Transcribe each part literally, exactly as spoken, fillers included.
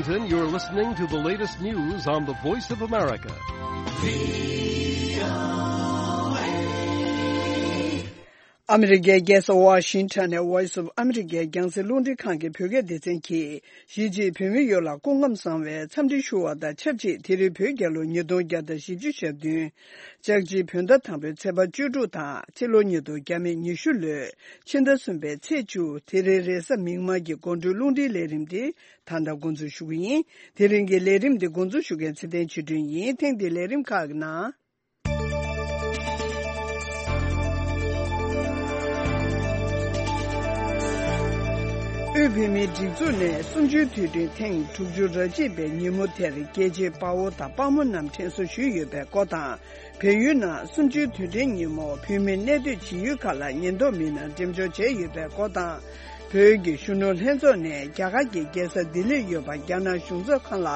You're listening to the latest news on the Voice of America. ཨ་མི་རི་ཀའི་རྒྱལ་ས་ཝ་ཤིང་ཊོན་ནས་Voice of America རྒྱང་སྲིང་རླུང་འཕྲིན་ཁང་གི་བོད་སྐད་སྡེ་ཚན་གྱིས། གཞིས་བྱེས་བོད་མི་ཡོངས་ལ་སྐུ་ཁམས་བཟང་བའི་འཚམས་འདྲི་ཞུ་བ་དང་ཆབས་ཅིག་དེ་རིང་བོད་རྒྱལ་ལོ་ཉིས་སྟོང་བརྒྱ་དང་བཞི་བཅུ་ཞེ་བདུན། ལྕགས་བྱི་བོད་ཟླ་དང་པོའི་ཚེས་པ་བཅུ་དྲུག་དང་ཕྱི་ལོ་ཉིས་སྟོང་ཉི་ཤུ་ལོའི་ཕྱི་ཟླ་གསུམ་པའི་ཚེས་བཅུ། དེ་རིང་རེས་གཟའ་མིག་དམར་གྱི་དགོང་དྲོའི་རླུང་འཕྲིན་ལས་རིམ་འདི་ད་ལྟ་འགོ་འཛུགས་ཞུ་གི་ཡིན། དེ་རིང་གི་ལས་རིམ་འདི་འགོ་འཛུགས་ཞུ་མཁན་ཚེ་བརྟན་ཆོས་སྒྲོན་ཡིན། ཐེངས་འདིའི་ལས་རིམ་ཁག་གི་ནང་། དབུས་བོད་མིའི་སྒྲིག་འཛུགས་ནས་གསུམ་བཅུའི་དུས་དྲན་ཐེངས་དྲུག་ཅུ་རེ་གཅིག་པའི་ཉིན་མོ་དེར་རྒྱལ་གཅེས་དཔའ་བོ་དང་དཔའ་མོ་རྣམས་དྲན་གསོ་ཞུས་ཡོད་པའི་སྐོར་དང་། བལ་ཡུལ་ནང་གསུམ་བཅུའི་དུས་དྲན་ཉིན་མོ་བོད་མི་གནས་སྡོད་བྱེད་ཡུལ་ཁག་ལ་ཉེན་རྟོག་མི་སྣར་འགྲེམས་འཇོག་བྱས་ཡོད་པའི་སྐོར་དང་། བོད་ཀྱི་གཞོན་ནུ་ལྷན་ཚོགས་ནས་རྒྱ་གར་གྱི་རྒྱལ་ས་ལྡི་ལིར་ཡོད་པ་རྒྱ་ནག་གཞུང་ཚབ་ཁང་ལ་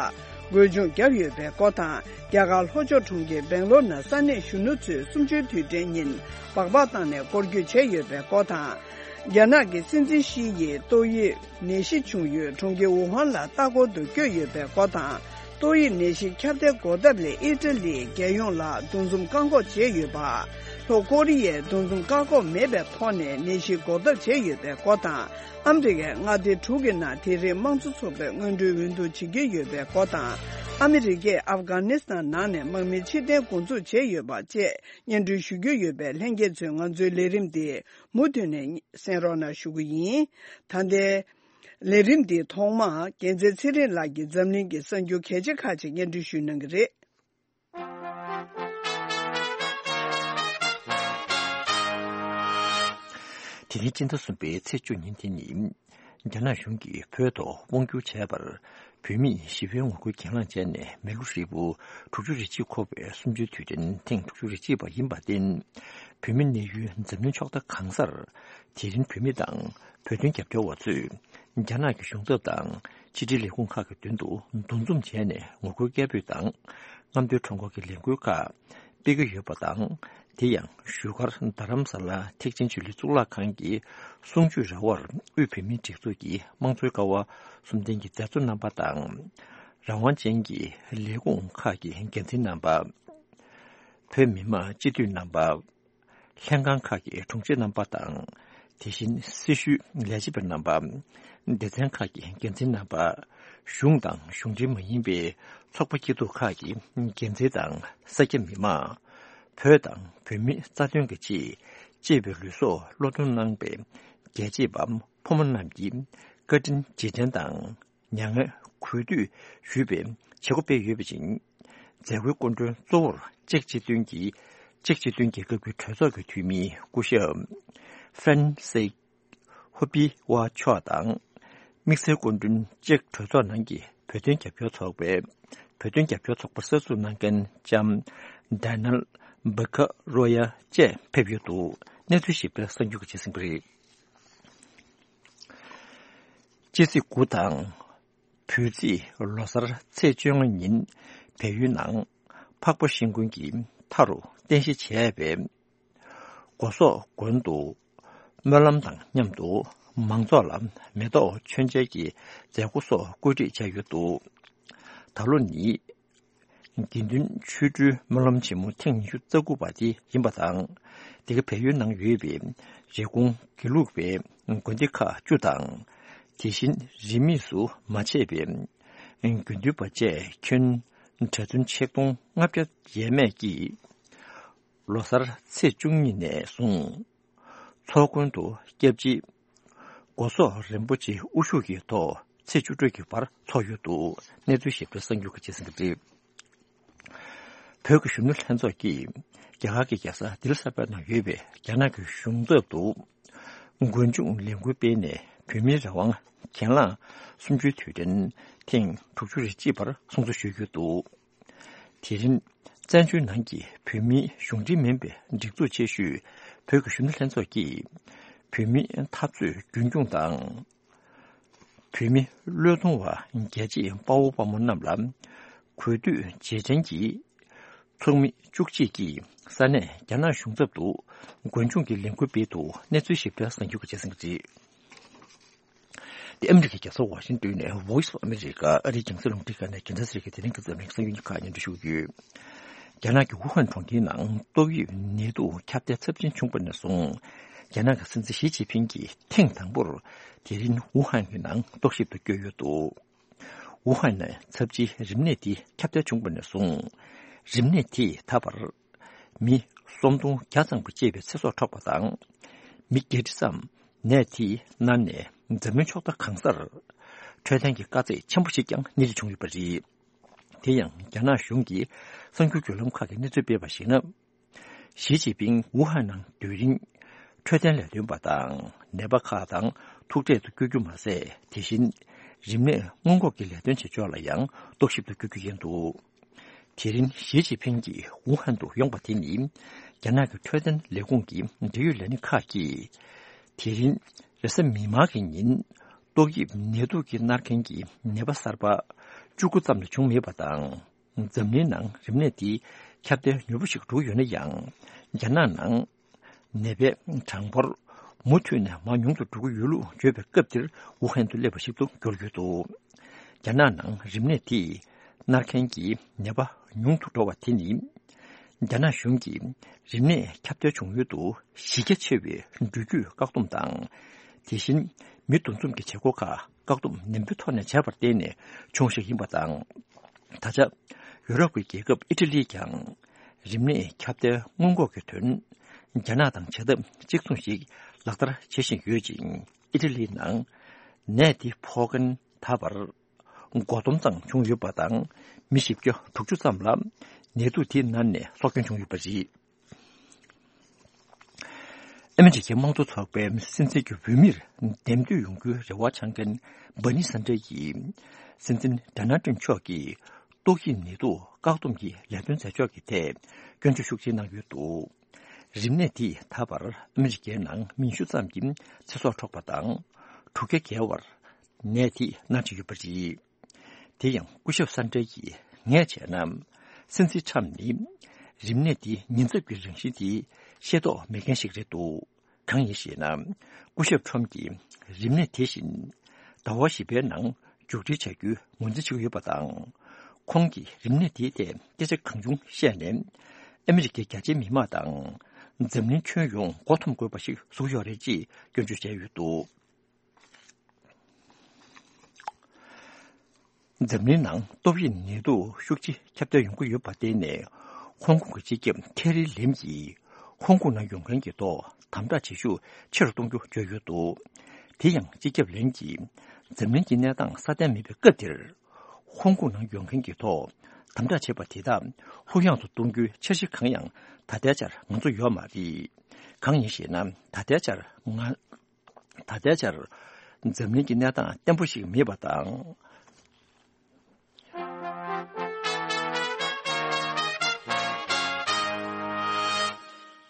འགོ་མཇུག་བརྒྱབ་ཡོད་པའི་སྐོར་དང་། རྒྱ་གར་ལྷོ་ཕྱོགས་གྲོང་ཁྱེར་སྦེང་ལོར་ནང་ས་གནས་གཞོན་ནུ་ཚོས་གསུམ་བཅུའི་དུས་དྲན་ཉིན་སྦག་སྦག་བཏང་ནས་སྐོར་སྐྱོད་བྱས་ཡོད་པའི་སྐོར་དང་། རྒྱ་ནག་གི་སྲིད་འཛིན་ཞི་ཡིས་ཏོག་དབྱིབས་ནད་གཞི་བྱུང་ཡུལ་གྲོང་ཁྱེར་ཝུ་ཧན་ལ་ལྟ་སྐོར་དུ་བསྐྱོད་ཡོད་པའི་སྐོར་དང་། ཏོག་དབྱིབས་ནད་གཞི་ཁྱབ་གདལ་འགོག་ཐབས་ལས་ཨི་ཊ་ལིའི་རྒྱལ་ཡོངས་ལ་འདུ་འཛོམས་བཀག་འགོག་བྱས་ཡོད་པ། ལྷོ་ཀོ་རི་ཡས་འདུ་འཛོམས་བཀག་འགོག་མེད་པའི་ཐོག་ནས་ནད་གཞི་འགོག་ཐབས་བྱས་ཡོད་པའི་སྐོར་དང་། ཨ་མི་རི་ཀའི་མངའ་སྡེ་དྲུག་གི་ནང་དེ་རིང་དམངས་གཙོ་ཚོགས་པའི་སྔོན་འགྲོའི་འོས་བསྡུ་བྱེད་ཀྱི་ཡོད་པའི་སྐོར་དང་། ཨ་མི་རི་ཀས་ཨབ་གྷ་ནི་སི་ཐན་ནང་ནས་དམག་མི་ཕྱིར་འཐེན་འགོ་འཛུགས་བྱས་ཡོད་པ་བཅས་སྙན་སྒྲོན་ཞུ་རྒྱུ་ཡོད་པས། ལྷན་རྒྱས་ཚོས་ང་ཚོའི་ལས་རིམ་འདི་མུ་མཐུད་ནས་གསན་རོགས་གནང་ཞུ་གི་ཡིན། ད་ལྟའི་ལས་རིམ་འདིའི་ཐོག་མར་རྒྱལ་མཚན་ཚེ་རིང་ལགས་ཀྱིས་འཛམ་གླིང་གི་གསར་འགྱུར་གལ་ཆེ་ཁག་ཅིག་སྙན་སྒྲོན་ཞུ་གནང་གི་རེད། དེ་རིང་སྤྱི་ཟླ་གསུམ་པའི་ཚེས་བཅུ་ཉིན་དེ་ནི། རྒྱ་ནག་གཞུང་གིས་བོད་ཐོག་དབང་བསྒྱུར་བྱས་པར། བོད་མིས་ཞི་བའི་ངོ་རྒོལ་གྱེན་ལངས་བྱས་ནས་མི་ལོ་ཧྲིལ་པོ་དྲུག་ཅུ་རེ་གཅིག་འཁོར་བའི་གསུམ་བཅུའི་དུས་དྲན་ཐེངས་དྲུག་ཅུ་རེ་གཅིག་པ་ཡིན་པར་བརྟེན། བོད་མི་གནས་ཡུལ་འཛམ་གླིང་ཕྱོགས་མཐའ་གང་སར། དེ་རིང་བོད་མི་དང་བོད་དོན་རྒྱབ་སྐྱོར་བ་ཚོས། རྒྱ་ནག་གི་གཞུང་ཚབ་དང་ཕྱི་དྲིལ་ལས་ཁུངས་ཁག་གི་མདུན་དུ་འདུ་འཛོམས་བྱས་ནས་ངོ་རྒོལ་སྐད་འབོད་དང་། རྔམ་སྟོན་ཁྲོམ་སྐོར་གྱི་ལས་འགུལ་ཁག་སྤེལ་གྱི་ཡོད་པ་དང་། དེ་ཡང་བཞུགས་སྒར་རྡ་རམ་ས་ལ་ཐེག་ཆེན་ཆོས་གླིང་གཙུག་ལག་ཁང་གི་གསུང་ཆོས་ར་བར་དབུས་བོད་མིའི་སྒྲིག་འཛུགས་ཀྱི་དམངས་གཙོའི་ཀ་བ་གསུམ་ལྡན་གྱི་མཛད་གཙོ་རྣམ་པ་དང་། རང་དབང་ཅན་གྱི་ལས་ཁུངས་ཁག་གི་འགན་འཛིན་རྣམ་པ། བོད་མི་མང་སྤྱི་འཐུས་རྣམ་པ། ལྷན་ཁང་ཁག་གི་དྲུང་ཆེ་རྣམ་པ་དང་། དེ་བཞིན་སྲི་ཞུའི་ལས་བྱེད་པ་རྣམ་པ། སྡེ་ཚན་ཁག་གི་འགན་འཛིན་རྣམ་པ། གཞུང་དང་གཞུང་འབྲེལ་མ་ཡིན་པའི་ཚོགས་པ་སྐྱིད་སྡུག་ཁག་གི་འགན་འཛིན་དང་། ས་སྐྱ་མི་མང་། བོད་དང་བོད་མིའི་རྩ་དོན་གྱི་ཆེད་གཅེས་པའི་ལུས་སྲོག་བློས་གཏོང་གནང་པའི་རྒྱལ་གཅེས་པ་ཕོ་མོ་རྣམས་ཀྱི་བཀའ་དྲིན་རྗེས་དྲན་དང་། མྱ་ངན་གུས་འདུད་ཞུས་པའི་བྱེད་སྒོ་སྤེལ་ཡོད་པ་བཞིན། མཛད་སྒོའི་སྐུ་མགྲོན་གཙོ་བོར་ཅེཀ་སྤྱི་མཐུན་གྱི། ཅེཀ་སྤྱི་མཐུན་རྒྱལ་ཁབ་ཀྱི་གྲོས་ཚོགས་ཀྱི་འཐུས་མི་སྐུ་ཞབས་ཧྥན་སེ་ཧོ་པི་ཝ་མཆོག་དང་། དམིགས་བསལ་སྐུ་མགྲོན་ཅེཀ་གྲོས་ཚོགས་ནང་གི་བོད་དོན་རྒྱབ་སྐྱོར་ཚོགས་པའི། བོད་དོན་རྒྱབ་སྐྱོར་ཚོགས་པ་གསར་འཛུགས་གནང་མཁན་ལྕམ་ཌེ་ནལ་བྷ་ཀ་རོ་ཡ་བཅས་ཕེབས་ཡོད་འདུག་གནས་ཚུལ་ཞིབ་ཕྲ་གསར་འགྱུར་གྱི་རྗེས་ཟིན་པ་རེད། སྤྱི་ཚེས་དགུ་དང་། བོད་རྩིས་ལོ་གསར་ཚེས་བཅོ་ལྔ་ཉིན་བལ་ཡུལ་ནང་འཕགས་པ་ཤིང་ཀུན་གྱི་མཐའ་རུ་རྟེན་གཞི་བྱས་པའི་སྒོ་ཟོག་དགོན་དུ་སྨོན་ལམ་དང་མཉམ་དུ་མང་ཚོགས་ལ་མེ་ཏོག་མཆོད་མཇལ་གྱི་མཛད་སྒོ་སོགས་བཀོད་སྒྲིག་བྱས་ཡོད་འདུག་ད་ལོ་ནི་དགེ་འདུན་ཆོ་འཕྲུལ་སྨོན་ལམ་ཆེན་མོ་ཐེངས་ཉི་ཤུ་རྩ་དགུ་པ་དེ་ཡིན་པ་དང་། དེ་ག་བལ་ཡུལ་ནང་ཡོད་པའི་རེབ་གོང་དགེ་ལུགས་པའི་དགོན་སྡེ་ཁག་བཅུ་དང་། དེ་བཞིན་རིས་མེད་སུ་མ་ཆད་པའི་དགེ་འདུན་པ་བཅས་ཁྱོན་གྲྭ་བཙུན་ཆིག་སྟོང་ལྔ་བརྒྱ་ཡས་མས་ཀྱིས་ལོ་གསར་ཚེས་བཅུ་གཉིས་ནས་བཟུང་ཚོགས་མགོན་དུ་སྐྱབས་རྗེ་སྒོ་ཟོག་རིན་པོ་ཆེ་དབུ་བཞུགས་ཀྱི་ཐོག་ཚེས་བཅུ་དྲུག་གི་བར་འཚོགས་ཡོད་འདུག་གནས་ཚུལ་ཞིབ་ཕྲ་གསར་འགྱུར་གྱི་རྗེས་ཟིན་གྱི་རེད། བོད་ཀྱི་གཞོན་ནུ་ལྷན་ཚོགས་ཀྱིས་རྒྱ་གར་གྱི་རྒྱལ་ས་ལྡི་ལི་གསར་པའི་ནང་ཡོད་པའི་རྒྱ་ནག་གི་གཞུང་ཚབ་ཏུ་མགོ་མཇུག་ལས་འགུལ་སྤེལ་ནས་བོད་མིའི་རང་དབང་གྱེན་ལངས་གསུམ་བཅུའི་དུས་དྲན་ཐེངས་དྲུག་ཅུ་རེ་གཅིག་པར་སྲུང་བརྩི་ཞུས་ཡོད་འདུག་དེ་རིང་བཙན་བྱོལ་ནང་གི་བོད་མིའི་གཞུང་འབྲེལ་མིན་པའི་སྒྲིག་འཛུགས་ཆེ་ཤོས་བོད་ཀྱི་གཞོན་ནུ་ལྷན་ཚོགས་ཀྱིས་བོད་མིའི་འཐབ་རྩོད་རྒྱུན་འཁྱོངས་དང་། བོད་མི་བློས་གཏོང་བ་རྒྱལ་གཅེས་དཔའ་བོ་དཔའ་མོ་རྣམས་ལ་གུས་འདུད་རྗེས་དྲན་གྱི་ཚོགས་མི་བཅུ་གཅིག་གིས་ས་གནས་རྒྱ་ནག་གཞུང་ཚབ་ཏུ་མགོན་ཆུང་གི་ལས་འགུལ་སྤེལ་འདུག་གནས་ཚུལ་ཞིབ་ཕྲ་གསར་འགྱུར་གྱི་རྗེས་ཟིན་གྱི་རེད། ཨ་མི་རི་ཀའི་རྒྱལ་ས་ཝ་ཤིང་ཏོན་ནས་Voice of America ཨ་རིའི་རྒྱང་སྲིང་རླུང་འཕྲིན་ཁང་ནས་རྒྱལ་མཚན་ཟེར་གྱི་དེ་རིང་གི་འཛམ་གླིང་གསར་འགྱུར་ཁག་སྙན་སྒྲོན་ཞུ་རྒྱུ། རྒྱ་ནག་གི་ཝུ་ཧན་གྲོང་ཁྱེར་ནང་ཏོག་དབྱིབས་ནད་དུག་ཁྱབ་གདལ་ཚབས་ཆེན་བྱུང་བ་ནས་བཟུང་། རྒྱ་ནག་གི་སྲིད་འཛིན་ཞི་ཅིན་ཕིང་གིས་ཐེངས་དང་པོར་དེ་རིང་ཝུ་ཧན་གྱི་ནང་རྟོག་ཞིབ་ཏུ་བསྐྱོད་ཡོད་འདུག་ཝུ་ཧན་ནས་ཚབས་ཆེའི་རིམས་ནད་འདི་ཁྱབ་གདལ་བྱུང་བ་ནས་བཟུང་། རིམས་ནད་དེས་ད་བར་མི་སུམ་སྟོང་བརྒྱ་ཙམ་གྱི་ལྕེབས་པའི་ཚེ་སྲོག་འཕྲོག་པ་དང་། མི་བརྒྱད་ཁྲི་ཙམ་ནད་དེས་མནར་ནས་འཛམ་གླིང་ཕྱོགས་མཐའ་གང་སར་འཕྲོད་བསྟེན་གྱི་དཀའ་ཚེགས་ཆེན་པོ་ཞིག་ཀྱང་སྣེ་ཁྲིད་བྱུང་ཡོད་པ་རེད། དེ་ཡང་རྒྱ་ནག་གཞུང་གི་གསར་འགྱུར་བརྒྱུད་ལམ་ཁག་གིས་གནས་ཚུལ་སྤེལ་བར་གཞིགས་ན། ཞི་ཅིན་ཕིང་ཝུ་ཧན་ནང་སྡོད་རིང་། འཕྲོད་བསྟེན་ལས་དོན་པ་དང་ནད་པ་ཁག་དང་ཐུག་འཕྲད་དུ་བསྐྱོད་རྒྱུ་མ་ཟད། དེ་བཞིན་རིམས་ནད་སྔོན་འགོག་གི་ལས་དོན་བྱེད་ཕྱོགས་ལ་ཡང་རྟོག་ཞིབ་ཏུ་བསྐྱོད་རྒྱུ་ཡིན་འདུག་དེ་རིང་ཞི་ཅིན་ཕིང་གིས་ཝུ་ཧན་དུ་ཡོང་པ་དེ་ནི། རྒྱ་ནག་གི་འཕྲོད་བསྟེན་ལས་ཁུངས་ཀྱི་འབྲེལ་ཡོད་ལས་སྣེ་ཁག་གིས། དེ་རིང་རེས་གཟའ་མིག་དམར་གྱི་ཉིན། ཏོག་དབྱིབས་ནད་དུག་གིས་མནར་མཁན་གྱི་ནད་པ་གསར་པ་བཅུ་དགུ་ཙམ་ལས་བྱུང་མེད་པ་དང་། འཛམ་གླིང་ནང་རིམས་ནད་འདི་ཁྱབ་གདལ་མྱུར་པོ་ཞིག་འགྲོ་གི་ཡོད་ན་ཡང་། རྒྱ་ནག་ནང་ནད་པའི་གྲངས་འབོར་མུ་མཐུད་ནས་མར་ཉུང་དུ་འགྲོ་གི་ཡོད་ལུགས་བརྗོད་པའི་སྐབས་འདིར་ཝུ་ཧན་དུ་སླེབས་པ་ཞིག་ཏུ་གྱུར་ཡོད་འདུག་རྒྱ་ནག་ནང་རིམས་ནད་དེས་མནར་མཁན་གྱི་ནད་པ་ཉུང་དུ་འགྲོ་བ་དེ་ནི། རྒྱ་ནག་གཞུང་གིས་རིམས་ནད་ཁྱབ་གདལ་བྱུང་ཡུལ་དུ་གཞི་རྒྱ་ཆེ་བའི་འགྲུལ་སྐྱོད་བཀག་སྡོམ་དང་། དེ་བཞིན་མི་འདུ་འཛོམས་ཀྱི་བྱེད་སྒོ་ཁག་བཀག་སྡོམ་ནན་པོའི་ཐོག་ནས་བྱས་པར་བརྟེན་ནས་བྱུང་ཞིག་ཡིན་པ་དང་། ད་ཆ་ཡུ་རོབ་ཀྱི་རྒྱལ་ཁབ་ཨི་ཊ་ལིས་ཀྱང་རིམས་ནད་ཁྱབ་གདལ་སྔོན་འགོག་གི་དོན། རྒྱ་ནག་དང་བྱ་ཐབས་གཅིག་མཚུངས་ཤིག་ལག་བསྟར་བྱེད་བཞིན་ཡོད་ཅིང་། ཨི་ཊ་ལིའི་ནང་ནད་འདི་ཕོག་མཁན་ད་བར་འགོ་སྟོང་ཙམ་བྱུང་ཡོད་པ་དང་། མི་བཞི་བརྒྱ་དྲུག་ཅུ་ཙམ་ལ་ནད་དུག་དེའི་མནར་ནས་སྲོག་སྐྱོན་བྱུང་ཡོད་པ་རེད། ཨ་མི་རི་ཀའི་དམངས་གཙོ་ཚོགས་པའི་སྲིད་འཛིན་གྱི་འོས་མིར་འདེམས་ཐོན་ཡོང་རྒྱུའི་རེ་བ་འཆང་མཁན་སྦར་ནི་སན་ཌར་ཡིས། སྲིད་འཛིན་ཌོ་ནལ་ཊམ་མཆོག་གིས་ཏོག་དབྱིབས་ནད་དུག་བཀག་སྡོམ་གྱི་ལས་དོན་མཛད་ཕྱོགས་ཀྱི་ཐད་སྐྱོན་བརྗོད་ཤུགས་ཆེ་གནང་ཡོད་འདུག་རིམས་ནད་དེས་ད་བར་ཨ་མི་རི་ཀའི་ནང་མི་བཞི་ཙམ་གྱི་ཚེ་སྲོག་འཕྲོག་པ་དང་། དྲུག་བརྒྱ་བརྒལ་བར་ནད་དེས་མནར་བཞིན་ཡོད་པ་རེད། དེ་ཡང་སྐུ་ཞབས་སན་ཏྲེ་ཡིས་ངས་བྱས་ན། སྲིད་འཛིན་ཁྲམ་ནི་རིམས་ནད་འདིའི་ཉེན་ཚབས་ཀྱི་རང་བཞིན་དེ་ཤེས་རྟོགས་མེད་མཁན་ཞིག་རེད་འདུག་གང་ཡིན་ཞེ་ན། སྐུ་ཞབས་ཁྲམ་གྱིས་རིམས་ནད་དེ་བཞིན་ཟླ་བ་བཞི་པའི་ནང་མཇུག་སྒྲིལ་བྱ་རྒྱུའི་ངོས་འཛིན་བྱེད་ཀྱི་ཡོད་པ་དང་། ཁོང་གིས་རིམས་ནད་དེའི་ཐད་སྐད་ཆ་གང་བྱུང་བཤད་ནས། ཨ་མི་རི་ཀའི་རྒྱ་ཆེའི་མི་མང་དང་། འཛམ་གླིང་ཁྱོན་ཡོངས་མགོ་འཐོམ་དགོས་པ་ཞིག་བཟོ་གི་ཡོད་རེད་ཅེས་སྐྱོན་བརྗོད་བྱས་ཡོད་འདུག་འཛམ་གླིང་ནང་ཏོག་དབྱིབས་ནད་དུག་ཤུགས་ཆེ་ཁྱབ་གདལ་ཡོང་གི་ཡོད་པ་བརྟེན་ནས། ཧོང་ཀོང་གི་སྤྱི་ཁྱབ་ཁེ་རི་ལེམ་གྱིས་ཧོང་ཀོང་ནང་ཡོང་མཁན་གྱི་ཐོག་དམ་དྲག་བྱེད་ཤུགས་ཆེ་རུ་གཏོང་རྒྱུ་བརྗོད་ཡོད་འདུག་དེ་ཡང་སྤྱི་ཁྱབ་ལེམ་གྱིས་འཛམ་གླིང་གི་གནས་སྟངས་སྲ་བརྟན་མེད་པའི་སྐབས་འདིར། ཧོང་ཀོང་ནང་ཡོང་མཁན་གྱི་ཐོག་དམ་དྲག་བྱས་པ་དེ་དག་ལྷུག་ཡངས་སུ་གཏོང་རྒྱུའི་འཆར་གཞི་གང་ཡང་ད་ལྟའི་ཆར་ང་ཚོ་ཡོད་མ་རེད། གང་ཡིན་ཞེ་ན། ད་ལྟའི་ཆར་ང་། ད་ལྟའི་ཆར་འཛམ་གླིང་གི་གནས་སྟངས་བརྟན་པོ་ཞིག་མེད་པ་དང་།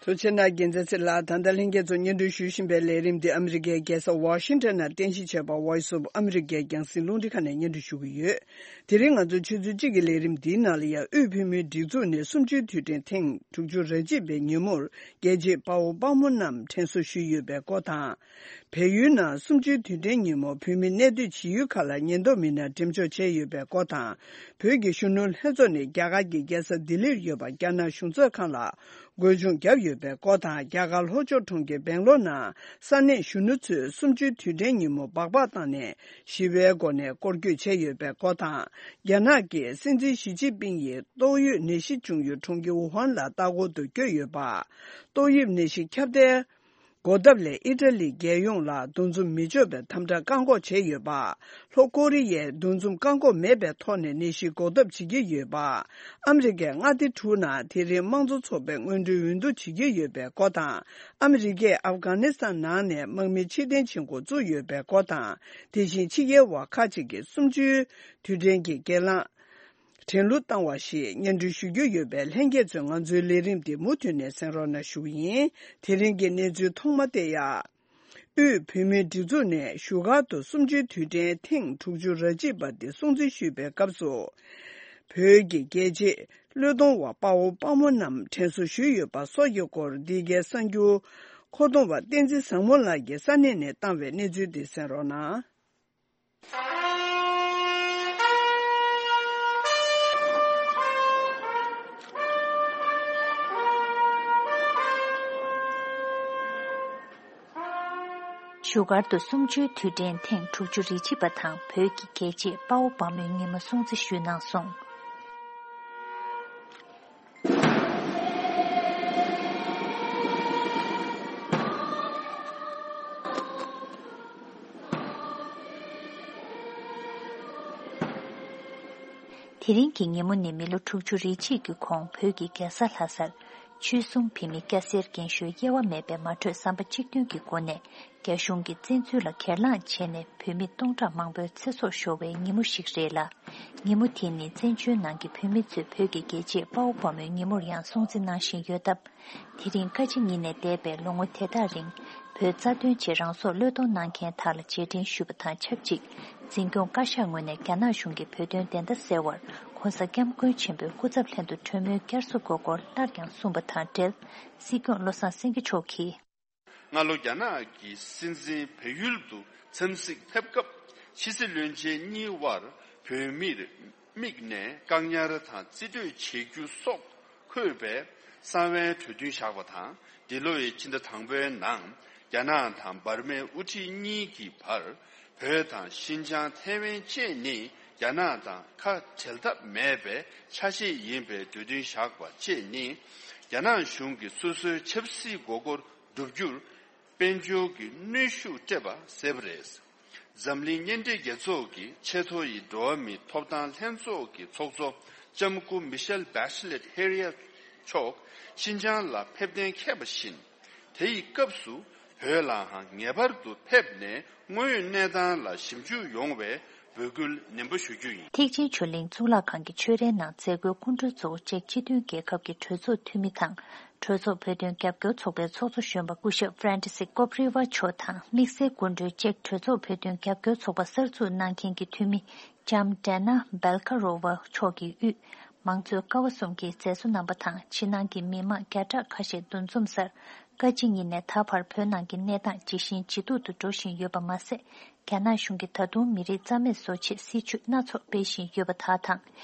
ཐུགས་རྗེ་གནང་། རྒྱལ་མཚན་ཚེ་ལགས། ད་ལྟ་ལྷན་རྒྱས་ཚོ་སྙན་སྒྲོན་ཞུ་བཞིན་པའི་ལས་རིམ་འདི་ཨ་མི་རི་ཀའི་རྒྱལ་ས་ཝ་ཤིང་ཊོན་ནང་རྟེན་གཞི་བྱས་པ་Voice of America རྒྱང་སྲིང་རླུང་འཕྲིན་ཁང་ནས་སྙན་སྒྲོན་ཞུ་གི་ཡོད། དེ་རིང་ང་ཚོ་ཆུ་ཚོད་གཅིག་གི་ལས་རིམ་འདིའི་ནང་ལ་ཡང་དབུས་བོད་མིའི་སྒྲིག་འཛུགས་ནས་གསུམ་བཅུའི་དུས་དྲན་ཐེངས་དྲུག་ཅུ་རེ་གཅིག་པའི་ཉིན་མོར་རྒྱལ་གཅེས་དཔའ་བོ་དཔའ་མོ་རྣམས་དྲན་གསོ་ཞུས་ཡོད་པའི་སྐོར་དང་། བལ་ཡུལ་ནང་གསུམ་བཅུའི་དུས་དྲན་ཉིན་མོར་བོད་མི་གནས་སྡོད་བྱེད་ཡུལ་ཁག་ལ་ཉེན་རྟོག་མི་སྣ་འགྲེམས་འཇོག་བྱས་ཡོད་པའི་སྐོར་དང་། བོད་ཀྱི་གཞོན་ནུ་ལྷན་ཚོགས་ནས་རྒྱ་གར་གྱི་རྒྱལ་ས་ལྡི་ལིར་ཡོད་པ་རྒྱ་ནག་གཞུང་ཚབ་ཁང་ལ་རྒོལ་བྱུང་བརྒྱབ་ཡོད་པའི་སྐོར་དང་། རྒྱ་གར་ལྷོ་ཕྱོགས་གྲོང་ཁྱེར་སྦེང་ལོར་ནང་ས་གནས་གཞོན་ནུ་ཚོས་གསུམ་བཅུའི་དུས་དྲན་ཉིན་མོ་སྦག་སྦག་བཏང་ནས་ཞི་བའི་སྒོ་ནས་སྐོར་སྐྱོད་བྱས་ཡོད་པའི་སྐོར་དང་། རྒྱ་ནག་གི་སྲིད་འཛིན་ཞི་ཅིན་ཕིང་ཡིས་ཏོག་དབྱིབས་ནད་གཞི་བྱུང་ཡུལ་གྲོང་ཁྱེར་ཝུ་ཧན་ལ་ལྟ་སྐོར་དུ་བསྐྱོད་ཡོད་པ། ཏོག་དབྱིབས་ནད་གཞི་ཁྱབ་གདལ་འགོག་ཐབས་ལས་ཨི་ཊ་ལིའི་རྒྱལ་ཡོངས་ལ་འདུ་འཛོམས་མི་འཇོག་པའི་དམ་དྲག་བཀག་འགོག་བྱས་ཡོད་པ། ལྷོ་ཀོ་རི་ཡས་འདུ་འཛོམས་བཀག་འགོག་མེད་པའི་ཐོག་ནས་ནད་གཞི་འགོག་ཐབས་བྱེད་ཀྱི་ཡོད་པ། ཨ་མི་རི་ཀས་མངའ་སྡེ་དྲུག་ནང་དེ་རིང་དམངས་གཙོ་ཚོགས་པའི་སྔོན་འགྲོའི་འོས་བསྡུ་བྱེད་ཀྱི་ཡོད་པའི་སྐོར་དང་། ཨ་མི་རི་ཀས་ཨབ་གྷ་ནི་སི་ཐན་ནང་ནས་དམག་མི་ཕྱིར་འཐེན་བྱེད་འགོ་བཙུགས་ཡོད་པའི་སྐོར་དང་། དེ་བཞིན་ཕྱི་རྒྱལ་བ་ཁག་ཅིག་གིས་གསུམ་བཅུའི་དུས་དྲན་གྱི་སྒེར་ལངས་དྲན་གླུ་བཏང་བ་ཞིག་སྙན་སྒྲོན་ཞུ་རྒྱུ་ཡོད་པས། ལྷན་རྒྱས་ཚོས་ང་ཚོའི་ལས་རིམ་འདི་མུ་མཐུད་ནས་གསན་རོགས་གནང་ཞུ་གི་ཡིན། དེ་རིང་གི་གནས་ཚུལ་ཐོག་མ་སྟེར་ཡག་དབུས་བོད་མིའི་སྒྲིག་འཛུགས་ནས་བཞུགས་སྒར་དུ་གསུམ་བཅུའི་དུས་དྲན་ཐེངས་དྲུག་ཅུ་རེ་གཅིག་པ་འདི་སྲུང་བརྩི་ཞུས་པའི་སྐབས་སུ། བོད་ཀྱི་རྒྱལ་གཅེས་བློས་གཏོང་བ་དཔའ་བོ་དཔའ་མོ་རྣམས་དྲན་གསོ་ཞུས་ཡོད་པ་སོགས་ཀྱི་སྐོར། འདི་གའི་གསར་འགྱུར་མཁོ་གཏོང་བ་བསྟན་འཛིན་བཟང་མོ་ལགས་ཀྱིས་ས་གནས་ནས་བཏང་བའི་གནས་ཚུལ་འདི་གསན་རོགས་གནང་། བཞུགས་སྒར་དུ་གསུམ་བཅུའི་དུས་དྲན་ཐེངས་དྲུག་ཅུ་རེ་གཅིག་པ་དང་བོད་ཀྱི་རྒྱལ་གཅེས་དཔའ་བོ་དཔའ་མོའི་ཉིན་མོ་སྲུང་བརྩི་ཞུས་གནང་སོང་། དེ་རིང་གི་ཉིན་མོ་ནི་མི་ལོ་དྲུག་ཅུ་རེ་གཅིག་གི་གོང་བོད་ཀྱི་རྒྱལ་ས་ལྷ་སར། ཆོལ་གསུམ་བོད་མི་སྐྱ་སེར་རྒན་གཞོན་དབྱེ་བ་མེད་པའི་མ་གྲོས་བསམ་པ་གཅིག་མཐུན་གྱི་སྒོ་ནས་རྒྱ་གཞུང་གི་བཙན་འཛུལ་ལ་སྒེར་ལངས་བྱས་ནས་བོད་མི་སྟོང་ཕྲག་མང་པོའི་ཚེ་སྲོག་ཤོར་བའི་ཉིན་མོ་ཞིག་རེད་ལ། ཉིན་མོ་དེ་ནི་བཙན་བྱོལ་ནང་གི་བོད་མི་ཚོས་བོད་ཀྱི་རྒྱལ་གཅེས་དཔའ་བོ་དཔའ་མོའི་ཉིན་མོར་ཡང་སྲུང་བརྩི་གནང་བཞིན་ཡོད་སྟབས། དེ་རིང་བཀའ་སྤྱི་གཉིས་ནས་འདས་པའི་ལོ་ངོ་དེ་དག་རིང་བོད་རྩ་དོན་ཆེད་རང་སྲོག་བློས་གཏོང་གནང་མཁན་དག་ལ་རྗེས་དྲན་ཞུ་བ་དང་ཆབས་ཅིག་འཛིན་སྐྱོང་བཀའ་ཤག་ངོས་ནས་རྒྱ་ནག་གཞུང་གིས་བོད་དོན་བདེན་མཐའ་གསལ་བར་༸གོང་ས་༸སྐྱབས་མགོན་ཆེན་པོའི་སྐུ་ཚབ་ལྷན་དུ་གྲོས་མོལ་བསྐྱར་གསོ་དགོས་སྐོར་སླར་ཡང་གསུངས་པ་དང་འབྲེལ། སྲིད་སྐྱོང་བློ་བཟང་སེང་གེ་མཆོག་གིས། སྔ་ལོ་རྒྱ་ནག་གི་སྲིད་འཛིན་བལ་ཡུལ་དུ་འཚམས་གཟིགས་ཕེབས་སྐབས་ཕྱི་སྲིད་བློན་ཆེན་གཉིས་དབར་བོད་མིར་དམིགས་ནས་བཀག་ཉར་དང་རྩིས་སྤྲོད་བྱེད་རྒྱུ་སོགས་འཁོད་པའི་གསང་བའི་གྲོས་མཐུན་བཞག་པ་དང་། འདི་ལོའི་ཕྱི་ཟླ་དང་པོའི་ནང་རྒྱ་ནག་དང་འབར་མའི་དབུ་ཁྲིད་གཉིས་ཀྱི་བར་བོད་དང་ཤིན་ཅང་ཐའེ་ཝན་བཅས་ནི་རྒྱ་ནག་དང་ཁ་བྲལ་ཐབས་མེད་པའི་ཆ་ཤས་ཡིན་པའི་གྲོས་མཐུན་བཞག་པ་བཅས་ནི་རྒྱ་ནག་གཞུང་གིས་སོ་སོའི་ཆབ་སྲིད་མགོ་སྐོར་བསྒྲུབ་རྒྱུར་དཔལ་འབྱོར་གྱི་གནོན་ཤུགས་སྤྲད་པ་གསལ་པོ་རེད། འཛམ་གླིང་གཉེན་སྒྲིག་རྒྱལ་ཚོགས་ཀྱི་ཆེས་མཐོ་ཡི་འགྲོ་བ་མིའི་ཐོབ་ཐང་ལྷན་ཚོགས་ཀྱི་ཚོགས་གཙོ་ལྕམ་སྐུ་མི་ཤེལ་བྷེ་ཤི་ལེད་ཧེ་རི་ཡ་མཆོག་ཤིན་ཅང་ལ་ཕེབས་གཏན་འཁེལ་བ་བཞིན། དེ་ཡི་སྐབས་སུ་བོད་ལའང་ངེས་པར་དུ་ཕེབས་ནས་དངོས་ཡོད་གནས་སྟངས་ལ་ཞིབ་འཇུག་ཡོང་བའི་འབོད་སྐུལ་ནན་པོ་ཞུ་རྒྱུ་ཡིན། ཐེག་ཆེན་ཆོས་གླིང་གཙུག་ལག་ཁང་གི་ཆོས་རའི་ནང་མཛད་སྒོའི་སྐུ་མགྲོན་གཙོ་བོ་ཅེཀ་སྤྱི་མཐུན་རྒྱལ་ཁབ་ཀྱི་གྲོས་ཚོགས་འཐུས་མི་དང་། གྲོས་ཚོགས་བོད་དོན་རྒྱབ་སྐྱོར་ཚོགས་པའི་ཚོགས་གཙོ་གཞོན་པ་སྐུ་ཞབས་ཧྥ་རན་ཏི་སི་ཀོ་པྲི་ཝ་མཆོག་དང་དམིགས་བསལ་སྐུ་མགྲོན་ཅེཀ་གྲོས་ཚོགས་བོད་དོན་རྒྱབ་སྐྱོར་ཚོགས་པ་གསར་འཛུགས་གནང་མཁན་གྱི་འཐུས་མི་ལྕམ་ཌེ་ན་སྦེལ་ཁ་རོ་ཝ་མཆོག་གིས་དབུས་མང་གཙོའི་ཀ་བ་གསུམ་གྱི་མཛད་གཙོ་རྣམ་པ་དང་ཕྱི་ནང་གི་མི་མང་བརྒྱ་ཕྲག་ཁ་ཤས་འདུ་འཛོམས་སར། བཀའ་སྤྱི་གཉིས་ནས་ད་བར་བོད་ནང་གི་གནས་སྟངས་ཇེ་ཞན་ཇེ་སྡུག་ཏུ་འགྲོ་བཞིན་ཡོད་པ་མ་ཟད། རྒྱ་ནག་གཞུང་གིས་ད་དུང་མི་རིགས་རྩ་མེད་བཟོ་ཆེད་སྲིད་བྱུས་སྣ་ཚོགས་སྤེལ་བཞིན་ཡོད་པ་དག་དང་།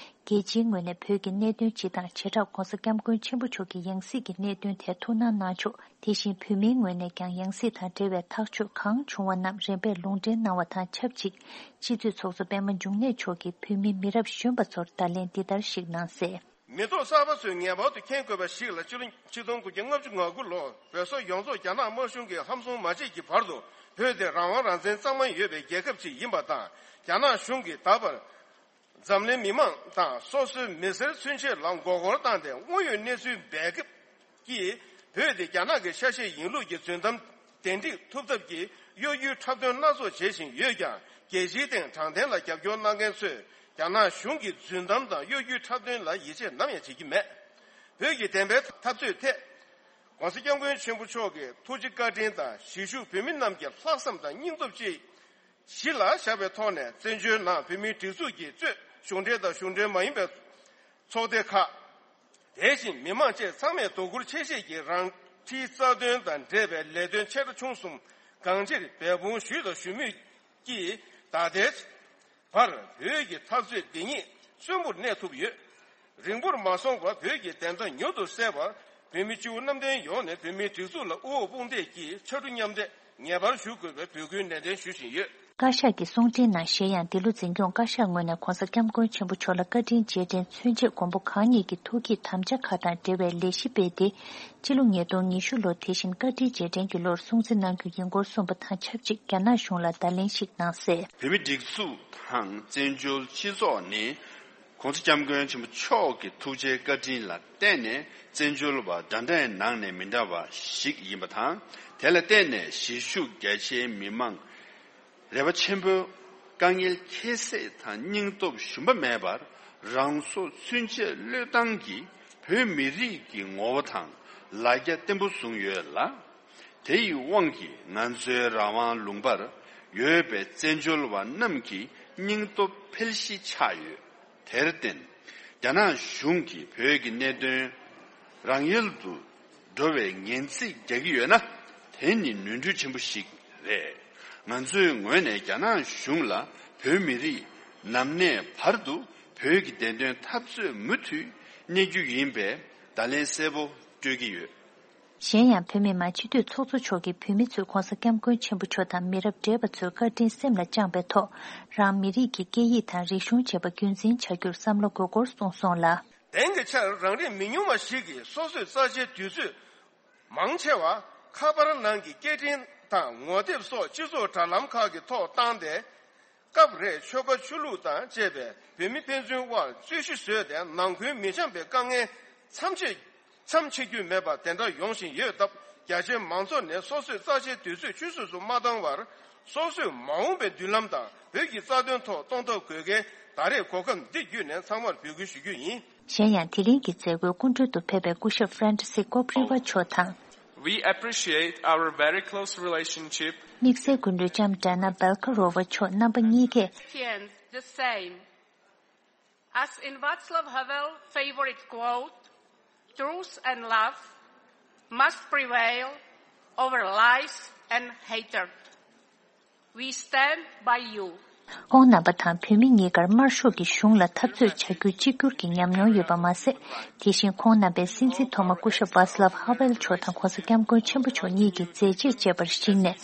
རྒྱལ་སྤྱིའི་ངོས་ནས་བོད་ཀྱི་གནད་དོན་སྤྱི་དང་བྱེ་བྲག་༸གོང་ས་༸སྐྱབས་མགོན་ཆེན་པོ་མཆོག་གི་ཡང་སྲིད་ཀྱི་གནད་དོན་ཐད་ཐུགས་སྣང་གནང་ཕྱོགས། དེ་བཞིན་བོད་མིའི་ངོས་ནས་ཀྱང་ཡང་སྲིད་དང་འབྲེལ་བའི་ཐག་གཅོད་གང་བྱུང་བ་རྣམས་རིམ་པས་ལུང་འདྲེན་གནང་བ་དང་ཆབས་ཅིག་སྤྱི་འཐུས་ཚོགས་གཙོ་པད་མ་འབྱུང་གནས་མཆོག་གིས་བོད་མི་མི་རབས་གཞོན་པ་ཚོར་བརྡ་ལན་འདི་ལྟར་ཞིག་གནང་གསལ། མི་ཐོག་གསར་པ་ཚོས་ངེས་པར་དུ་མཁྱེན་དགོས་པ་ཞིག་ལ། ཕྱི་ལོ་ཆིག་སྟོང་དགུ་བརྒྱ་ལྔ་བཅུ་ང་དགུ་ལོར་བོད་སོག་ཡོངས་རྫོགས་རྒྱ་ནག་དམར་གཞུང་གིས་ཧམ་བཟུང་མ་བྱས་ཀྱི་བར་དུ་བོད་དེ་རང་དབང་རང་བཙན་གཙང་མ་ཡོད་པའི་རྒྱལ་ཁབ་ཅིག་ཡིན་པ་དང་། རྒྱ་ནག་གཞུང་གིས་ད་བར་འཛམ་གླིང་མི་མང་དང་སོ་སོའི་མི་སེར་ཚུན་ཆད་ལ་མགོ་སྐོར་བཏང་སྟེ་དངོས་ཡོད་གནས་ཚུལ་འབེབས་ཀྱིས་བོད་དེ་རྒྱ་ནག་གི་ཆ་ཤས་ཡིན་ལུགས་ཀྱི་རྫུན་གཏམ་དེ་འགྲིག་ཐུབ་ཐབས་ཀྱི་གཡོ་སྒྱུའི་འཁྲབ་སྟོན་སྣ་ཚོགས་བྱེད་བཞིན་ཡོད་ཀྱང་། རྒྱལ་སྤྱིའི་སྟེང་དྲང་བདེན་ལ་རྒྱབ་སྐྱོར་གནང་མཁན་ཚོས་རྒྱ་ནག་གཞུང་གི་རྫུན་གཏམ་དང་གཡོ་སྒྱུའི་འཁྲབ་སྟོན་ལ་ཡིད་ཆེས་ནམ་ཡང་བྱེད་ཀྱི་མེད། བོད་ཀྱི་བདེན་པའི་འཐབ་རྩོད་ཐད་༸གོང་ས་༸སྐྱབས་མགོན་ཆེན་པོ་མཆོག་གི་ཐུགས་རྗེ་བཀའ་དྲིན་དང་གཞིས་བཞུགས་བོད་མི་རྣམས་ཀྱི་ལྷག་བསམ་དང་སྙིང་སྟོབས་བཅས་གཞི་ལ་བཞག་པའི་ཐོག་ནས། བཙན་བྱོལ་ནང་བོད་མིའི་སྒྲིག་འཛུགས་ཀྱི་གཙོས་གཞུང་འབྲེལ་དང་གཞུང་འབྲེལ་མ་ཡིན་པའི་ཚོགས་སྡེ་ཁག་དེ་བཞིན་མི་མང་བཅས་ཚང་མས་དོ་ཁུར་ཆེ་བཞེས་ཀྱིས་རང་འཁྲིའི་རྩ་དོན་དང་འབྲེལ་བའི་ལས་དོན་ཆེ་ཕྲ་ཆུང་གསུམ་གང་ཅིར་འབད་འབུངས་ཞུས་དང་ཞུ་མུས་ཀྱིས། ད་ལྟའི་བར་བོད་ཀྱི་འཐབ་རྩོད་འདི་ཉིད་གསོན་པོར་གནས་ཐུབ་ཡོད། རིང་པོར་མ་སོང་བར་བོད་ཀྱི་བདེན་མཐའ་མྱུར་དུ་གསལ་བར། བོད་མི་སྤྱི་བོ་གནམ་བསྟན་ཡོངས་ནས་བོད་མིའི་སྒྲིག་འཛུགས་ལ་དབུ་འོག་དཔུང་འདེགས་ཀྱིས་ཕྱར་གྲུ་མཉམ་འདེགས་ངེས་པར་ཞུ་དགོས་པའི་འབོད་སྐུལ་ནན་ཏན་ཞུ་བཞིན་ཡོད། བཀའ་ཤག་གི་གསུང་འཕྲིན་ནང་གཞན་ཡང་། འདི་ལོ་འཛིན་སྐྱོང་བཀའ་ཤག་ངོས་ནས་༸གོང་ས་༸སྐྱབས་མགོན་ཆེན་པོ་མཆོག་ལ་བཀའ་དྲིན་རྗེས་དྲན་མཚོན་ཆེད་མགོན་པོ་གང་ཉིད་ཀྱི་ཐུགས་བསྐྱེད་དམ་བཅའ་ཁག་དང་འབྲེལ་བའི་ལས་གཞི་སྤེལ་ཏེ། སྤྱི་ལོ་ཉིས་སྟོང་ཉི་ཤུ་ལོ་དེ་བཞིན་བཀའ་དྲིན་རྗེས་དྲན་གྱི་ལོར་སྲུང་བརྩི་གནང་རྒྱུ་ཡིན་སྐོར་གསུངས་པ་དང་ཆབས་ཅིག་རྒྱ་ནག་གཞུང་ལ་བརྡ་ལན་ཞིག་གནང་གསལ། བོད་མིའི་སྒྲིག་འཛུགས་དང་བཙན་བྱོལ་སྤྱི་ཚོགས་ནི་༸གོང་ས་༸སྐྱབས་མགོན་ཆེན་པོ་མཆོག་གི་ཐུགས་རྗེའི་བཀའ་དྲིན་ལ་བརྟེན་ནས་བཙན་བྱོལ་བ་འདྲ་འདྲའི་ནང་ནས་མི་འདྲ་བ་ཞིག་ཡིན་པ་དང་། དེ་ལ་བརྟེན་ནས་གཞིས་བཞུགས་རྒྱ་ཆེའི་མི་མང་རེ་བ་ཆེན་པོས་དཀའ་ངལ་ཁྱད་བསད་དང་སྙིང་སྟོབས་ཞུམ་པ་མེད་པར་རང་སྲོག་ཚུན་ཆད་བློས་བཏང་གིས་བོད་མི་རིགས་ཀྱི་ངོ་བོ་དང་ལ་རྒྱ་བརྟན་པོ་བཟུང་ཡོད་ལ། དེ་ཡི་དབང་གིས་ང་ཚོའི་རང་དབང་ལུང་པར་ཡོད་པའི་བཙན་བྱོལ་བ་རྣམས་ཀྱི་སྙིང་སྟོབས་འཕེལ་གཞི་ཆགས་ཡོད། དེར་བརྟེན། རྒྱ་ནག་གཞུང་གིས་བོད་ཀྱི་གནད་དོན་རང་ཡལ་དུ་འགྲོ་བའི་ངན་ཚིག་རྒྱག་གི་ཡོད་ན། དེ་ནི་ནོར་འཁྲུལ་ཆེན་པོ་ཞིག་རེད། ང་ཚོའི་ངོས་ནས་རྒྱ་ནག་གཞུང་ལ་ བོད་མི་རིགས་ནམ་གནས་བར་དུ་བོད་ཀྱི་བདེན་དོན་འཐབ་རྩོད་མུ་མཐུད་གནས་རྒྱུ་ཡིན་པའི་བརྡ་ལན་གསལ་པོ་སྤྲོད་ཀྱི་ཡོད། གཞན་ཡང་བོད་མི་མང་སྤྱི་འཐུས་ཚོགས་གཙོ་མཆོག་གིས་བོད་མི་ཚོས་༸གོང་ས་༸སྐྱབས་མགོན་ཆེན་པོ་མཆོག་དང་མི་རབས་བགྲེས་པ་ཚོའི་བཀའ་དྲིན་སེམས་ལ་བཅངས་པའི་ཐོག་རང་མི་རིགས་ཀྱི་སྐད་ཡིག་དང་རིག་གཞུང་བཅས་པ་རྒྱུན་འཛིན་བྱ་རྒྱུར་བསམ་བློ་དགོས་སྐོར་གསུངས་སོང་ལ། དེང་གི་ཆར་རང་རིགས་མི་ཉུང་བ་ཞིག་གིས་སོ་སོའི་རྩ་ཆེའི་དུས་ཚོད་མང་ཆེ་བ་ཁ་པར་ནང་གི་སྐད་འཕྲིན་དང་ངོ་དེབ་སོགས་སྤྱི་ཚོགས་དྲ་ལམ་ཁག་གི་ཐོག་བཏང་སྟེ། སྐབས་རེ་ཆོལ་ཁ་ཆོས་ལུགས་དང་བཅས་པའི་བོད་མི་ཕན་ཚུན་དབར་རྩོད་གཞི་བཟོས་ཏེ་ནང་ཁུལ་མི་འཆམ་པའི་དཀའ་ངལ་མཚམས་ཆད་མཚམས་ཆད་རྒྱུ་མེད་པ་དེ་འདྲ་ཡོང་བཞིན་ཡོད་སྟབས། རྒྱ་ཆེའི་མང་ཚོགས་ནས་སོ་སོའི་རྩ་ཆེའི་དུས་ཚོད་ཆུད་ཟོས་སུ་མ་བཏང་བར། སོ་སོའི་མ་འོངས་པའི་མདུན་ལམ་དང་བོད་ཀྱི་རྩ་དོན་ཐོག་གཏོང་ཐབས་དགོས་གལ་ད་རེས་གོ་སྐབས་འདི་བརྒྱུད་ནས་ཚང་མར་འབོད་སྐུལ་ཞུ་རྒྱུ་ཡིན། གཞན་ཡང་དེ་རིང་གི་མཛད་སྒོའི་སྐུ་མགྲོན་དུ་ཕེབས་པའི་སྐུ་ཞབས་Francis Kopriva་མཆོག་དང་། We appreciate our very close relationship དམིགས་བསལ་སྐུ་མགྲོན་ལྕམ་Dana Belkarova་མཆོག་རྣམ་པ་གཉིས་ཀས། Christians the same. As in Václav Havel favorite quote, truth and love must prevail over lies and hatred. We stand by you. ཁོང་རྣམ་པ་དང་བོད་མི་གཉིས་ཀར་དམར་ཤོག་གི་གཞུང་ལ་འཐབ་རྩོད་བྱ་རྒྱུ་གཅིག་གྱུར་གྱི་ཉམས་མྱོང་ཡོད་པ་མ་ཟད། དེ་བཞིན་ཁོང་རྣམ་པའི་སྲིད་འཛིན་ཐོག་མ་སྐུ་ཞབས་Václav Havel་མཆོག་དང་༸གོང་ས་༸སྐྱབས་མགོན་ཆེན་པོ་མཆོག་གཉིས་ཀྱི་མཛད་རྗེས་བཅས་པར་གཞིགས་ནས།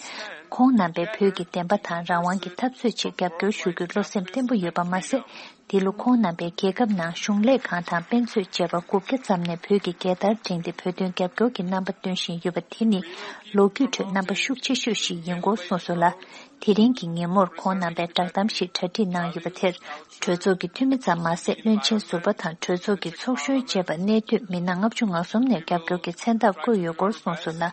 ཁོང་རྣམ་པས་བོད་ཀྱི་བདེན་པ་དང་རང་དབང་གི་འཐབ་རྩོད་ཆེད་རྒྱབ་སྐྱོར་ཞུ་རྒྱུའི་བློ་སེམས་བརྟན་པོ་ཡོད་པ་མ་ཟད། འདི་ལོ་ཁོང་རྣམ་པས་རྒྱལ་ཁབ་ནང་གཞུང་ལས་ཁང་དང་དཔེ་མཛོད་བཅས་པ་དགུ་བརྒྱ་ཙམ་ནས་བོད་ཀྱི་རྒྱལ་དར་བསྒྲེངས་ཏེ་བོད་དོན་རྒྱབ་སྐྱོར་གྱི་རྣམ་པ་སྟོན་བཞིན་ཡོད་པ་དེ་ནི་ལོ་རྒྱུས་ཁྲོད་རྣམ་པ་ཤུགས་ཆེ་ཤོས་ཤིག་ཡིན་སྐོར་གསུངས་སོང་ལ། དེ་རིང་གི་ཉིན་མོར་ཁོང་རྣམ་པས་བསྒྲགས་གཏམ་ཞིག་གྲ་སྒྲིག་གནང་ཡོད་པ་དེར། གྲོས་ཚོགས་ཀྱི་འཐུས་མི་ཙམ་མ་ཟད། བློན་ཆེན་ཟུར་པ་དང་གྲོས་ཚོགས་ཀྱི་ཚོགས་གཞོན་བཅས་པ་གནས་སྡོད་མི་སྣ་ལྔ་བཅུ་ང་གསུམ་ནས་རྒྱབ་སྐྱོར་གྱི་མཚན་རྟགས་བཀོད་ཡོད་སྐོར་གསུངས་སོང་ལ།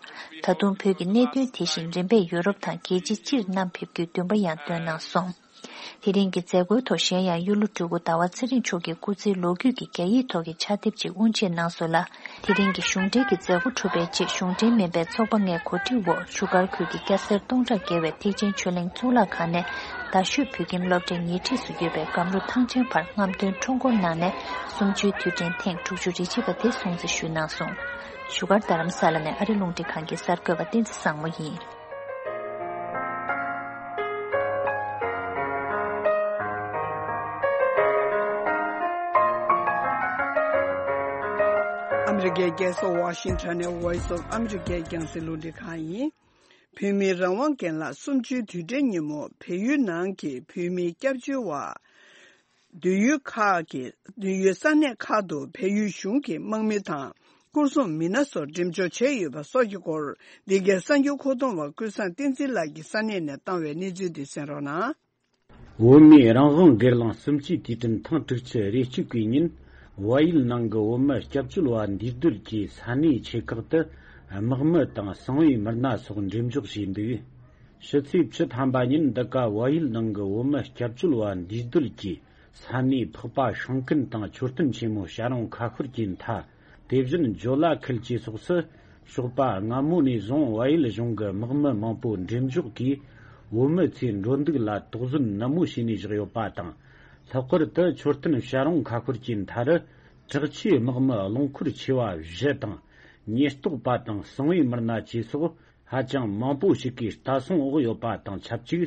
ད་དུང་བོད་ཀྱི་གནད་དོན་དེ་བཞིན་རིམ་པས་ཡུ་རོབ་དང་རྒྱལ་སྤྱི་སྤྱིར་བསྣམས་ཕེབས་རྒྱུའི་འདུན་པ་ཡང་བཏོན་གནང་སོང་། དེ་རིང་གི་མཛད་སྒོའི་ཐོག་གཞན་ཡང་གཡུ་ལོ་སྤྲུལ་སྐུ་ཟླ་བ་ཚེ་རིང་མཆོག་གིས་སྐུ་ཚེའི་ལོ་རྒྱུས་ཀྱི་རྒྱ་ཡིག་ཐོག་གི་ཕྱག་དེབ་ཅིག་དབུ་འབྱེད་གནང་སོང་ལ། དེ་རིང་གི་གཞུང་འབྲེལ་གྱི་མཛད་སྒོ་གྲུབ་པའི་རྗེས་གཞུང་འབྲེལ་མིན་པའི་ཚོགས་པ་ལྔའི་གོ་སྒྲིག་འོག་བཞུགས་སྒར་ཁུལ་གྱི་སྐྱ་སེར་སྟོང་ཕྲག་བརྒལ་བས་ཐེག་ཆེན་ཆོས་གླིང་གཙུག་ལག་ཁང་ནས་རྡ་ཤོད་བོད་ཁྱིམ་སློབ་གྲྭའི་ཉེ་འཁྲིས་སུ་ཡོད་པའི་སྒམ་རུ་ཐང་ཆེན་བར་རྔམ་སྟོན་ཁྲོམ་སྐོར་གནང་ནས་གསུམ་བཅུའི་དུས་དྲན་ཐེངས་དྲུག་ཅུ་རེ་གཅིག་པ་དེ་སྲུང་བརྩི་ཞུས་གནང་སོང་། བཞུགས་སྒར་རྡ་རམ་ས་ལ་ནས་ཨ་རི་རླུང་འཕྲིན་ཁང་གི་གསར་འགོད་པ་བསྟན་འཛིན་བཟང་མོ་ཡིན། ཨ་མི་རི་ཀའི་རྒྱལ་ས་ཝ་ཤིང་ཊོན་ནས་Voice of America་རྒྱང་སྲིང་རླུང་འཕྲིན་ཁང་ཡིན། བོད་མིའི་རང་དབང་རྒན་ལགས་གསུམ་བཅུའི་དུས་དྲན་ཉིན་མོ་བལ་ཡུལ་ནང་གི་བོད་མིའི་སྐྱབས་བཅོལ་བ། སྡོད་ཡུལ་ཁག་གི་སྡོད་ཡུལ་ས་གནས་ཁག་ཏུ་བལ་ཡུལ་གཞུང་གི་དམག་མི་དང་སྐོར་སྲུང་མི་སྣ་སོགས་འགྲེམས་འཇོག་བྱས་ཡོད་པ་སོགས་ཀྱི་སྐོར། འདི་གའི་གསར་འགྱུར་མཁོ་གཏོང་བ་ཀུན་བཟང་བསྟན་འཛིན་ལགས་ཀྱིས་ས་གནས་ནས་བཏང་བའི་གནས་ཚུལ་འདི་གསན་རོགས་གནང་། བོད་མིའི་རང་དབང་སྒེར་ལངས་གསུམ་བཅུའི་དུས་དྲན་ཐེངས་དྲུག་ཅུ་རེ་གཅིག་པའི་ཉིན། བལ་ཡུལ་ནང་གི་བོད་མི་སྐྱབས་བཅོལ་བ་འདུས་སྡོད་ཀྱི་ས་གནས་ཆེ་ཁག་ཏུ་དམག་མི་དང་གསང་བའི་མི་སྣ་སོགས་འགྲེམས་འཇོག་བྱས་འདུག། ཕྱི་ཚེས་བཅུ་ཐམ་པ་ཉིན་འདི་ག་བལ་ཡུལ་ནང་གི་བོད་མི་སྐྱབས་བཅོལ་བ་འདུས་སྡོད་ཀྱི་ས་གནས་འཕགས་པ་ཤིང་ཀུན་དང་མཆོད་རྟེན་ཆེན་མོ་བྱ་རུང་ཁ་ཤོར་གྱི་མཐའ། དེ་བཞིན་ཇོ་ལ་ཁུལ་བཅས་སོགས་སུ་ཞོགས་པ་སྔ་མོ་ནས་བཟུང་བལ་ཡུལ་གཞུང་གི་དམག་མི་མང་པོ་འགྲེམས་འཇོག་གིས་བོད་མི་ཚོའི་འགྲོ་འདུག་ལ་དོགས་ཟོན་ནན་མོ་བྱས་ནས་བཞག་ཡོད་པ་དང་། ལྷག་པར་དུ་མཆོད་རྟེན་བྱ་རུང་ཁ་ཤོར་གྱི་མཐའ་རུ་དྲག་ཆས་དམག་མི་རླངས་འཁོར་ཆེ་བ་བཞི་དང་། ཉེན་རྟོག་པ་དང་གསང་བའི་མི་སྣ་བཅས་སོགས་ཧ་ཅང་མང་པོ་ཞིག་གིས་ལྟ་སྲུང་འོག་ཡོད་པ་དང་ཆབས་ཅིག་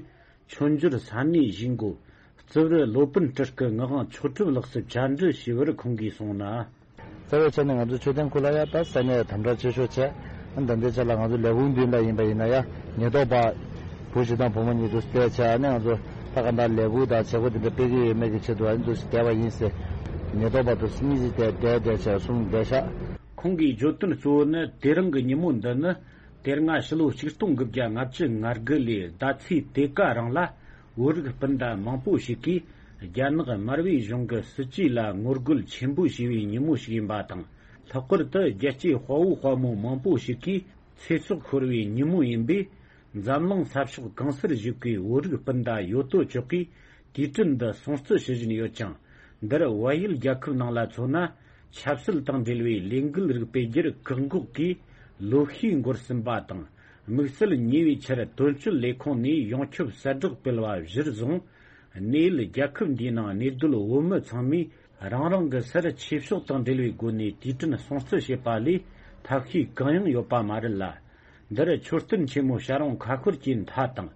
མཆོད་འཇོར་ས་གནས་བཞེས་འགོ་རྩིབ་རི་ལོ་པཎ་སྤྲུལ་སྐུ་ངག་དབང་མཆོག་གྲུབ་ལགས་སུ་བཅར་འདྲི་ཞུས་པར་ཁོང་གིས་གསུངས་ན། རྩ་བའི་ཆ་ནས་ང་ཚོ་མཆོད་རྟེན་ཁུལ་ལ་ཡ་ད་ས་གནས་དམ་དྲག་ཆེ་ཤོས་བྱས། ཨ་ནི་ད་ལྟའི་ཆ་ལ་ང་ཚོ་ལས་ཁུངས་མདུན་ལ་ཡིན་པ་ཡིན་ན་ཡ་ཉེན་རྟོག་པ་བུ་བཞི་དང་བུ་མོ་གཉིས་འདུག་བསྡད་བྱས། ཨ་ནི་ང་ཚོ་ད་ག་འདྲ་ལས་འགུལ་དང་བྱེད་སྒོ་དེ་འདྲ་སྤེལ་གྱི་ཡོད་མེད་ཀྱི་ཆེད་དུ་ཨ་ནི་འདུག་བསྡད་པ་ཡིན་ཟེར། ཉེན་རྟོག་པ་འདུག་གཉིས་ཀྱིས་བསྡད་བསྡད་བསྡད་བྱས་གསུངས་བསྡད་ཤག་ཁོང་གིས་བརྗོད་དོན་གཙོ་བོ་ནི་དེ་རིང་གི་ཉིན་མོ་འདི་ནི། དེ་སྔ་ཕྱི་ལོ་ཆིག་སྟོང་དགུ་བརྒྱ་ལྔ་བཅུ་ང་དགུ་ལོའི་ཟླ་ཚེས་དེ་ག་རང་ལ་བོད་རིགས་སྤུན་ཟླ་མང་པོ་ཞིག་གིས་རྒྱ་ནག་མར་པའི་གཞུང་གི་སྲིད་ཇུས་ལ་ངོ་རྒོལ་ཆེན་པོ་བྱས་པའི་ཉིན་མོ་ཞིག་ཡིན་པ་དང་། ལྷག་པར་དུ་རྒྱལ་གཅེས་དཔའ་བོ་དཔའ་མོ་མང་པོ་ཞིག་གིས་ཚེ་སྲོག་ཤོར་བའི་ཉིན་མོ་ཡིན་པས། འཛམ་གླིང་ས་ཕྱོགས་གང་སར་བཞུགས་པའི་བོད་རིགས་སྤུན་ཟླ་ཡོད་དོ་ཅོག་གིས་དུས་དྲན་འདི་སྲུང་བརྩི་ཞུ་བཞིན་ཡོད་ཅིང་། འདིར་བལ་ཡུལ་རྒྱལ་ཁབ་ནང་ལ་མཚོན་ན། ཆབ་སྲིད་དང་འབྲེལ་བའི་ལས་འགུལ་རིགས་སྤེལ་རྒྱུར་བཀག་འགོག་གིས་ལོ་ཤས་འགོར་ཟིན་པ་དང་། དམིགས་བསལ་ཉེ་བའི་ཆར་དོན་གཅོད་ལས་ཁུངས་ནས་ཡོངས་ཁྱབ་གསལ་བསྒྲགས་སྤེལ་བ་གཞིར་བཟུང་། གནས་ཡུལ་རྒྱལ་ཁབ་འདིའི་ནང་གནས་སྡོད་བོད་མི་ཚང་མས་རང་རང་གི་སར་ཆོས་ཕྱོགས་དང་འབྲེལ་བའི་སྒོ་ནས་དུས་དྲན་སྲུང་བརྩི་བྱེད་པ་ལས་ཐབས་ཤེས་གང་ཡང་ཡོད་པ་མ་རེད་ལ། འདིར་མཆོད་རྟེན་ཆེན་མོ་བྱ་རུང་ཁ་ཤོར་གྱི་མཐའ་དང་།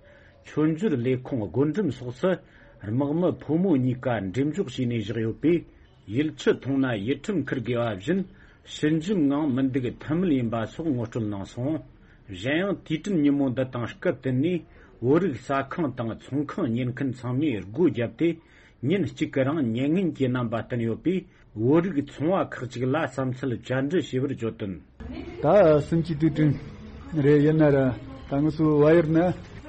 མཆོད་འཇོར་ལས་ཁུངས་སྒོ་འགྲམ་སོགས་སུ་ དམག་མི་ཕོ་མོ་གཉིས་ཀ་འགྲེམས་འཇོག་བྱས་ནས་བཞག་ཡོད་པས། ཡིད་ཆུ་འཐུང་ན་ཡིད་ཁྲིམས་འཁུར་དགོས་པ་བཞིན། ཞི་འཇིམ་ངང་མི་འདུག་ཐབས་མེད་ཡིན་པ་སོགས་ངོ་སྤྲོད་གནང་སོང་། གཞན་ཡང་། དུས་དྲན་ཉིན་མོ་འདི་དང་སྐབས་བསྟུན་ནས། བོད་རིགས་ཟ་ཁང་དང་ཚོང་ཁང་ཉེར་མཁན་ཚང་མས་སྒོ་བརྒྱབ་སྟེ། ཉིན་གཅིག་གི་རིང་ཉེ་ངན་གྱི་རྣམ་པ་བསྟན་ཡོད་པས། བོད་རིགས་ཚོང་བ་ཁག་ཅིག་ལ་བསམ་ཚུལ་བཅར་འདྲི་བྱས་པར་བརྗོད་དོན། ད་སུམ་ཅུ་དུས་དྲན་རེད། ཡིན་ན་ར་ད་ང་ཚོའི་བལ་ཡུལ་ནི་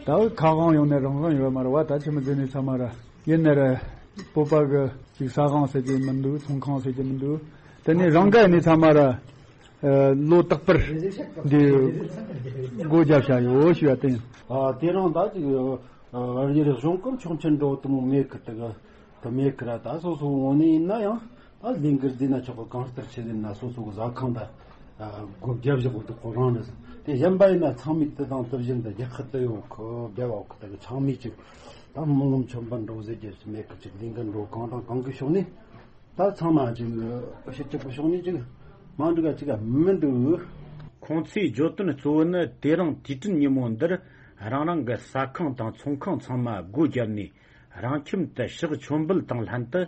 ད་ཁ་དབང་ཡོང་ནས་རང་དབང་ཡོད་མ་རེད་བ། ད་ཆི་མོ་ཟེར་ནས་ཚང་མ་ར། ཡིན་ན་ར་བོད་པ་གི་ཅིག་ཟ་ཁང་ཟེར་གྱི་མི་འདུག་ཚོང་ཁང་ཟེར་གྱི་མི་འདུག་དེ་ནས་རང་དགའ་ནས་ཚང་མ་ར་ལོ་རྟག་པར་འདི་སྒོ་བརྒྱབ་བཞག་ཡོད་ཞུ་བ་དེ་ཡིན། ཨ་དེ་རིང་ད་ཅིག་བལ་ཡུལ་གཞུང་གི་ཆོག་མཆན་འགྲོ་དུ་མོ་མེད་གི་དེ་གི་དེ་མེད་གི་ར། ད་སོ་སོ་ངོ་ནས་ཡིན་ན་ཡང་། ཨ་ལས་འགུལ་འདི་ན་ཆོག་གི་གང་ལྟར་བྱེད་ཟིན་ན་སོ་སོ་གི་ཟ་ཁང་ད་སྒོ་བརྒྱབ་བཞག་གི་འདུག་ཁོ་རང་རེད། དེ་གཞན་པ་ཡིན་ན་ཚང་མས་དེ་དང་དེ་བཞིན་དུ་རྒྱལ་ཁབ་དེ་ཡོད་གི་བསྡད་བ་གི་དེ་གི་ཚང་མས་ཅིག་ད་མི་ངོམ་ཆོམ་པ་འགྲོ་ཟེར་རྒྱུ་མེད་གི། ཅིག་ལས་འགུལ་འགྲོ་གང་དང་གང་གི་ཕྱོགས་ནས་ད་ཚང་མ་ཅིག་ཕྱི་གཅིག་གི་ཕྱོགས་ནས་ཅིག་མ་འགྲིག་ག་ཅིག་ག་མི་འདུག་ཁོང་ཚོའི་བརྗོད་དོན་གཙོ་བོ་ནི་དེ་རིང་དུས་དྲན་ཉིན་མོ་འདིར་རང་རང་གི་ཟ་ཁང་དང་ཚོང་ཁང་ཚང་མ་སྒོ་བརྒྱབ་ནས། རང་ཁྱིམ་དུ་ཕྱག་མཆོད་འབུལ་དང་ལྷན་དུ།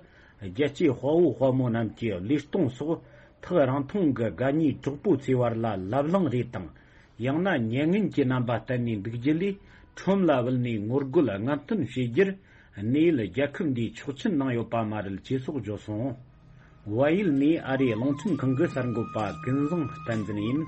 རྒྱལ་གཅེས་དཔའ་བོ་དཔའ་མོ་རྣམས་ཀྱི་བློས་གཏོང་སོགས། ཐག་རིང་ཐུང་གི་དགའ་ཉེ་གྲོགས་པོ་ཚོའི་བར་ལ་ལབ་གླེང་རེས་དང་། ཡང་ན་ཉེ་ངན་གྱི་རྣམ་པ་བསྟན་ནས་འདུག་རྒྱུ་ལས། ཁྲོམ་ལ་བུད་ནས་ངོ་རྒོལ་རྔམ་སྟོན་བྱེད་རྒྱུར། གནས་ཡུལ་རྒྱལ་ཁབ་འདིས་ཆོག་མཆན་གནང་ཡོད་པ་མ་རེད་ཅེས་སོགས་བརྗོད་སོང་། བལ་ཡུལ་ནས་ཨ་རིའི་རླུང་འཕྲིན་ཁང་གི་གསར་འགོད་པ་ཀུན་བཟང་བསྟན་འཛིན་ཡིན།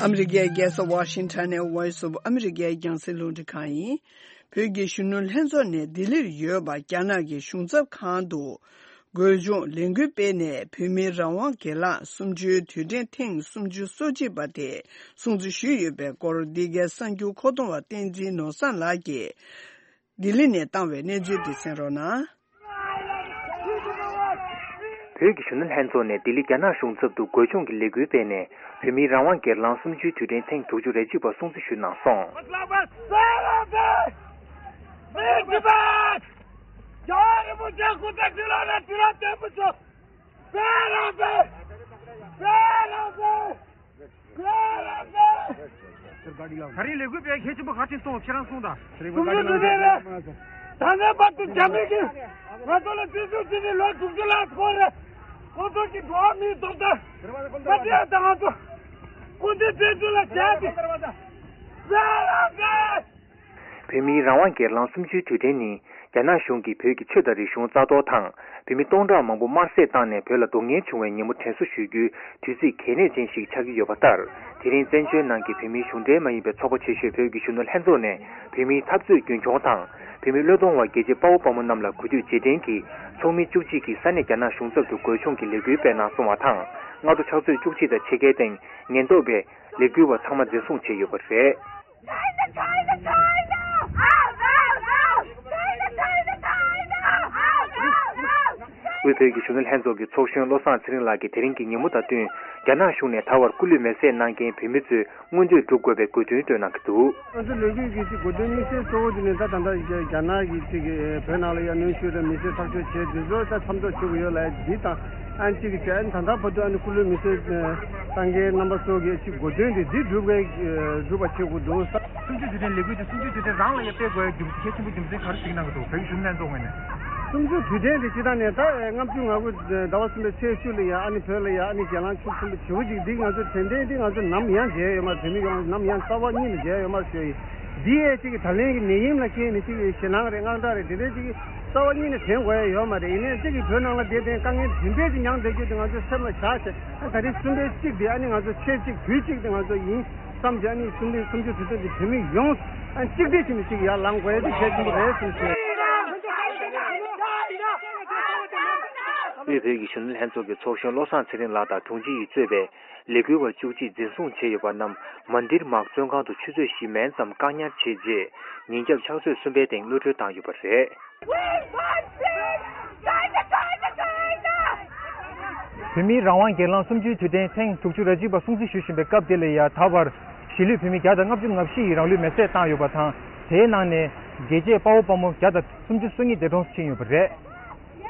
ཨ་མི་རི་ཀའི་རྒྱལ་ས་ཝ་ཤིང་ཊོན་ནས་Voice of America རྒྱང་སྲིང་རླུང་འཕྲིན་ཁང་ཡིན། བོད་ཀྱི་གཞོན་ནུ་ལྷན་ཚོགས་ནས་ལྡི་ལིར་ཡོད་པ་རྒྱ་ནག་གི་གཞུང་ཚབ་ཁང་དུ། སྒོས་སྦྱོང་ལས་འགུལ་སྤེལ་ནས་བོད་མིའི་རང་དབང་སྒེར་ལངས་གསུམ་བཅུའི་དུས་དྲན་ཐེངས་སུམ་ཅུ་སོ་གཅིག་པ་དེ་སྲུང་བརྩི་ཞུས་ཡོད་པའི་སྐོར། འདི་གའི་གསར་འགྱུར་མཁོ་གཏོང་བ་བསྟན་འཛིན་ནོར་བཟང་ལགས་ཀྱིས་ལྡི་ལི་ནས་བཏང་བའི་གནས་ཚུལ་འདི་གསན་རོགས་གནང་། བོད་ཀྱི་གཞོན་ནུ་ལྷན་ཚོགས་ནས་ལྡི་ལི་རྒྱ་ནག་གཞུང་ཚབ་ཏུ་སྒོས་སྦྱོང་གི་ལས་འགུལ་སྤེལ་ནས། བོད་མིའི་རང་དབང་སྒེར་ལངས་གསུམ་བཅུའི་དུས་དྲན་ཐེངས་དྲུག་ཅུ་རེ་གཅིག་པ་སྲུང་བརྩི་ཞུས་གནང་སོང་། རྒྱལ་བ་རིན་པོ་ཆེ་སྐུ་ཚེ་ཁྲི་ལོ་ནས་ཁྲི་ལོ་བརྟན་པོ་བྱོས། བོད་རང་བཙན། བོད་རང་བཙན། བོད་རང་བཙན། ད་རིང་ལས་འགུལ་སྤེལ་གལ་ཆེན་པོ་ག་རེ་བྱུང་སོང་། ཁྱེད་རང་གསུངས་དང་། གསུང་རྒྱུ་དེ་རེད། ད་ལྟའི་བར་དུ་རྒྱ་མི་གིས་ང་ཚོ་ལ་བཙན་བྱོལ་བྱས་ནས་ལོ་དྲུག་ཅུ་ལྷག་འགོར་རེད། ཁོ་ཚོ་གི་འགྲོ་བ་མིའི་ཐོབ་ཐང་མ་སྤྲད་དང་ང་ཚོ་སྐུ་ཚེ་བཙན་བྱོལ་ལ་བྱས་ཏེ། བོད་མིའི་རང་དབང་སྒེར་ལངས་གསུམ་བཅུའི་དུས་དྲན་ནི། རྒྱ་ནག་གཞུང་གིས་བོད་ཀྱི་ཆོས་དང་རིག་གཞུང་རྩ་གཏོར་དང་། བོད་མི་སྟོང་ཕྲག་མང་པོ་དམར་བསད་བཏང་ནས་བོད་ལ་གདོང་ངན་བྱུང་བའི་ཉིན་མོ་དྲན་གསོ་ཞུ་རྒྱུའི་དུས་ཚིགས་གལ་གནད་ཅན་ཞིག་ཆགས་ཀྱི་ཡོད་པ་ལྟར། དེ་རིང་བཙན་བྱོལ་ནང་གི་བོད་མིའི་གཞུང་འབྲེལ་མ་ཡིན་པའི་ཚོགས་པ་ཆེ་ཤོས་བོད་ཀྱི་གཞོན་ནུ་ལྷན་ཚོགས་ནས་བོད་མིའི་འཐབ་རྩོད་རྒྱུན་འཁྱོངས་དང་། བོད་མི་བློས་གཏོང་བ་རྒྱལ་གཅེས་དཔའ་བོ་དཔའ་མོ་རྣམས་ལ་གུས་འདུད་རྗེས་དྲན་གྱིས་ཚོགས་མི་བཅུ་གཅིག་གིས་ས་གནས་རྒྱ་ནག་གཞུང་ཚབ་ཏུ་སྒོས་སྦྱོང་གི་ལས་འགུལ་སྤེལ་གནང་སོང་བ་དང་། སྔ་དྲོ་ཕྱག་ཚོད་བཅུ་གཅིག་དང་ཕྱེད་ཀའི་སྟེང་ཉེན་རྟོག་པས་ལས་འགུལ་བ་ཚང་མ་འཛིན་བཟུང་བྱས་ཡོད་པ་རེད། དབུས་བོད་ཀྱི་གཞོན་ནུ་ལྷན་ཚོགས་ཀྱི་ཚོགས་གཞོན་བློ་བཟང་ཚེ་རིང་ལགས་ཀྱིས་དེ་རིང་གི་ཉིན་མོ་དང་བསྟུན། རྒྱ་ནག་གཞུང་ནས་ད་བར་སྐུ་ལུས་མེར་སྲེག་གནང་མཁན་བོད་མི་ཚོས་མངོན་འདོད་སྒྲུབ་དགོས་པའི་དགོས་འདུན་བཏོན་གནང་གི་འདུག་ང་ཚོ་ལས་འགུལ་གྱི་གཅིག་གོ་དོན་དམིགས་བསལ་གཙོ་བོ་དེ་ནི་ད་ད་ལྟ་རྒྱ་ནག་གིས་གཅིག་བོད་ནང་ལ་ཡ་གནོན་ཤུགས་དང་མི་སེར་ཐག་གཅོད་བྱས་དེ་ཚོ་ད་མཚམས་འཇོག་བྱེད་དགོས་ཡོད་ལ་འདི་དང་ཨ་ནི་གཅིག་གི་བྱས་ཨ་ནི་ད་ལྟ་བར་དུ་ཨ་ནི་སྐུ་ལུས་མེར་སྲེག་བཏང་མཁན་རྣམ་པ་ཚོ་གི་གཅིག་གོ་དོན་དེ་འདི་སྒྲུབ་དགོས་སྒྲུབ་པ་བྱེད་དགོས་འདུག་གསུམ་བཅུའི་དུས་དྲན་ལས་འགུལ་དེ་གསུམ་བཅུའི་དུས་དྲན་རང་ལ་ཡ་སྤེལ་དགོས་ཡ་རྒྱུ་མཚན་གལ་ཆེན་པོ་རྒྱུ་མཚན་ག་རེ་གཟིགས་གནང་གི་འདུག་བོད་ཀྱི་གཞོན་ནུ་ལྷན་ཚོགས་ངོས་ནས། གསུམ་བཅུའི་དུས་དྲན་དེ་སྤྱིར་བཏང་ནས་ད་ལྔ་བཅུ་ང་དགུ་ཟླ་བ་གསུམ་པའི་ཚེས་བཅུ་ལ་ཡ་ཨ་ནི་བོད་ལ་ཡ་ཨ་ནི་རྒྱལ་ལངས་ཕྱོགས་གསུམ་པ་བྱེད་དགོས་ཅིག་འདི་ང་ཚོ་དྲན་རྟེན་འདི་ང་ཚོ་ནམ་ཡང་མཇལ་ཡོད་མ་རེད། བོད་མི་ཡོངས་ནམ་ཡང་རྩ་བ་ཉིད་ནས་མཇལ་ཡོད་མ་རེད་ཞུ་ཡིན། འདི་ཡས་གཅིག་གི་ད་ལན་གྱི་ནད་ཡམས་ལ་རྐྱེན་ནས་གཅིག་གི་ཞེད་སྣང་རེད་དངངས་སྐྲག་རེད་དེ་འདྲའི་གཅིག་གི་རྩ་བ་ཉིད་ནས་དྲན་དགོས་ཡ་ཡོད་མ་རེད། ཡིན་ནའི་གཅིག་གི་བོད་ནང་ལ་བསྡད་དེ་དཀའ་ངལ་དེ་འདྲའི་གཅིག་མྱངས་བསྡད་རྒྱུ་དེ་ང་ཚོའི་སེམས་ལ་བཞག་བྱས་ཨ་ད་རེས་གསུམ་པའི་གཅིག་དེ་ཨ་ནི་ང་ཚོ་ཆེད་གཅིག་དུས་གཅིག་དེ་ང་ཚོ་ཡིན་བསམ་བྱས་ཨ་ནི་གསུམ་པའི་གསུམ་བཅུ་དུས་ཚོད་དེ་བོད་མི་ཡོངས་ཨ་གཅིག་སྒྲིལ་བྱས་ནས་གཅིག་ཡར་ལངས་དགོས་ཡ་དེ་གལ་ཆེན་པོ་རེད་བསམ་ཞུ། དབུས་བོད་ཀྱི་གཞོན་ནུ་ལྷན་ཚོགས་ཀྱི་ཚོགས་གཞོན་བློ་བཟང་ཚེ་རིང་ལགས་དང་དྲུང་ཆེ་ཡིས་གཙོས་པའི་ལས་འགུལ་བ་བཅུ་གཅིག་འཛིན་བཟུང་བྱས་ཡོད་པ་རྣམས་མན་དིར་མག་བཙོན་ཁང་དུ་ཆུ་ཚོད་བཞི་མན་ཙམ་བཀག་ཉར་བྱས་རྗེས་ཉིན་རྒྱབ་ཕྱག་ཚོད་གསུམ་པའི་སྟེང་གློད་གྲོལ་བཏང་ཡོད་པ་རེད། བོད་མིའི་རང་དབང་སྒེར་ལངས་གསུམ་བཅུའི་དུས་དྲན་ཐེངས་དྲུག་ཅུ་རེ་གཅིག་པ་སྲུང་བརྩི་ཞུ་བཞིན་པའི་སྐབས་དེ་ལ་ཡ་ད་བར་གཞིས་ལུས་བོད་མི་བརྒྱ་དང་ལྔ་བཅུ་ང་བཞི་ཡིས་རང་ལུས་མེར་སྲེག་བཏང་ཡོད་པ་དང་དེའི་ནང་ནས། རྒྱལ་གཅེས་དཔའ་བོ་དཔའ་མོ་བརྒྱ་དང་སུམ་ཅུ་སོ་གཉིས་འདས་གྲོངས་ཕྱིན་ཡོད་པ་རེད།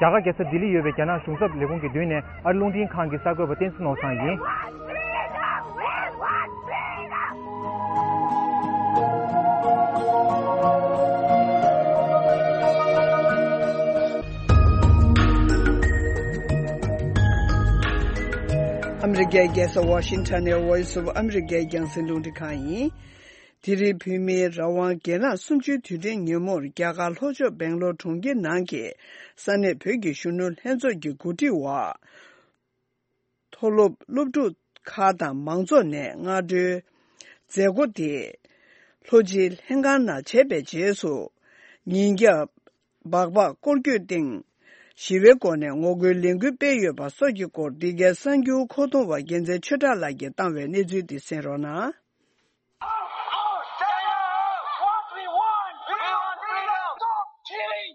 རྒྱ་གར་རྒྱལ་ས་ལྡི་ལི་ཡོད་པའི་རྒྱ་ནག་གཞུང་ཚབ་ལས་ཁུངས་ཀྱི་མདུན་ནས་ཨ་རི་རླུང་འཕྲིན་ཁང་གི་གསར་འགོད་པ་བསྟན་འཛིན་ནོར་བཟང་ཡིན། ཨ་མི་རི་ཀའི་རྒྱལ་ས་ཝ་ཤིང་ཊོན་ནས་Voice of America རྒྱང་སྲིང་རླུང་འཕྲིན་ཁང་ཡིན། དེ་རིང་བོད་མིའི་རང་དབང་སྒེར་ལངས་གསུམ་བཅུའི་དུས་དྲན་ཉིན་མོར་རྒྱ་གར་ལྷོ་ཕྱོགས་སྦེང་ལོར་གྲོང་ཁྱེར་ནང་གི་ས་གནས་བོད་ཀྱི་གཞོན་ནུ་ལྷན་ཚོགས་ཀྱི་གོ་སྒྲིག་འོག་མཐོ་སློབ་སློབ་ཕྲུག་ཁག་དང་མང་ཚོགས་ནས་སྔ་དྲོའི་མཛད་སྒོ་དེ་ལྷོ་སྤྱི་ལྷན་ཁང་ནང་བྱས་པའི་རྗེས་སུ། ཉིན་རྒྱབ་སྦག་སྦག་སྐོར་སྐྱོད་སྟེང་ཞི་བའི་སྒོ་ནས་ངོ་རྒོལ་ལས་འགུལ་སྤེལ་ཡོད་པ་སོགས་ཀྱི་སྐོར་འདི་གའི་གསར་འགྱུར་མཁོ་གཏོང་བ་རྒྱལ་མཚན་ཆོས་གྲགས་ལགས་ཀྱིས་བཏང་བའི་གནས་ཚུལ་འདི་གསན་རོགས་གནང་། What we want, we want freedom. Stop killing.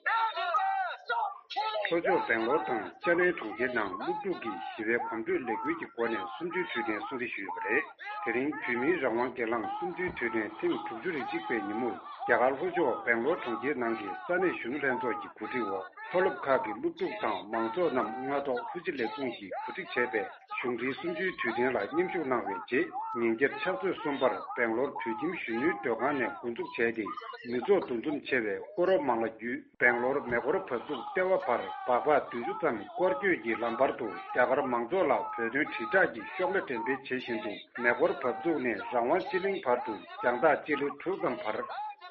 Stop killing. ལྷོ་ཕྱོགས་སྦེང་ལོར་དང་ཅ་ནའི་གྲོང་ཁྱེར་ནང་སློབ་ཕྲུག་གིས་ཞི་བའི་གོམ་བགྲོད་ལས་འགུལ་གྱི་སྒོ་ནས་གསུམ་བཅུའི་དུས་དྲན་སྲུང་བརྩི་ཞུས་ཡོད་པ་རེད། དེ་རིང་བོད་མིའི་རང་དབང་སྒེར་ལངས་གསུམ་བཅུའི་དུས་དྲན་ཐེངས་དྲུག་ཅུ་རེ་གཅིག་པའི་ཉིན་མོར་རྒྱ་གར་ལྷོ་ཕྱོགས་སྦེང་ལོར་གྲོང་ཁྱེར་ནང་གི་ས་གནས་གཞོན་ནུ་ལྷན་ཚོགས་ཀྱི་གོ་སྒྲིག་འོག་མཐོ་སློབ་ཁག་གི་སློབ་ཕྲུག་དང་མང་ཚོགས་རྣམས་སྔ་ཐོག་ལྷོ་སྤྱི་ལས་ཁུངས་ཀྱིས་གོ་སྒྲིག་བྱས་པའི་གཞུང་འབྲེལ་གསུམ་བཅུའི་དུས་དྲན་ལ་མཉམ་ཞུགས་གནང་བའི་རྗེས། ཉིན་རྒྱབ་ཕྱག་ཚོད་གསུམ་པར་སྦེང་ལོར་བོད་ཁྱིམ་གཞོན་ནུའི་སྡོད་ཁང་ནས་འགོ་འཛུགས་བྱས་ཏེ། མི་ཚོགས་འདུ་འཛོམས་ཆེ་བའི་སྐོར་རོ་མང་ལ་བརྒྱུད། སྦེང་ལོར་མེ་འཁོར་བབས་ཚུགས་ལྟེ་བ་བར་སྦག་སྦག་དུས་ཆུ་ཙམ་སྐོར་སྐྱོད་ཀྱི་ལམ་བར་དུ་རྒྱ་གར་མང་ཚོགས་ལ་བོད་དོན་དྲིལ་བསྒྲགས་ཀྱི་ཤོག་ལྷེ་འགྲེམས་སྤེལ་བྱེད་བཞིན་དུ། མེ་འཁོར་བབས་ཚུགས་ནས་རང་དབང་སྤྱི་གླིང་བར་དུ་རྒྱང་ཐག་སྤྱི་ལེ་དྲུག་ཙམ་བར།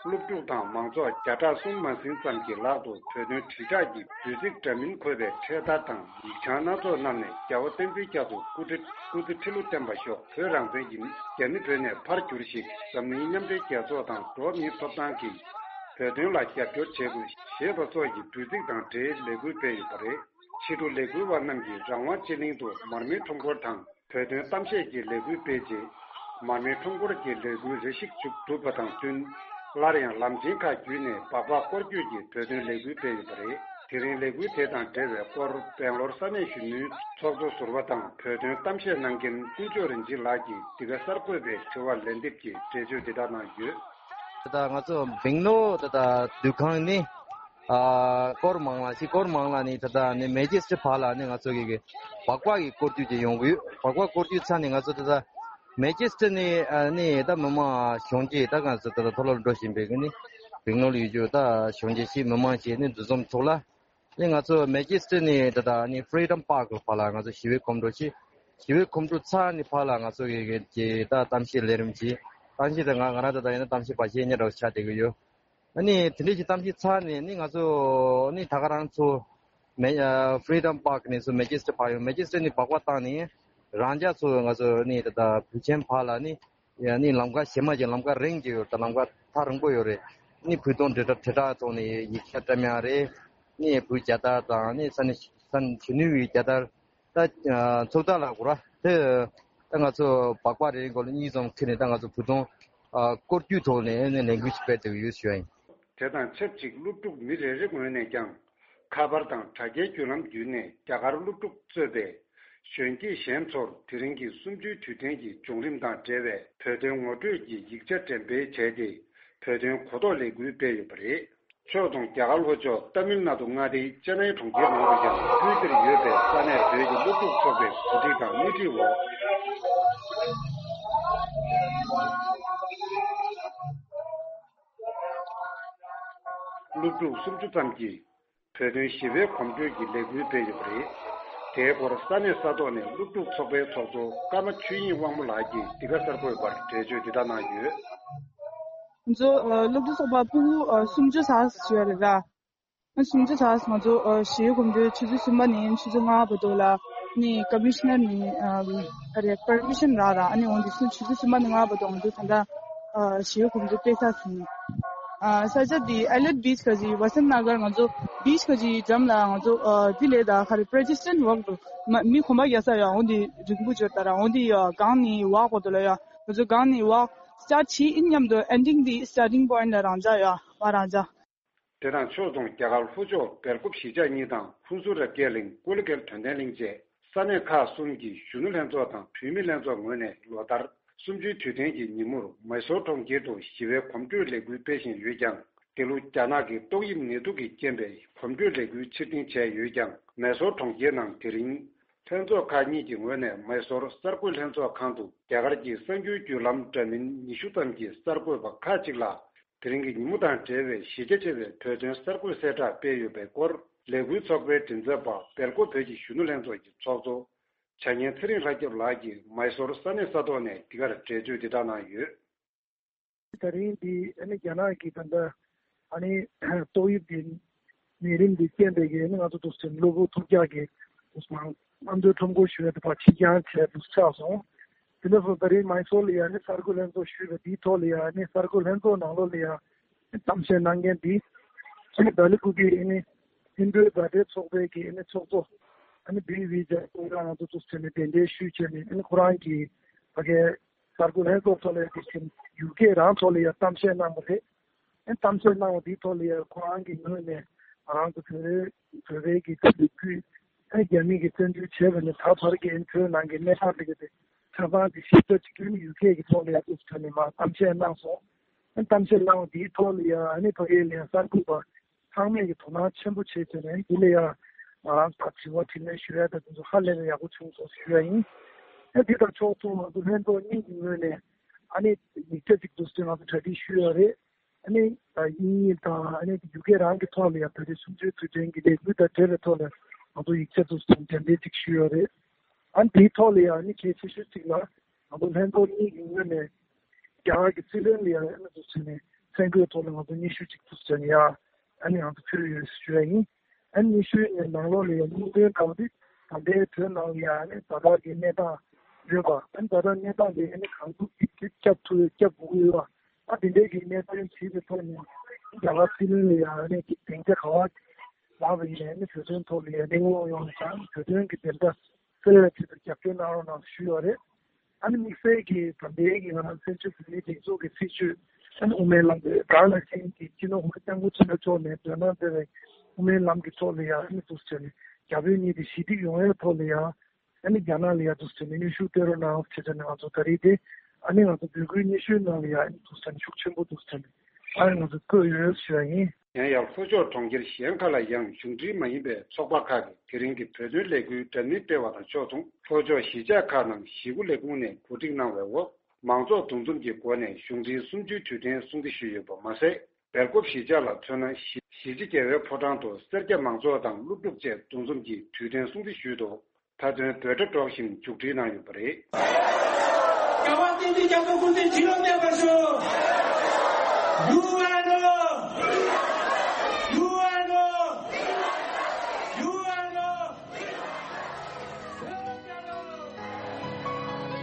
སློབ་ཕྲུག་དང་མང་ཚོགས་བརྒྱ་ཕྲག་གསུམ་མ་ཟིན་ཙམ་གྱི་ལག་ཏུ་བོད་དོན་དྲིལ་བསྒྲགས་ཀྱི་འབོད་ཚིག་འདྲ་མིན་འཁོད་པའི་འཕྲེད་དར་དང་ཡིག་བྱང་སྣ་ཚོགས་བསྣམས་ནས་རྒྱལ་བ་བསྟན་འཛིན་རྒྱ་མཚོ་སྐུ་ཁྲི་སྐུ་ཚེ་ཁྲི་ལོ་བརྟན་པར་ཤོག་བོད་རང་བཙན་ཡིན། རྒྱ་མི་བོད་ནས་ཕར་གྱུར་ཞིག་འཛམ་གླིང་མཉམ་འབྲེལ་རྒྱལ་ཚོགས་དང་འགྲོ་བ་མིའི་ཐོབ་ཐང་གིས་བོད་དོན་ལ་རྒྱབ་སྐྱོར་བྱེད་དགོས་ཞེས་པ་སོགས་ཀྱི་འབོད་ཚིག་དང་འབྲེལ་ལས་འགུལ་སྤེལ་ཡོད་པ་རེད། ཕྱི་དྲོ་ལས་འགུལ་བ་རྣམས་ཀྱིས་རང་དབང་སྤྱི་གླིང་དུ་མར་མེའི་ཁྲོམ་སྐོར་དང་། བོད་དོན་གཏམ་བཤད་ཀྱི་ལས་འགུལ་སྤེལ་རྗེས། མར་མེའི་ཁྲོམ་སྐོར་གྱི་ལས་འགུལ་རེ་ཞིག་མཇུག་གྲུབ་པ་དང་བསྟུན། སླར་ཡང་ལམ་ཆེན་ཁག་བརྒྱུད་ནས་སྦག་སྦག་སྐོར་སྐྱོད་ཀྱི་བོད་དོན་ལས་འགུལ་སྤེལ་ཡོད་པ་རེད། དེ་རིང་ལས་འགུལ་དེ་དང་འབྲེལ་བའི་སྐོར་སྦེང་ལོར་ས་གནས་གཞོན་ནུའི་ཚོགས་གཙོ་ཟུར་པ་དང་བོད་དོན་གཏམ་བཤད་གནང་མཁན་དཀོན་མཆོག་རིན་ཆེན་ལགས་ཀྱིས་འདི་ག་གསར་འགོད་པའི་དྲི་བར་ལན་འདེབས་ཀྱིས་འགྲེལ་བརྗོད་འདི་ལྟར་གནང་ཡོད། ད་ལྟ་ང་ཚོ་སྦེང་ལོར་ད་ལྟ་འདུ་ཁང་ནི། ཨ་ཀོར་མང་ལ་ཞིག་ཀོར་མང་ལ་ནི་ད་ལྟ་ནི་མེ་ཇེ་སི་ཊི་བར་ལ་ནི་ང་ཚོ་གི་གི་སྦག་སྦག་གི་སྐོར་སྐྱོད་ཅིག་ཡོང་གི་ཡོད། སྦག་སྦག་སྐོར་སྐྱོད་ཚར་ནི་ང་ཚོ་ད་ལྟ་མེ་ཇེ་སི་ཊི་ནི་ཨ་ནི་ད་མི་མང་གཞོན་སྐྱེས་ད་ང་ཚོ་ད་ལྟ་མཐོ་སློབ་འགྲོ་བཞིན་པའི་གི་ནི་སྦེང་ལོར་ཡོད་རྒྱུ་ད་གཞོན་སྐྱེས་ཞིག་མི་མང་ཞིག་ནི་འདུ་འཛོམས་ཚོགས་ལ་ནི་ང་ཚོ་མེ་ཇེ་སི་ཊི་ནི་ད་ལྟ་ནི་ཕི་རི་ཌམ་པཱརྐ་བར་ལ་ང་ཚོ་ཞི་བའི་གོམ་བགྲོད་ཅིག་ཞི་བའི་གོམ་བགྲོད་ཚར་ནི་བར་ལ་ང་ཚོ་གི་གི་ད་གཏམ་བཤད་ལས་རིམ་ཅིག་གཏམ་བཤད་ད་ང་ང་རང་ད་ལྟ་ཡིན་ན་གཏམ་བཤད་པ་ཞིག་ཉེ་འདྲ་བོ་ཆགས་བསྡད་གི་ཡོད། ཨ་ནི་དེ་འདྲའི་ཅིག་གཏམ་བཤད་ཚར་ནས་ནི་ང་ཚོ་ནི་ད་ག་རང་ཚོ་མེ་ཨ་ཕི་རི་ཌམ་པཱརྐ་ནས་ཚུར་མེ་ཇེ་སི་ཊི་བར་ཡོང་། མེ་ཇེ་སི་ཊི་ནས་སྦག་སྦག་བཏང་ནས་རང་ཅག་ཚོ་ང་ཚོ་ནི་ད་ལྟ་བོད་ཆེན་བར་ལ་ནི་ཡ་ནི་ལམ་ཁ་གཞན་མ་ཅིག་ལམ་ཁ་རིང་ཅིག་ཡོད་རེད། ད་ལམ་ཁ་ཐག་རིང་པོ་ཡོད་རེད། ནི་བོད་དོན་དྲིལ་བསྒྲགས་དྲིལ་བསྒྲགས་ཐོག་ནས་ཡིག་ཆ་བཀྲམ་ཡག་རེད། ནི་བོད་རྒྱལ་དར་དང་ནི་ས་གནས་ས་གནས་གཞོན་ནུ་ཡི་རྒྱལ་དར། ད་ཚོགས་ཐག་ལ་གོ་ར་དེ་ད་ང་ཚོ་སྦག་སྦག་རེ་རེ་མགོ་ལ་གཉིས་ཙམ་ཁྱེར་ནས་ད་ང་ཚོ་བོད་དོན་སྐོར་སྐྱོད་ཐོག་ནས་ནས་ལས་འགུལ་ཞིག་སྤེལ་ཐུབ་ཡོད་ཞུ་ཡ་ཡིན། དེ་དང་ཆབས་ཅིག་སློབ་ཕྲུག་མི་རེ་རེ་ངོས་ནས་ཀྱང་ཁ་པར་དང་དྲ་རྒྱའི་བརྒྱུད་ལམ་བརྒྱུད་ནས་རྒྱ་གར་སློབ་ཕྲུག་གཙོས་པའི་གཞོན་སྐྱེས་གཞན་ཚོར་དེ་རིང་གི་གསུམ་བཅུའི་དུས་དྲན་གྱི་བྱུང་རིམ་དང་འབྲེལ་བའི་བོད་དོན་ངོ་སྤྲོད་ཀྱི་ཡིག་ཆ་འགྲེམས་སྤེལ་བྱས་ཏེ་བོད་དོན་གོ་རྟོགས་ལས་འགུལ་སྤེལ་ཡོད་པ་རེད། ཕྱོགས་མཚུངས་རྒྱ་གར་ལྷོ་ཕྱོགས་ཏཱ་མིལ་ནཱ་ཌུ་མངའ་སྡེའི་ཅེ་ནའི་གྲོང་ཁྱེར་ནང་དུ་ཀྱང་ཁུལ་དེར་ཡོད་པའི་ས་གནས་བོད་ཀྱི་སློབ་ཕྲུག་ཚོགས་པའི་གོ་སྒྲིག་དང་སྣེ་ཁྲིད་འོག་སློབ་ཕྲུག་སུམ་ཅུ་ཙམ་གྱིས་བོད་དོན་ཞི་བའི་གོམ་བགྲོད་ཀྱི་ལས་འགུལ་སྤེལ་ཡོད་པ་རེད། དེའི་སྐོར་ས་གནས་ས་ཐོག་ནས་སློབ་ཕྲུག་ཚོགས་པའི་ཚོགས་གཙོ་ཀརྨ་ཆོས་དབྱིངས་དབང་མོ་ལགས་ཀྱིས་འདི་ག་གསར་འགོད་པར་འགྲེལ་བརྗོད་འདི་ལྟར་གནང་ཡོད། ང་ཚོ་ཨ་སློབ་ཕྲུག་ཚོགས་པ་ཕྲུ་གུ་ཨ་སུམ་ཅུ་ཙམ་ཞིག་ཡོད་རེད་ལ། ཨ་སུམ་ཅུ་ཙམ་ང་ཚོ་ཨ་ཞི་བའི་གོམ་བགྲོད་ཆུ་ཚོད་གསུམ་པ་ནས་ཆུ་ཚོད་ལྔ་བར་དུ་ལ་ནི་ཀོ་མི་ཤི་ནར་ནས་ཨ་ཨ་རེ་པར་མི་ཤན་རག་ར། ཨ་ནི་འོན་ཏེ་ཆུ་ཚོད་གསུམ་པ་ནས་ལྔ་བར་དུ་ང་ཚོ་ད་ལྟ་ཨ་ཞི་བའི་གོམ་བགྲོད་སྤེལ་ས་ཟིན། ཨ་ས་ཆ་འདི་ཨེ་ལེད་བིཆ་ག་ཅི་ཝ་སན་ནཱ་གར་ང་ཚོ་བིཆ་ག་ཅི་འགྲམ་ལ་ང་ཚོ་ཨ་འདི་ལས་ད་ག་རེ་པྲ་ཇི་སི་ཊན་ཝོག་འགྲོ་མ་མི་གོམ་པ་རྒྱག་ས་ཡོད། འོན་ཏེ་རིང་པོ་བྱོས་ད་ར། འོན་ཏེ་ཡ་གང་ནས་ཝོག་བར་དུ་ལ་ཡ་ང་ཚོ་གང་ནས་ཝོག་སི་ཊར་ཊི་བྱེད་ཡིན་མཉམ་དུ་ཨེན་ཌིང་འདི་སི་ཊར་ཊིང་པོ་ཡིན་ལ་རང་འཇགས་ཡ་བ་རང་འཇགས། དེ་དང་ཕྱོགས་མཚུངས་རྒྱ་གར་ལྷོ་ཕྱོགས་སྦེལ་ཀོབ་གཞིས་ཆགས་གཉིས་དང་ཧུན་སུར་ར་སྐད་གླིང་ཀུ་ལི་ཀལ་དོན་ལྡན་གླིང་བཅས་ས་གནས་ཁག་གསུམ་གྱི་གཞོན་ནུ་ལྷན་ཚོགས་དང་བུད་མེད་ལྷན་ཚོགས་ངོས་ནས་ལོ་ལྟར་གསུམ་བཅུའི་དུས་དྲན་གྱི་ཉིན་མོར་མེ་སོར་གྲོང་ཁྱེར་དུ་ཞི་བའི་གོམ་བགྲོད་ལས་འགུལ་སྤེལ་བཞིན་ཡོད་ཀྱང་ འདི་ལོ་རྒྱ་ནག་གི་ཏོག་དབྱིབས་ནད་དུག་གི་རྐྱེན་པས་གོམ་བགྲོད་ལས་འགུལ་ཕྱིར་འཐེན་བྱས་ཡོད་ཀྱང་། མེ་སོར་གྲོང་ཁྱེར་ནང་དེ་རིང་ལྷན་ཚོགས་ཁག་གཉིས་ཀྱི་ངོས་ནས་མེ་སོར་གསར་འགོད་ལྷན་ཚོགས་ཁང་དུ་རྒྱ་གར་གྱི་གསར་འགྱུར་བརྒྱུད་ལམ་འདྲ་མིན་ཉི་ཤུ་ཙམ་གྱི་གསར་འགོད་པ་ཁག་ཅིག་ལ། དེ་རིང་གི་ཉིན་མོ་དང་འབྲེལ་བའི་གཞི་རྒྱ་ཆེ་བའི་བོད་དོན་གསར་འགོད་གསལ་བསྒྲགས་སྤེལ་ཡོད་པའི་སྐོར། ལས་འགུལ་ཚོགས་པའི་མགྲིན་ཚབ་པ་སྦེལ་ཀོབ་བོད་ཀྱི་གཞོན་ནུ་ལྷན་ཚོགས་ཀྱི་ཚོགས་གཙོ་བྱ་ངན་ཚེ་རིང་ལྷ་སྐྱབས་ལགས་ཀྱིས་མེ་སོར་ས་གནས་ས་ཐོག་ནས་འདི་གར་འགྲེལ་བརྗོད་འདི་དག་གནང་ཡོད། ད་རིང་འདི་ཨ་ནི་རྒྱ་ནག་གི་ད་ལྟ་ཨ་ནི་ཏོག་དབྱིབས་འདི་ནད་རིམས་འདི་རྐྱེན་པས་ཀྱི་ཨ་ནི་ང་ཚོ་འདུག་སེ་གློ་བུར་ཐུག་འཇགས་ཀྱི་འདུག་སེ་གནམ་གྲུ་ཁྲོམ་སྐོར་ཞུ་ཡ་དེ་ཕར་ཕྱིར་འགྱངས་བྱས་འདུག་ཆགས་སོང་། དེ་འདྲ་སོང་ད་རིང་མེ་སོར་ལ་ཡ་ཨ་ནི་གསར་འགོད་ལྷན་ཚོགས་ཞུས་པ་འདིའི་ཐོག་ལ་ཡ་ཨ་ནི་གསར་འགོད་ལྷན་ཚོགས་ནང་ལོགས་ལ་ཡ་གཏམ་བཤད་གནང་མཁན་འདི་ཨ་ནི་ལྡི་ལི་ཁུལ་གྱི་ཨ་ནི་ཧིན་རྡུའི་མཛའ་འབྲེལ་ཚོགས་པའི་གི་ཨ་ནི་ཚོགས་གཙོ་ཨ་ནི་བི་བི་ཇ་ཁོ་རང་ང་ཚོ་ཚོགས་ཆེན་ནས་གདན་འདྲེན་ཞུས་བྱས་ནས་ཨ་ནི་ཁོ་རང་གི་ཕ་གའི་གསར་འགོད་ལྷན་ཚོགས་ཐོག་ལ་དེ་བཞིན་ཡུ་ཀེ་རང་ཐོག་ལ་ཡང་གཏམ་བཤད་གནང་བ་རེད། ཨ་ནི་གཏམ་བཤད་གནང་བ་དེའི་ཐོག་ལ་ཡང་ཁོ་རང་གི་ངོས་ནས་ང་རང་ཚོ་བོད་རེ་བོད་པའི་གི་ད་ལོ་རྒྱུས་ཨ་ནི་རྒྱ་མི་གི་བཙན་འཛུལ་བྱས་པ་ནས་ད་བར་གྱི་ཨ་ནི་བོད་ནང་གི་གནས་སྟངས་དེ་ག་དེ་ཆ་ཚང་དེ་ཞིབ་ཕྲ་ཅིག་ཨ་ནི་ཡུ་ཀེ་གི་ཐོག་ལ་ཡང་དུ་ཐོན་ནས་མར་གཏམ་བཤད་གནང་སོང་། ཨ་ནི་གཏམ་བཤད་གནང་བ་དེའི་ཐོག་ལ་ཡང་ཨ་ནི་ཕ་གིའི་ལན་གསར་འགོད་པ་ཚང་མས་ཀྱི་དོ་སྣང་ཆེན་པོ་བྱས་བྱས་ནས་འདི་ལ་ཡང་ང་རང་ཚོ་དྲི་བ་དྲིས་ལན་ཞུ་ཡ་དང་དེ་ཚོ་ཧ་ལས་པའི་ཡག་པོ་བྱུང་སོང་ཞུ་ཡ་ཡིན། ཨ་འདི་དང་ཕྱོགས་མཚུངས་ང་ཚོ་ལྷན་ཚོགས་གཉིས་ཀྱི་ངོས་ནས་ཨ་ནི་ཡིག་ཆ་གཅིག་འདུག་སེ་ང་ཚོ་གྲ་སྒྲིག་ཞུས་ཡོད་རེད། ཨ་ནི་དབྱིན་ཡིག་དང་ཨ་ནི་ཡུ་ཀེ་རང་གི་ཐོག་ལ་ཡང་བོད་རིགས་གསུམ་བཅུའི་དུས་དྲན་གྱི་ལས་འགུལ་དང་འབྲེལ་བའི་ཐོག་ལ་ང་ཚོ་ཡིག་ཆ་འདུག་སེ་དྲན་རྟེན་གཅིག་ཞུས་ཡོད་རེད། ཨ་ནི་དེའི་ཐོག་ལ་ཡང་ཨ་ནི་གལ་ཆེ་ཤོས་གཅིག་ལ་ང་ཚོ་ལྷན་ཚོགས་གཉིས་ཀྱི་ངོས་ནས་རྒྱ་གར་གྱི་སྲིད་བློན་ལ་ཡང་ཨ་ནི་འདུག་སེ་ནས་མཚན་བཀོད་ཐོག་ལ་ང་ཚོ་སྙན་ཞུ་གཅིག་འདུག་སེ་ནས་ཡང་ཨ་ནི་ང་ཚོ་ཕུལ་ཡོད་ཞུ་ཡ་ཡིན། ཨ་ནི་སྙན་ཞུའི་ནང་ལོགས་ལ་ཡང་སྙིང་དོན་གང་འདི་ད་ལྟའི་བོད་ནང་ལ་ཡང་ཨ་ནི་ད་ལྟ་གི་གནས་སྟངས་ཡོད་པ། ཨ་ནི་ད་ལྟ་གནས་སྟངས་འདི་ཨ་ནི་གང་ཐུབ་ཀྱིས་སྐྱབས་ཐུབ་སྐྱབས་དགོས་ཀྱི་ཡོད་པ། ཨ་དེ་འདྲའི་གི་གནས་སྟངས་བྱས་པའི་ཐོག་ནས་རྒྱ་གར་སྲིད་བློན་ལ་ཡང་ཨ་ནི་གི་སྡིངས་ཆ་ག་བ་ལངས་པ་ཡིན་ནའི་ཨ་ནི་བོད་དོན་ཐོག་ལ་ཡང་གླེང་སློང་ཡོང་བ་དང་བོད་དོན་གི་བདེན་མཐའ་གསལ་བའི་ཆེད་དུ་རྒྱབ་སྐྱོར་གནང་རོགས་གནང་ཞུས་ཡོད་རེད། ཨ་ནི་དམིགས་བསལ་གྱིས་ད་ལྟའི་གི་ང་རང་བཙན་བྱོལ་བོད་མིའི་སྒྲིག་འཛུགས་ཀྱི་སྲིད་བྱུས་ཨ་ནི་དབུ་མའི་ལམ་དེ་དགའ་ལ་ཅན་གྱི་སྤྱི་ནོར་༸གོང་ས་༸སྐྱབས་མགོན་ཆེན་པོ་མཆོག་ནས་མཛད་གནང་མཛད་པའི་དབུ་མའི་ལམ་གྱི་ཐོག་ལ་ཡང་ཨ་ནི་འདུག་ཟེར་ནས་རྒྱ་བོད་གཉིས་དེ་ཞི་འགྲིག་ཡོང་བའི་ཐོག་ལ་ཡང་ཨ་ནི་རྒྱ་ནག་ལ་ཡང་འདུག་ཟེར་ནས་སྙན་ཞུ་སྤྲད་རོགས་གནང་ཟེར་ནས་ང་ཚོ་ད་རེས་དེ་ཨ་ནི་ང་ཚོ་འབོད་སྐུལ་སྙན་ཞུའི་ནང་ལ་ཡང་ཨ་ནི་འདུག་ཟེར་ནས་ཤུགས་ཆེན་པོ་འདུག་ཟེར་ནས་ཨ་ནི་ང་ཚོ་བཀོད་ཡོད་ཞུ་ཡ་ཡིན། ཡང་ཡང་ལྷོ་ཕྱོགས་གྲོང་ཁྱེར་གཞན་ཁག་ལ་ཡང་གཞུང་འབྲེལ་མ་ཡིན་པའི་ཚོགས་པ་ཁག་གིས་དེ་རིང་གི་བོད་དོན་ལས་འགུལ་འདྲ་མིན་སྤེལ་བ་དང་ཕྱོགས་མཚུངས་ལྷོ་ཕྱོགས་གཞིས་ཆགས་ཁག་ནང་གཞིས་འགོ་ལས་ཁུངས་ནས་གོ་སྒྲིག་གནང་བའི་འོག་མང་ཚོགས་འདུ་འཛོམས་ཀྱི་སྒོ་ནས་གཞུང་འབྲེལ་གསུམ་བཅུའི་དུས་དྲན་སྲུང་བརྩི་ཞུས་ཡོད་པ་མ་ཟད། སྦེལ་ཀོབ་གཞིས་ཆགས་ལ་མཚོན་ན་གཞིས་གཞིས་བྱེས་རྒྱལ་བའི་ཕོ་བྲང་དུ་སེར་སྐྱ་མང་ཚོགས་དང་སློབ་ཕྲུག་བཅས་འདུ་འཛོམས་ཀྱིས་དུས་དྲན་སྲུང་བརྩི་ཞུས་འདུག་མཐའ་དོན་འབོད་སྒྲ་སྒྲོག་བཞིན་མཇུག་སྒྲིལ་གནང་ཡོད་པ་རེད། རྒྱལ་བ་བསྟན་འཛིན་རྒྱ་མཚོ་སྐུ་ཚེ་ཁྲི་ལོ་བརྟན་པར་ཤོག་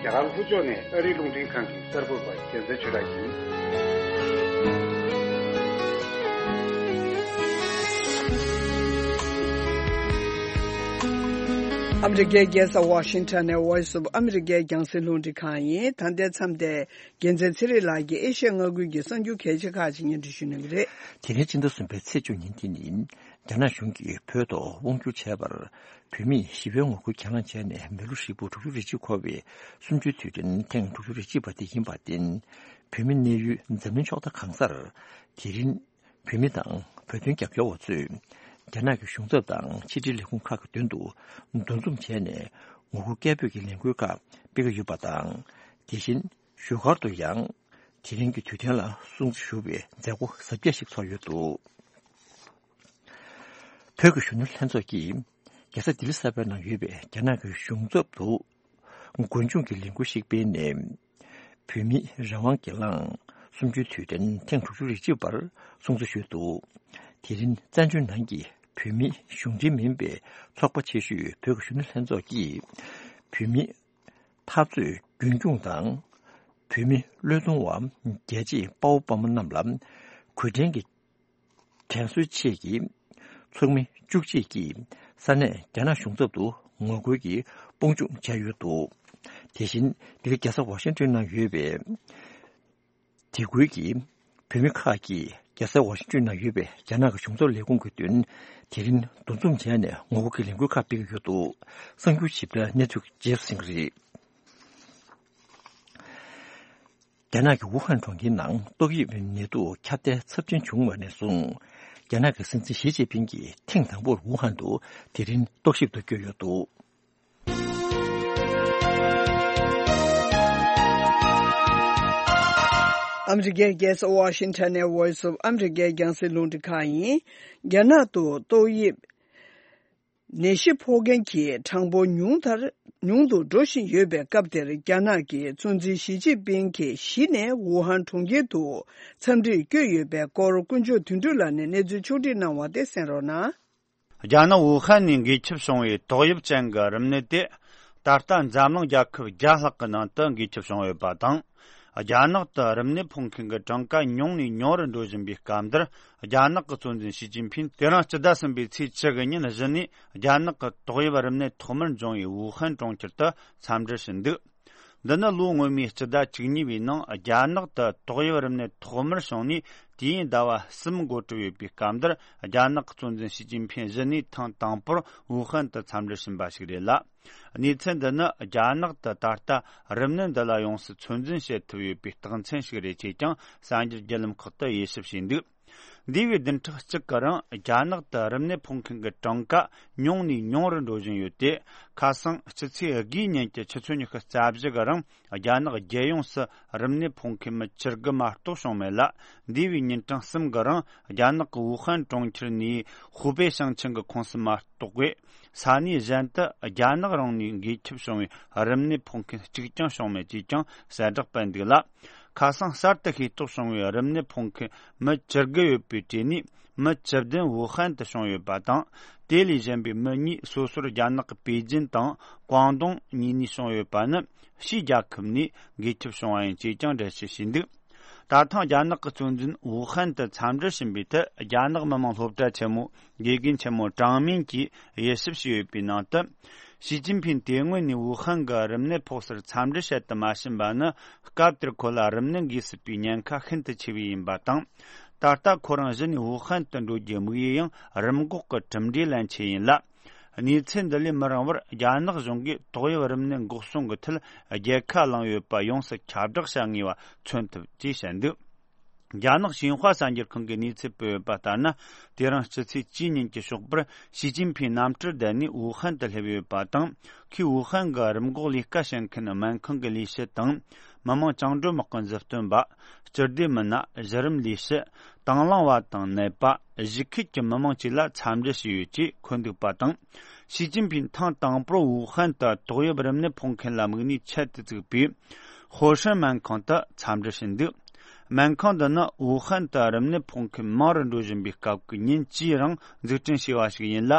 རྒྱ་གར་ལྷོ་ཕྱོགས་ནས་ཨ་རིའི་རླུང་འཕྲིན་ཁང་གི་གསར་འགོད་པ་རྒྱལ་མཚན་ཆོས་གྲགས་ཡིན། ཨ་མི་རི་ཀའི་རྒྱལ་ས་ཝ་ཤིང་ཊོན་ནས་Voice of America རྒྱང་སྲིང་རླུང་འཕྲིན་ཁང་ཡིན། ད་ལྟའི་མཚམས་དེ་རྒྱལ་མཚན་ཚེ་རིང་ལགས་ཀྱིས་ཨེ་ཤ་ཡ་མངའ་ཁུལ་གྱི་གསར་འགྱུར་གལ་ཆེ་ཁག་ཅིག་སྙན་སྒྲོན་ཞུ་གནང་གི་རེད། དེ་རིང་སྤྱི་ཟླ་གསུམ་པའི་ཚེས་བཅུ་ཉིན་དེ་ནི་རྒྱ་ནག་གཞུང་གིས་བོད་ཐོག་དབང་བསྒྱུར་བྱས་པར་བོད་མིས་ཞི་བའི་ངོ་རྒོལ་གྱེན་ལངས་བྱས་ནས་མི་ལོ་ཧྲིལ་པོ་དྲུག་ཅུ་རེ་གཅིག་འཁོར་བའི་གསུམ་བཅུའི་དུས་དྲན་ཐེངས་དྲུག་ཅུ་རེ་གཅིག་པ་དེ་ཡིན་པར་བརྟེན། བོད་མི་གནས་ཡུལ་འཛམ་གླིང་ཕྱོགས་མཐའ་གང་སར་དེ་རིང་བོད་མི་དང་བོད་དོན་རྒྱབ་སྐྱོར་བ་ཚོས་རྒྱ་ནག་གི་གཞུང་ཚབ་དང་ཕྱི་འབྲེལ་ལས་ཁུངས་ཁག་གི་མདུན་དུ་འདུ་འཛོམས་བྱས་ནས་ངོ་རྒོལ་སྐད་འབོད་ཀྱི་ལས་འགུལ་ཁག་སྤེལ་གྱི་ཡོད་པ་དང་། དེ་བཞིན་བཞུགས་སྒར་དུ་ཡང་དེ་རིང་གི་དུས་སྟོན་ལ་སྲུང་བརྩི་ཞུ་བའི་མཛད་སྒོ་གཟབ་རྒྱས་ཤིག་ཚོགས་ཡོད་འདུག་བོད་ཀྱི་གཞོན་ནུ་ལྷན་ཚོགས་ཀྱིས་རྒྱལ་ས་ལྡི་ལི་གསར་པའི་ནང་ཡོད་པའི་རྒྱ་ནག་གི་གཞུང་ཚབ་ཏུ་མགོ་མཇུག་གི་ལས་འགུལ་ཞིག་སྤེལ་ནས། བོད་མིའི་རང་དབང་སྒེར་ལངས་གསུམ་བཅུའི་དུས་དྲན་ཐེངས་དྲུག་ཅུ་རེ་གཅིག་པར་སྲུང་བརྩི་ཞུས་འདུག་དེ་རིང་བཙན་བྱོལ་ནང་གི་བོད་མིའི་གཞུང་འབྲེལ་མིན་པའི་ཚོགས་པ་ཆེ་ཤོས་བོད་ཀྱི་གཞོན་ནུ་ལྷན་ཚོགས་ཀྱིས་བོད་མིའི་འཐབ་རྩོད་རྒྱུན་འཁྱོངས་དང་། བོད་མི་བློས་གཏོང་བ་རྒྱལ་གཅེས་དཔའ་བོ་དཔའ་མོ་རྣམས་ལ་གུས་བསྟན་གྱི་དྲན་གསོའི་ཆེད་ཀྱི་ཚོགས་མི་བཅུ་གཅིག་གིས་ས་གནས་རྒྱ་ནག་གཞུང་ཚབ་ཏུ་ངོ་རྒོལ་གྱི་དཔུང་འཇུག་བྱས་ཡོད་འདུག་དེ་བཞིན་ལྡི་ལི་རྒྱལ་ས་ཝ་ཤིང་ཏོན་ནང་ཡོད་པའི་དེ་ཁུལ་གྱི་བོད་མི་ཁག་གིས་རྒྱལ་ས་ཝ་ཤིང་ཏོན་ནང་ཡོད་པའི་རྒྱ་ནག་གི་གཞུང་ཚབ་ལས་ཁུངས་ཀྱི་མདུན་དེ་རིང་འདུ་འཛོམས་བྱས་ནས་ངོ་རྒོལ་གྱི་ལས་འགུལ་ཁག་སྤེལ་གྱི་ཡོད་འདུག་གསར་འགྱུར་ཞིབ་ཕྲ་གནས་ཚུལ་རྗེས་སུ་གསན་གྱི་རེད། རྒྱ་ནག་གི་ཝུ་ཧན་གྲོང་ཁྱེར་ནང་ཏོག་དབྱིབས་ནད་དུག་ཁྱབ་གདལ་ཚབས་ཆེན་བྱུང་བ་ནས་བཟུང་། རྒྱ་ནག་གི་སྲིད་འཛིན་ཞི་ཅིན་ཕིང་གིས་ཐེངས་དང་པོར་ཝུ་ཧན་དུ་དེ་རིང་རྟོག་ཞིབ་ཏུ་བསྐྱོད་ཡོད་འདུག་ཨ་མི་རི་ཀའི་རྒྱལ་ས་ཝ་ཤིང་ཊོན་ནས་Voice of America རྒྱང་སྲིང་རླུང་འཕྲིན་ཁང་ཡིན། རྒྱ་ནག་ཏུ་ཏོག་དབྱིབས་ནད་གཞི་ཕོག་མཁན་གྱི་གྲངས་འབོར་ཉུང་མཐར་ཉུང་དུ་འགྲོ་བཞིན་ཡོད་པའི་སྐབས་དེར། རྒྱ་ནག་གི་གཙོ་འཛིན་ཞི་ཅིན་ཕིང་གིས་གཞི་ནས་ཝུ་ཧན་གྲོང་ཁྱེར་དུ་འཚམས་འདྲིར་བསྐྱོད་ཡོད་པའི་སྐོར། དཀོན་མཆོག་དོན་གྲུབ་ལགས་ནས་གནས་ཚུལ་ཕྱོགས་བསྒྲིགས་གནང་བ་དེ་གསན་རོགས་གནང་། རྒྱ་ནག་ཝུ་ཧན་ནས་འགོས་ཁྱབ་བྱུང་བའི་ཏོག་དབྱིབས་ཅན་གྱི་རིམས་ནད་དེ། ད་ལྟ་འཛམ་གླིང་རྒྱལ་ཁབ་བརྒྱ་ལྷག་གི་ནང་དུ་འགོས་ཁྱབ་བྱུང་ཡོད་པ་དང་། རྒྱ་ནག་ཏུ་རིམས་ནད་ཕོག་མཁན་གྱི་གྲངས་ཀ་ཉུང་ནས་ཉུང་རུ་འགྲོ་བཞིན་པའི་སྐབས་འདིར། རྒྱ་ནག་གི་གཙོ་འཛིན་ཞི་ཅིན་ཕིང་དེ་རིང་སྤྱི་ཟླ་གསུམ་པའི་ཚེས་བཅུ་དགུ་ཉིན་གཞི་ནས་རྒྱ་ནག་གི་ཏོག་དབྱིབས་རིམས་ནད་ཐོག་མར་འབྱུང་བའི་ཝུ་ཧན་གྲོང་ཁྱེར་དུ་འཚམས་འདྲིར་ཕྱིན་འདུག་འདི་ནི་ལོ་སྔོན་མའི་སྤྱི་ཟླ་བཅུ་གཉིས་པའི་ནང་རྒྱ་ནག་ཏུ་ཏོག་དབྱིབས་རིམས་ནད་ཐོག་མར་བྱུང་ནས་དུས་ཡུན་ཟླ་བ་གསུམ་འགོ་གྲོལ་ཡོད་པའི་སྐབས་འདིར། རྒྱ་ནག་གི་གཙོ་འཛིན་ཞི་ཅིན་ཕིང་གཞི་ནས་ཐེངས་དང་པོར་ཝུ་ཧན་དུ་འཚམས་འདྲིར་ཕྱིན་པ་ཞིག་རེད་ལ། གནས་ཚུལ་འདི་ནི་རྒྱ་ནག་ཏུ་ད་ལྟ་རིམས་ནད་འདི་ལ་ཡོངས་སུ་ཚོད་འཛིན་བྱེད་ཐུབ་ཡོད་པའི་རྟགས་མཚན་ཞིག་རེད་ཅེས་ཀྱང་གསར་འགྱུར་བརྒྱུད་ལམ་ཁག་ཏུ་དབྱེ་ཞིབ་བྱས་འདུག་འདས་པའི་བདུན་ཕྲག་གཅིག་གི་རིང་རྒྱ་ནག་ཏུ་རིམས་ནད་ཕོག་མཁན་གྱི་གྲངས་ཀ་ཉུང་ནས་ཉུང་རུ་འགྲོ་བཞིན་ཡོད་དེ། ཁ་སང་སྤྱི་ཚེས་དགུའི་ཉིན་གྱི་ཆུ་ཚོད་ཉི་ཤུ་རྩ་བཞི་གི་རིང་རྒྱ་ནག་རྒྱལ་ཡོངས་སུ་རིམས་ནད་ཕོག་མཁན་མི་བཅུ་དགུ་མ་གཏོགས་བྱུང་མེད་ལ། འདས་པའི་ཉིན་གྲངས་གསུམ་གྱི་རིང་རྒྱ་ནག་གི་ཝུ་ཧན་གྲོང་ཁྱེར་ནས་ཧུའུ་པེ་ཞིང་ཆེན་གྱི་ཁོངས་སུ་མ་གཏོགས་པའི་ས་གནས་གཞན་དུ་རྒྱ་ནག་རང་ནས་འགོས་ཁྱབ་བྱུང་བའི་རིམས་ནད་ཕོག་མཁན་གཅིག་ཀྱང་བྱུང་མེད་ཅེས་ཀྱང་གསལ་བསྒྲགས་སྤེལ་འདུག་ལ། ཁ་སང་གསར་དུ་ཤེས་རྟོགས་བྱུང་བའི་རིམས་ནད་ཕོག་མཁན་མི་བཅུ་དགུ་ཡོད་པའི་གྲས་ནས། མི་བཅུ་བདུན་ཝུ་ཧན་དུ་བྱུང་ཡོད་པ་དང་། དེ་ལས་གཞན་པའི་མི་གཉིས་སོ་སོར་རྒྱ་ནག་གི་པེ་ཅིན་དང་ཀོང་ཏུང་གཉིས་ནས་བྱུང་ཡོད་པ་ནི་ཕྱིའི་རྒྱལ་ཁབ་ནས་འགོས་ཁྱབ་བྱུང་བ་ཡིན་ཅེས་ཀྱང་འགྲེལ་བཤད་བྱས་འདུག་ད་ཐེངས་རྒྱ་ནག་གི་གཙོ་འཛིན་ཝུ་ཧན་དུ་འཚམས་འདྲིར་ཕྱིན་པའི་ཐད། རྒྱ་ནག་མི་དམངས་སློབ་གྲྭ་ཆེན་མོའི་དགེ་རྒན་ཆེན་མོ་ཀྲང་མིན་གྱིས་དབྱེ་ཞིབ་བྱས་ཡོད་པའི་ནང་དུ། ཞི་ཅིན་ཕིང་དེ་སྔོན་ནས་ཝུ་ཧན་གྱི་རིམས་ནད་ཕོག་སར་འཚམས་འདྲི་བྱེད་དུ་མ་ཕྱིན་པ་ནི། སྐབས་དེར་ཁོ་ལ་རིམས་ནད་འགོས་སྲིད་པའི་ཉེན་ཁ་ཤིན་ཏུ་ཆེ་བས་ཡིན་པ་དང་། ད་ལྟ་ཁོ་རང་གཞི་ནས་ཝུ་ཧན་དུ་འགྲོ་རྒྱུའི་དམིགས་ཡུལ་ཡང་རིམས་འགོག་གི་གྲུབ་འབྲས་ལེན་ཆེད་ཡིན་ལ། གནས་ཚུལ་འདི་ལས་མི་རིང་བར་རྒྱ་ནག་གཞུང་གིས་ཏོག་དབྱིབས་རིམས་ནད་འགོག་སྲུང་གི་ཐད་རྒྱལ་ཁ་བླངས་ཡོད་པ་ཡོངས་སུ་ཁྱབ་བསྒྲགས་བྱ་ངེས་པ་མཚོན་ཐུབ་ཅེས་བཤད་འདུག་རྒྱ་ནག་ཤིན་ཧྭ་གསར་འགྱུར་ཁང་གིས་གནས་ཚུལ་སྤེལ་ཡོད་པ་ལྟར་ན། དེ་རིང་སྤྱི་ཚེས་བཅུའི་ཉིན་གྱི་ཞོགས་པར་ཞི་ཅིན་ཕིང་གནམ་གྲུར་བསྡད་ནས་ཝུ་ཧན་དུ་སླེབས་ཡོད་པ་དང་། ཁོས་ཝུ་ཧན་གྱི་རིམས་འགོག་ལས་ཀ་བྱེད་མཁན་སྨན་ཁང་གི་ལས་བྱེད་དང་། མི་དམངས་བཅིངས་འགྲོལ་དམག་གི་མཛུབ་སྟོན་པ། སྤྱི་བདེ་མི་སྣ། གཞི་རིམ་ལས་བྱེད། དང་བླངས་པ་དང་ནད་པ། གཞིས་ཁུལ་གྱི་མི་དམངས་བཅས་ལ་འཚམས་འདྲི་བྱས་ཡོད་ཅེས་འཁོད་འདུག་པ་དང་། ཞི་ཅིན་ཕིང་ཐེངས་དང་པོར་ཝུ་ཧན་དུ་ཏོག་དབྱིབས་རིམས་ནད་ཕོག་མཁན་ལ་དམིགས་ནས་ཆེད་དུ་བཙུགས་པའི་ཧོ་ཧྲན་སྨན་ཁང་དུ་འཚམས་འདྲི་ཕྱིན་འདུག་སྨན་ཁང་འདི་ནི་ཝུ་ཧན་དུ་རིམས་ནད་ཕོག་མཁན་མང་རུ་འགྲོ་བཞིན་པའི་སྐབས་ཀྱི་ཉིན་བཅུའི་རིང་འཛུགས་སྐྲུན་བྱས་པ་ཞིག་ཡིན་ལ།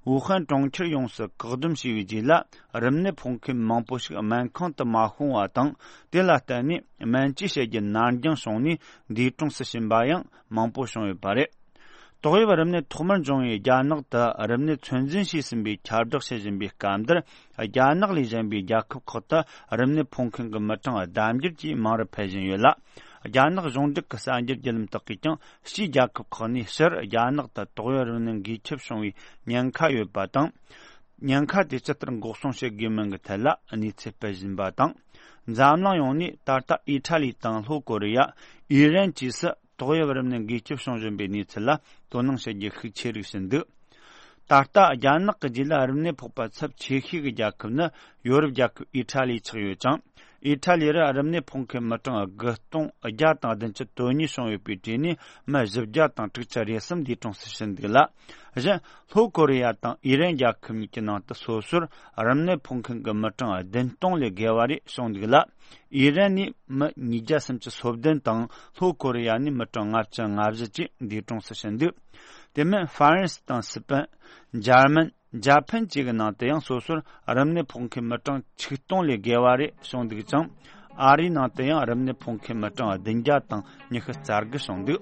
ཝུ་ཧན་གྲོང་ཁྱེར་ཡོངས་སུ་བཀག་སྡོམ་བྱས་པའི་རྗེས་ལ། རིམས་ནད་ཕོག་མཁན་མང་པོ་ཞིག་སྨན་ཁང་དུ་མ་ཤོང་བ་དང་། དེ་ལ་བརྟེན་ནས་སྨན་བཅོས་བྱེད་རྒྱུ་ནར་འགྱངས་བྱུང་ནས་འདས་གྲོངས་སུ་ཕྱིན་པ་ཡང་མང་པོ་བྱུང་ཡོད་པ་རེད། ཏོག་དབྱིབས་རིམས་ནད་ཐོག་མར་འབྱུང་བའི་རྒྱ་ནག་ཏུ་རིམས་ནད་ཚོད་འཛིན་བྱས་ཟིན་པའི་ཁྱབ་བསྒྲགས་བྱེད་བཞིན་པའི་སྐབས་འདིར། རྒྱ་ནག་ལས་གཞན་པའི་རྒྱལ་ཁབ་ཁག་ཏུ་རིམས་ནད་ཕོག་མཁན་གྱི་མི་གྲངས་ལྡབ་འགྱུར་གྱིས་མང་རུ་འཕེལ་བཞིན་ཡོད་ལ། རྒྱ་ནག་གཞུང་འབྲེལ་གྱི་གསར་འགྱུར་བརྒྱུད་ལམ་དག་གིས་ཀྱང་། ཕྱིའི་རྒྱལ་ཁབ་ཁག་ནས་ཕྱིར་རྒྱ་ནག་ཏུ་ཏོག་དབྱིབས་རིམས་ནད་འགོས་ཁྱབ་བྱུང་བའི་ཉེན་ཁ་ཡོད་པ་དང་། ཉེན་ཁ་དེ་ཇི་ལྟར་འགོག་སྲུང་བྱེད་དགོས་མིན་གྱི་ཐད་ལ་གནས་ཚུལ་སྤེལ་བཞིན་པ་དང་། འཛམ་གླིང་ཡོངས་ནས་ད་ལྟ་ཨི་ཊ་ལི་དང་ལྷོ་ཀོ་རི་ཡ། ཨི་རན་བཅས་སུ་ཏོག་དབྱིབས་རིམས་ནད་འགོས་ཁྱབ་བྱུང་བཞིན་པའི་གནས་ཚུལ་ལ་དོ་སྣང་བྱེད་རྒྱུ་ཤུགས་ཆེ་རིགས་ཕྱིན་འདུག་ད་ལྟ་རྒྱ་ནག་གི་རྗེས་ལ་རིམས་ནད་ཕོག་པ་ཚབས་ཆེ་ཤོས་ཀྱི་རྒྱལ་ཁབ་ནི་ཡོ་རོབ་རྒྱལ་ཁབ་ཨི་ཊ་ལི་ཆགས་ཡོད་ཅིང་། ཨི་ཊ་ལི་རུ་རིམས་ནད་ཕོག་མཁན་མི་གྲངས་དགུ་སྟོང་བརྒྱ་དང་བདུན་ཅུ་དོན་གཉིས་བྱུང་ཡོད་པའི་གྲས་ནས་མི་བཞི་བརྒྱ་དང་དྲུག་ཅུ་རེ་གསུམ་འདས་གྲོངས་སུ་ཕྱིན་འདུག་ལ། གཞན་ལྷོ་ཀོ་རི་ཡ་དང་ཨི་རན་རྒྱལ་ཁབ་གཉིས་ཀྱི་ནང་དུ་སོ་སོར་རིམས་ནད་ཕོག་མཁན་གྱི་མི་གྲངས་བདུན་སྟོང་ལས་བརྒལ་བ་རེ་བྱུང་འདུག་ལ། ཨི་རན་ནས་མི་ཉིས་བརྒྱ་སུམ་ཅུ་སོ་བདུན་དང་ལྷོ་ཀོ་རི་ཡ་ནས་མི་གྲངས་ལྔ་བཅུ་ང་བཞི་བཅས་འདས་གྲོངས་སུ་ཕྱིན་འདུག་དེ་མིན་ཧྥ་རན་སི་དང་སི་པན། འཇར་མན། འཇར་པན་བཅས་ཀྱི་ནང་དུ་ཡང་སོ་སོར་རིམས་ནད་ཕོག་མཁན་མི་གྲངས་ཆིག་སྟོང་ལས་བརྒལ་བ་རེ་བྱུང་འདུག་ཅིང་། ཨ་རིའི་ནང་དུ་ཡང་རིམས་ནད་ཕོག་མཁན་མི་གྲངས་བདུན་བརྒྱ་དང་ཉི་ཤུ་རྩ་དགུ་བྱུང་འདུག་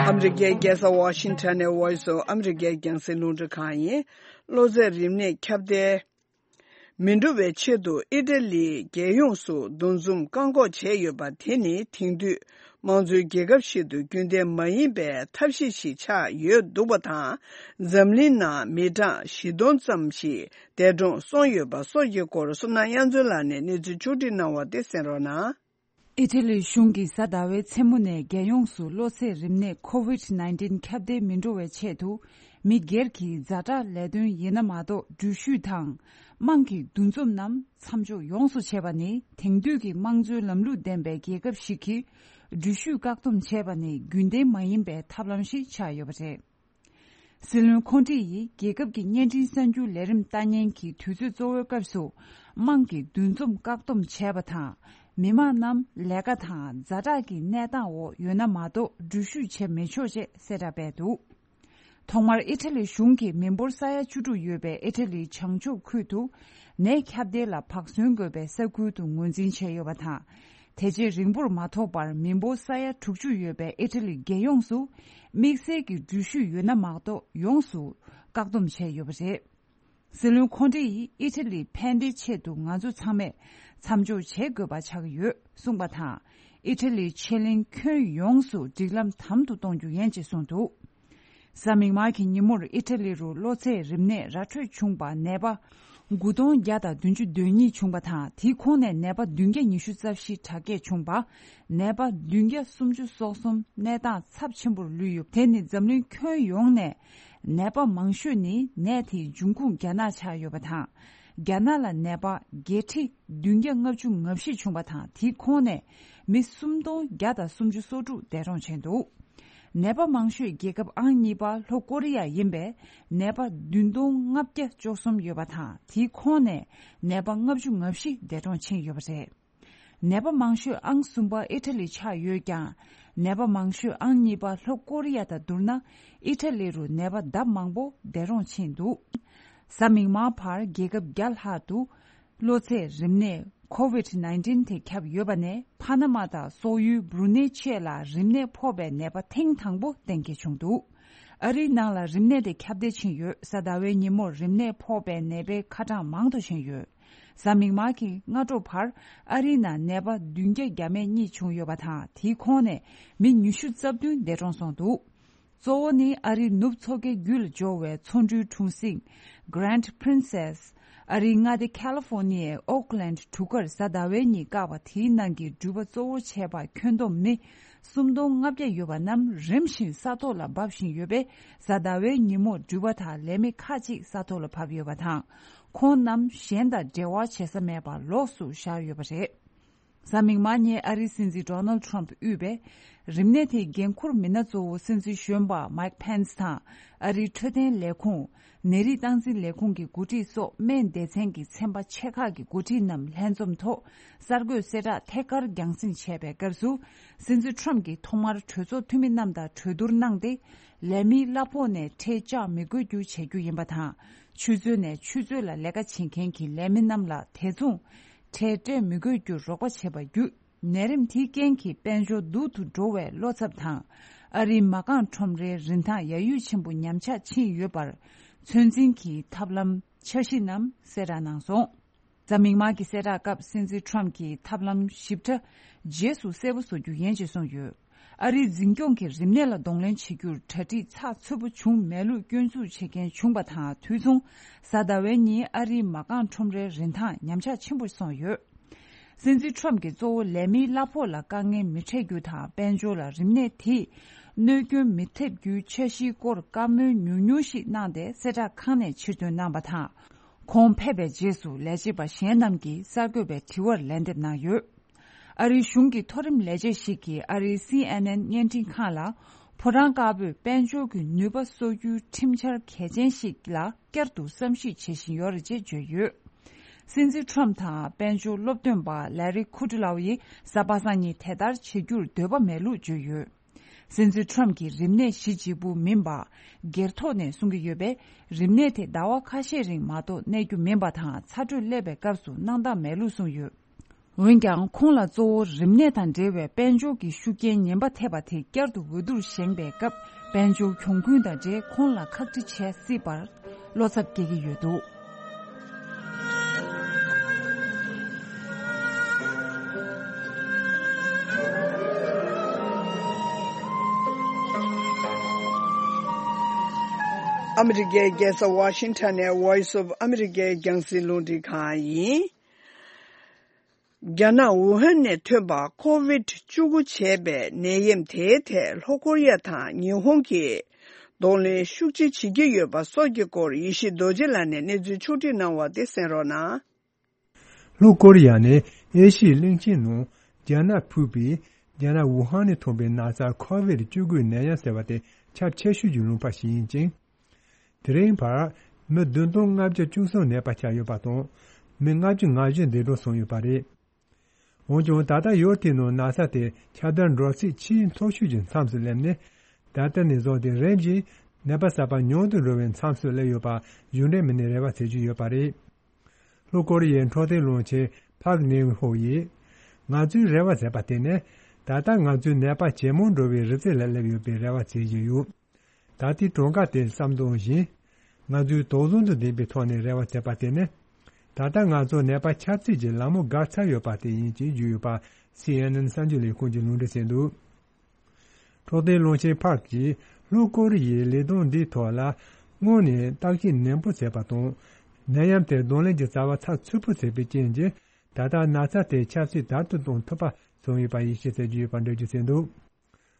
ཨ་མི་རི་ཀའི་རྒྱལ་ས་ཝ་ཤིང་ཊོན་ནས་Voice of America རྒྱང་སྲིང་རླུང་འཕྲིན་ཁང་ཡིན། གློ་ཚད་རིམས་ནད་ཁྱབ་གདལ། མི་འགྲོ་བའི་ཆེད་དུ་ཨི་ཊ་ལིའི་རྒྱལ་ཡོངས་སུ་འདུ་འཛོམས་བཀག་འགོག་བྱས་ཡོད་པ་དེ་ནི་དེང་དུས་དམངས་གཙོའི་རྒྱལ་ཁབ་ཞིག་ཏུ་རྒྱུན་ལྡན་མ་ཡིན་པའི་ཐབས་ཤེས་ཤིག་ཆགས་ཡོད་འདུག་པ་དང་། འཛམ་གླིང་ནང་མི་གྲངས་བཞི་སྟོང་ཙམ་ཞིག་འདས་གྲོངས་སོང་ཡོད་པ་སོགས་ཀྱི་སྐོར་བསོད་ནམས་དབྱངས་མཚོ་ལགས་ནས་གནས་ཚུལ་ཕྱོགས་སྒྲིག་གནང་བ་དེ་གསན་རོགས་གནང་། ཨི་ཊ་ལིའི་གཞུང་གིས་གཟའ་ཟླ་བའི་མཚན་མོ་ནས་རྒྱལ་ཡོངས་སུ་གློ་ཚད་རིམས་ནད་ཁོ་ཝིད་ནའིན་ཊིན་ཁྱབ་གདལ་མི་འགྲོ་བའི་ཆེད་དུ། མི་སྒེར་གྱི་ཛ་དྲག་ལས་དོན་ཡིན་ན་མ་གཏོགས་འགྲུལ་བཞུད་དང་། དམངས་ཀྱི་འདུ་འཛོམས་རྣམས་མཚམས་འཇོག་ཡོངས་སུ་བྱས་པ་ནི། དེང་དུས་ཀྱི་དམངས་གཙོའི་ལམ་ལུགས་ལྡན་པའི་རྒྱལ་ཁབ་ཞིག་གིས་འགྲུལ་བཞུད་བཀག་སྡོམ་བྱས་པ་ནི་རྒྱུན་ལྡན་མ་ཡིན་པའི་ཐབས་ལམ་ཞིག་ཆགས་ཡོད་པ་རེད། སྲིད་བློན་ཁོང་ཁྲིད་ཡིས་རྒྱལ་ཁབ་ཀྱི་བརྙན་འཕྲིན་གསར་འགྱུར་ལས་རིམ་ལྟ་ཉན་གྱི་དུས་ཚོད་གཙོ་བོའི་སྐབས་སུ། དམངས་ཀྱི་འདུ་འཛོམས་བཀག་སྡོམ་བྱས་པ་དང་། མི་མང་རྣམས་ལས་ཀ་དང་ཛ་དྲག་གི་གནས་སྟངས་འོག་ཡོད་ན་མ་གཏོགས་འགྲུལ་བཞུད་བྱེད་མི་ཆོག་ཅེས་གསལ་བསྒྲགས་སྤེལ་འདུག་ཐོག་མར་ཨི་ཊ་ལི་གཞུང་གིས་མི་འབོར་ས་ཡ་བཅུ་དྲུག་ཡོད་པའི་ཨི་ཊ་ལིའི་བྱང་ཕྱོགས་ཁུལ་དུ། ནད་ཁྱབ་གདལ་ལ་བག་ཟོན་དགོས་པའི་ས་ཁུལ་དུ་ངོས་འཛིན་བྱས་ཡོད་པ་དང་། དེ་རྗེས་རིང་པོར་མ་ཐོགས་པར་མི་འབོར་ས་ཡ་དྲུག་ཅུ་ཡོད་པའི་ཨི་ཊ་ལི་རྒྱལ་ཡོངས་སུ། དམིགས་བསལ་གྱི་འགྲུལ་བཞུད་ཡོད་ན་མ་གཏོགས་ཡོངས་སུ་བཀག་སྡོམ་བྱས་ཡོད་པ་རེད། སྲིད་བློན་ཁོང་ཁྲིད་ཡིས་ཨི་ཊ་ལིའི་ཕན་བདེའི་ཆེད་དུ་ང་ཚོ་ཚང་མས་མཚམས་འཇོག་བྱེད་དགོས་པ་ཆགས་ཡོད་གསུངས་པ་དང་། ཨི་ཊ་ལིའི་ཆེད་གླེང་ཁྱོན་ཡོངས་སུ་སྒྲིག་ལམ་དམ་དུ་གཏོང་རྒྱུ་ཡིན་ཅེས་གསུངས་འདུག་གཟའ་མིག་དམར་གྱི་ཉིན་མོར་ཨི་ཊ་ལི་རུ་གློ་ཚད་རིམས་ནད་ར་འཕྲོད་བྱུང་བ་ནད་པ་དགུ་སྟོང་བརྒྱ་དང་བདུན་ཅུ་དོན་གཉིས་བྱུང་བ་དང་། དེའི་ཁོངས་ནས་ནད་པ་བདུན་བརྒྱ་ཉི་ཤུ་རྩ་བཞི་དྲག་སྐྱེད་བྱུང་བ། ནད་པ་བདུན་བརྒྱ་སུམ་ཅུ་སོ་གསུམ་གནས་སྟངས་ཚབས་ཆེན་པོར་ལུས་ཡོད། དེ་ནི་འཛམ་གླིང་ཁྱོན་ཡོངས་ནས་ནད་པ་མང་ཤོས་ནི་ནད་དེའི་འབྱུང་ཁུངས་རྒྱ་ནག་ཆགས་ཡོད་པ་དང་། རྒྱ་ནག་ལ་ནད་པ་བརྒྱད་ཁྲི་བདུན་བརྒྱ་ལྔ་བཅུ་ང་བཞི་བྱུང་བ་དང་། དེའི་ཁོངས་ནས་མི་སུམ་སྟོང་བརྒྱ་དང་སུམ་ཅུ་སོ་དྲུག་འདས་གྲོངས་ཕྱིན་འདུག་ནད་པ་མང་ཤོས་རྒྱལ་ཁབ་ཨང་གཉིས་པ་ལྷོ་ཀོ་རི་ཡ་ཡིན་པས། ནད་པ་བདུན་སྟོང་ལྔ་བརྒྱ་བཅུ་གསུམ་ཡོད་པ་དང་། དེའི་ཁོངས་ནས་ནད་པ་ལྔ་བཅུ་ང་བཞི་འདས་གྲོངས་ཕྱིན་ཡོད་པ་རེད། ནད་པ་མང་ཤོས་ཨང་གསུམ་པ་ཨི་ཊ་ལི་ཆགས་ཡོད་ཀྱང་། ནད་པ་མང་ཤོས་ཨང་གཉིས་པ་ལྷོ་ཀོ་རི་ཡ་དང་བསྡུར་ན། ཨི་ཊ་ལི་རུ་ནད་པ་ལྡབ་མང་པོ་འདས་གྲོངས་ཕྱིན་འདུག་གཟའ་མིག་དམར་བར་རྒྱལ་ཁབ་བརྒྱ་ལྷག་ཏུ་གློ་ཚད་རིམས་ནད་ཁོ་ཝིད་ནའིན་ཊིན་དེ་ཁྱབ་ཡོད་པ་ནས། ཕ་ན་མ་དང་སོག་ཡུལ་བྷུ་རུ་ནེ་ཆེད་ལ་རིམས་ནད་ཕོག་པའི་ནད་པ་ཐེངས་དང་པོ་གཏན་འཁེལ་བྱུང་འདུག་ཨ་རིའི་ནང་ལ་རིམས་ནད་དེ་ཁྱབ་གདལ་ཕྱིན་ཡོད། གཟའ་ཟླ་བའི་ཉིན་མོར་རིམས་ནད་ཕོག་པའི་ནད་པའི་ཁ་གྲངས་མང་དུ་ཕྱིན་ཡོད། གཟའ་མིག་དམར་གྱི་སྔ་དྲོ་བར་ཨ་རིའི་ནང་ནད་པ་བདུན་བརྒྱ་བརྒྱ་མེད་གཉིས་བྱུང་ཡོད་པ་དང་། དེའི་ཁོངས་ནས་མི་ཉི་ཤུ་རྩ་བདུན་འདས་གྲོངས་སོང་འདུག་གཙོ་བོ་ནི་ཨ་རིའི་ནུབ་མཚོ་ཁའི་རྒྱུད་ལ་འབྱོར་བའི་མཚོ་འབྲུའི་གྲུ་གཟིངས་Grand Princess། ཨ་རིའི་མངའ་སྡེ་ཁ་ལི་ཧྥོ་ནི་ཡའི་ཨོག་ལན་གྲུ་ཁར་གཟའ་ཟླ་བའི་ཉིན་བཀག་པ་དེའི་ནང་གི་འགྲུལ་པ་གཙོ་བོ་བྱས་པ་ཁྱོན་བསྡོམས་མི་སུམ་སྟོང་ལྔ་བརྒྱ་ཡོད་པ་རྣམས་རིམ་བཞིན་ས་ཐོག་ལ་འབབ་བཞིན་ཡོད་པས། གཟའ་ཟླ་བའི་ཉིན་མོར་འགྲུལ་པ་དང་ལས་མི་ཁག་ཅིག་ས་ཐོག་ལ་བབས་ཡོད་པ་དང་། ཁོང་རྣམས་གཞན་དང་འབྲེལ་བ་བྱེད་ས་མེད་པར་ལོགས་སུ་བཞག་ཡོད་པ་རེད། གཟའ་མིག་དམར་ཉིན་ཨ་རིའི་སྲིད་འཛིན་Donald Trump དབུས་པའི་རིམས་ནད་དེའི་འགན་འཁུར་མི་སྣ་གཙོ་བོ་སྲིད་འཛིན་གཞོན་པ་Mike Pence དང་ཨ་རིའི་འཕྲོད་བསྟེན་ལས་ཁུངས། ནད་རིགས་སྟངས་འཛིན་ལས་ཁུངས་ཀྱི་འགོ་ཁྲིད་སོགས་སྨན་སྡེ་ཚན་གྱི་ཚན་པ་ཆེ་ཁག་གི་འགོ་ཁྲིད་རྣམས་ལྷན་འཛོམས་ཐོག་གསར་འགོད་གསལ་བསྒྲགས་ཐད་ཀར་རྒྱང་སྲིང་བྱས་པའི་སྐབས་སུ། སྲིད་འཛིན་Trump གྱིས་ཐོག་མར་གྲོས་ཚོགས་འཐུས་མི་རྣམས་དང་གྲོས་བསྡུར་གནང་སྟེ། ལས་མིའི་གླ་ཕོགས་ནས་ཁྲལ་བཅག་མི་དགོས་རྒྱུ་བྱེད་རྒྱུ་ཡིན་པ་དང་། ཆུ་མཛོད་ནས་ཆུ་མཛོད་ལ་ལས་ཀ་བྱེད་མཁན་གྱི་ལས་མི་རྣམས་ལ་དེ་མཚུངས་ཁྲལ་སྤྲད་མི་དགོས་རྒྱུར་རོགས་པ་བྱས་པ་བརྒྱུད། ནད་རིམས་དེའི་རྐྱེན་གྱིས་དཔལ་འབྱོར་སྡུག་ཏུ་འགྲོ་བའི་བློ་འཚབ་དང་། ཨ་རིའི་མ་རྐང་ཁྲོམ་རའི་རིན་ཐང་ཡར་གཡོལ་ཆེན་པོ་ཉམས་ཆག་ཕྱིན་ཡོད་པར། ཚོད་འཛིན་གྱི་ཐབས་ལམ་འཆར་གཞི་རྣམས་གསལ་བསྒྲགས་གནང་སོང་། གཟའ་མིག་དམར་གྱི་གསལ་བསྒྲགས་སྐབས་སྲིད་འཛིན་Trump གྱིས་ཐབས་ལམ་ཞིབ་ཕྲ་རྗེས་སུ་གསལ་པོ་བཟོ་རྒྱུ་ཡིན་ཅེས་གསུངས་ཡོད། ཨ་རིའི་འཛིན་སྐྱོང་གིས་རིམས་ནད་ལ་གདོང་ལེན་བྱེད་རྒྱུར་གྲ་སྒྲིག་ཚགས་ཚུད་པོ་བྱུང་མེད་ལུགས་སྐྱོན་འཛུགས་བྱེད་མཁན་བྱུང་བ་དང་། དུས་མཚུངས་གཟའ་ཟླ་བའི་ཉིན་ཨ་རིའི་མ་རྐང་ཁྲོམ་རའི་རིན་ཐང་ཉམས་ཆག་ཆེན་པོ་སོང་ཡོད། སྲིད་འཛིན་Trump གྱིས་གཙོ་བོ་ལས་མིའི་གླ་ཕོགས་ལ་དཀའ་ངལ་མི་འཕྲད་རྒྱུ་དང་། དཔལ་འབྱོར་ལ་རིམས་ནད་དེས་གནོད་སྐྱོན་མི་ཐེབས་རྒྱུའི་འཆར་གཞིའི་སྐོར་བཀའ་མོལ་ཉུང་ཉུང་ཞིག་གནང་སྟེ། གསལ་བསྒྲགས་ཁང་ནས་ཕྱིར་འདོན་གནང་བ་དང་། ཁོང་ཕེབས་པའི་རྗེས་སུ་ལས་བྱེད་པ་གཞན་རྣམས་ཀྱིས་གསར་འགོད་པའི་དྲི་བར་ལན་འདེབས་གནང་ཡོད། ཨ་རིའི་གཞུང་གི་མཐོ་རིམ་ལས་བྱེད་ཞིག་གིས་ཨ་རིའི་སི་ཨེན་ཨེན་བརྙན་འཕྲིན་ཁང་ལ། ཕོ་བྲང་དཀར་པོས་དཔལ་འབྱོར་གྱི་ནུས་པ་གསོ་རྒྱུའི་ཁྲིམས་འཆར་གལ་ཆེན་ཞིག་ལ་བསྐྱར་དུ་བསམ་གཞིག་བྱེད་བཞིན་ཡོད་རེད་ཅེས་བརྗོད་ཡོད། སྲིད་འཛིན་Trump དང་དཔལ་འབྱོར་སློབ་སྟོན་པ་Larry Kudlow ཡིས་གཟའ་པ་སངས་ཉིན་དེ་ལྟར་བྱེད་རྒྱུར་འདོད་པ་མེད་ལུགས་བརྗོད་ཡོད། སྲིད་འཛིན་Trump གྱིས་རིམས་ནད་གཞི་གཅིག་པུ་མིན་པར། སྒེར་ཐོག་ནས་གསུང་གི་ཡོད་པས། རིམས་ནད་དེ་ཟླ་བ་ཁ་ཤས་རིང་མ་གཏོགས་གནས་རྒྱུ་མིན་པ་དང་། ཚ་དྲོད་སླེབས་པའི་སྐབས་སུ་སྣང་དག་མེད་ལུགས་གསུངས་ཡོད། འོན་ཀྱང་། ཁོང་ལ་གཙོ་བོ་རིམས་ནད་དང་འབྲེལ་བའི་དཔལ་འབྱོར་གྱི་ཤུགས་རྐྱེན་ངན་པ་ཐེབས་པ་དེ་བསྐྱར་དུ་འོས་བསྡུར་བཞེངས་པའི་སྐབས། དཔལ་འབྱོར་གྱོང་གུན་དང་འབྲེལ་ཁོང་ལ་ཁག་དཀྲི་བྱས་སྲིད་པར་བློ་འཚབ་སྐྱེ་གི་ཡོད་འདུག། ཨ་མི་རི་ཀའི་རྒྱལ་ས་ཝ་ཤིང་ཊོན་ནས་Voice of America་རྒྱང་སྲིང་རླུང་འཕྲིན་ཁང་ཡིན། རྒྱ་ནག་ཝུ་ཧན་ནས་ཐོན་པ་ཀོ་ཝིད་བཅུ་དགུ་བྱས་པའི་ནད་ཡམས་དེའི་ཐད་ལྷོ་ཀོ་རི་ཡ་དང་ཉི་ཧོང་གིས་གདོང་ལེན་ཤུགས་ཆེ་བྱེད་ཀྱི་ཡོད་པ་སོགས་ཀྱི་སྐོར་ཡེ་ཤེས་རྡོ་རྗེ་ལགས་ནས་གནས་ཚུལ་ཕྱོགས་སྒྲིག་གནང་བ་དེ་གསན་རོགས་གནང་། ལྷོ་ཀོ་རི་ཡ་ནི་ཨེ་ཤི་ཡའི་གླིང་ཆེན་ནང་རྒྱ་ནག་ཕུད་པའི་རྒྱ་ནག་ཝུ་ཧན་ནས་ཐོན་པའི་ན་ཚ་ཁོ་ཝིད་བཅུ་དགུ་ནད་ཡམས་ཟེར་བ་དེ་ཁྱབ་ཆེ་ཤོས་ཀྱི་ལུང་པ་ཞིག་ཡིན་ཅིང་། དེ་རིང་བར་མི་བདུན་སྟོང་ལྔ་བརྒྱ་བཅུ་གསུམ་ནད་པ་ཆགས་ཡོད་པ་དང་། མི་ལྔ་བཅུ་ང་བཞི་འདས་གྲོངས་སོང་ཡོད་པ་རེད། འོན་ཀྱང་ད་ལྟ་ཡུལ་དེའི་ནང་ན་ཚ་དེ་ཁྱབ་གདལ་འགྲོ་ཚད་ཆེས་མཐོ་ཤོས་ཀྱི་མཚམས་སུ་སླེབས་ནས། ད་ལྟ་ནས་བཟུང་སྟེ་རིམ་བཞིན་ནད་པ་གསར་པ་ཉུང་དུ་འགྲོ་བའི་མཚམས་སུ་སླེབས་ཡོད་པ་གཞུང་འབྲེལ་མི་སྣས་རེ་བ་བྱེད་ཀྱི་ཡོད་པ་རེད། ལྷོ་ཀོ་རི་ཡའི་འཕྲོད་བསྟེན་བློན་ཆེན་ཕག་ནེ་ཧོ་ཡིས། ང་ཚོའི་རེ་བ་ཟེར་བ་དེ་ནི། ད་ལྟ་ང་ཚོའི་ནད་པ་ཇེ་མང་འགྲོ་བའི་རི་རྩེ་ལ་སླེབས་ཡོད་པའི་རེ་བ་བྱེད་བཞིན་ཡོད། ད་ལྟའི་གྲངས་ཀ་དེ་བསམ་བློ་བཞིན། ང་ཚོས་དོགས་ཟོན་དང་ལྡན་པའི་ཐོག་ནས་རེ་བ་བྱེད་པ་དེ་ནི། ད་ལྟ་ང་ཚོ་ནད་པ་ཁྱབ་ཚད་ཀྱི་ལམ་ལྷོང་བརྒལ་ཚར་ཡོད་པ་དེ་ཡིན་ཅེས་བརྗོད་ཡོད་པ། སི་ཨེན་ཨེན་གསར་འགྱུར་ལས་ཁུངས་ཀྱིས་ལུང་འདྲེན་བྱས་འདུག་འཕྲོད་བསྟེན་བློན་ཆེན་ཕག་གིས་ལྷོ་ཀོ་རི་ཡའི་ལས་དོན་འདིའི་ཐོག་ལ་སྔོན་ནས་བརྟག་དཔྱད་ནན་པོ་བྱས་པ་དང་། ནད་ཡམས་དེར་གདོང་ལེན་གྱི་རྩ་བ་ཚགས་ཚུད་པོ་བྱས་པའི་རྐྱེན་གྱིས། ད་ལྟ་ན་ཚ་དེའི་ཁྱབ་ཚད་དལ་དུ་གཏོང་ཐུབ་པ་བྱུང་ཡོད་པ་ཡིན་ཞེས་ཟེར་རྒྱུ་ཡོད་པ་འགྲེལ་བརྗོད་བྱས་འདུག་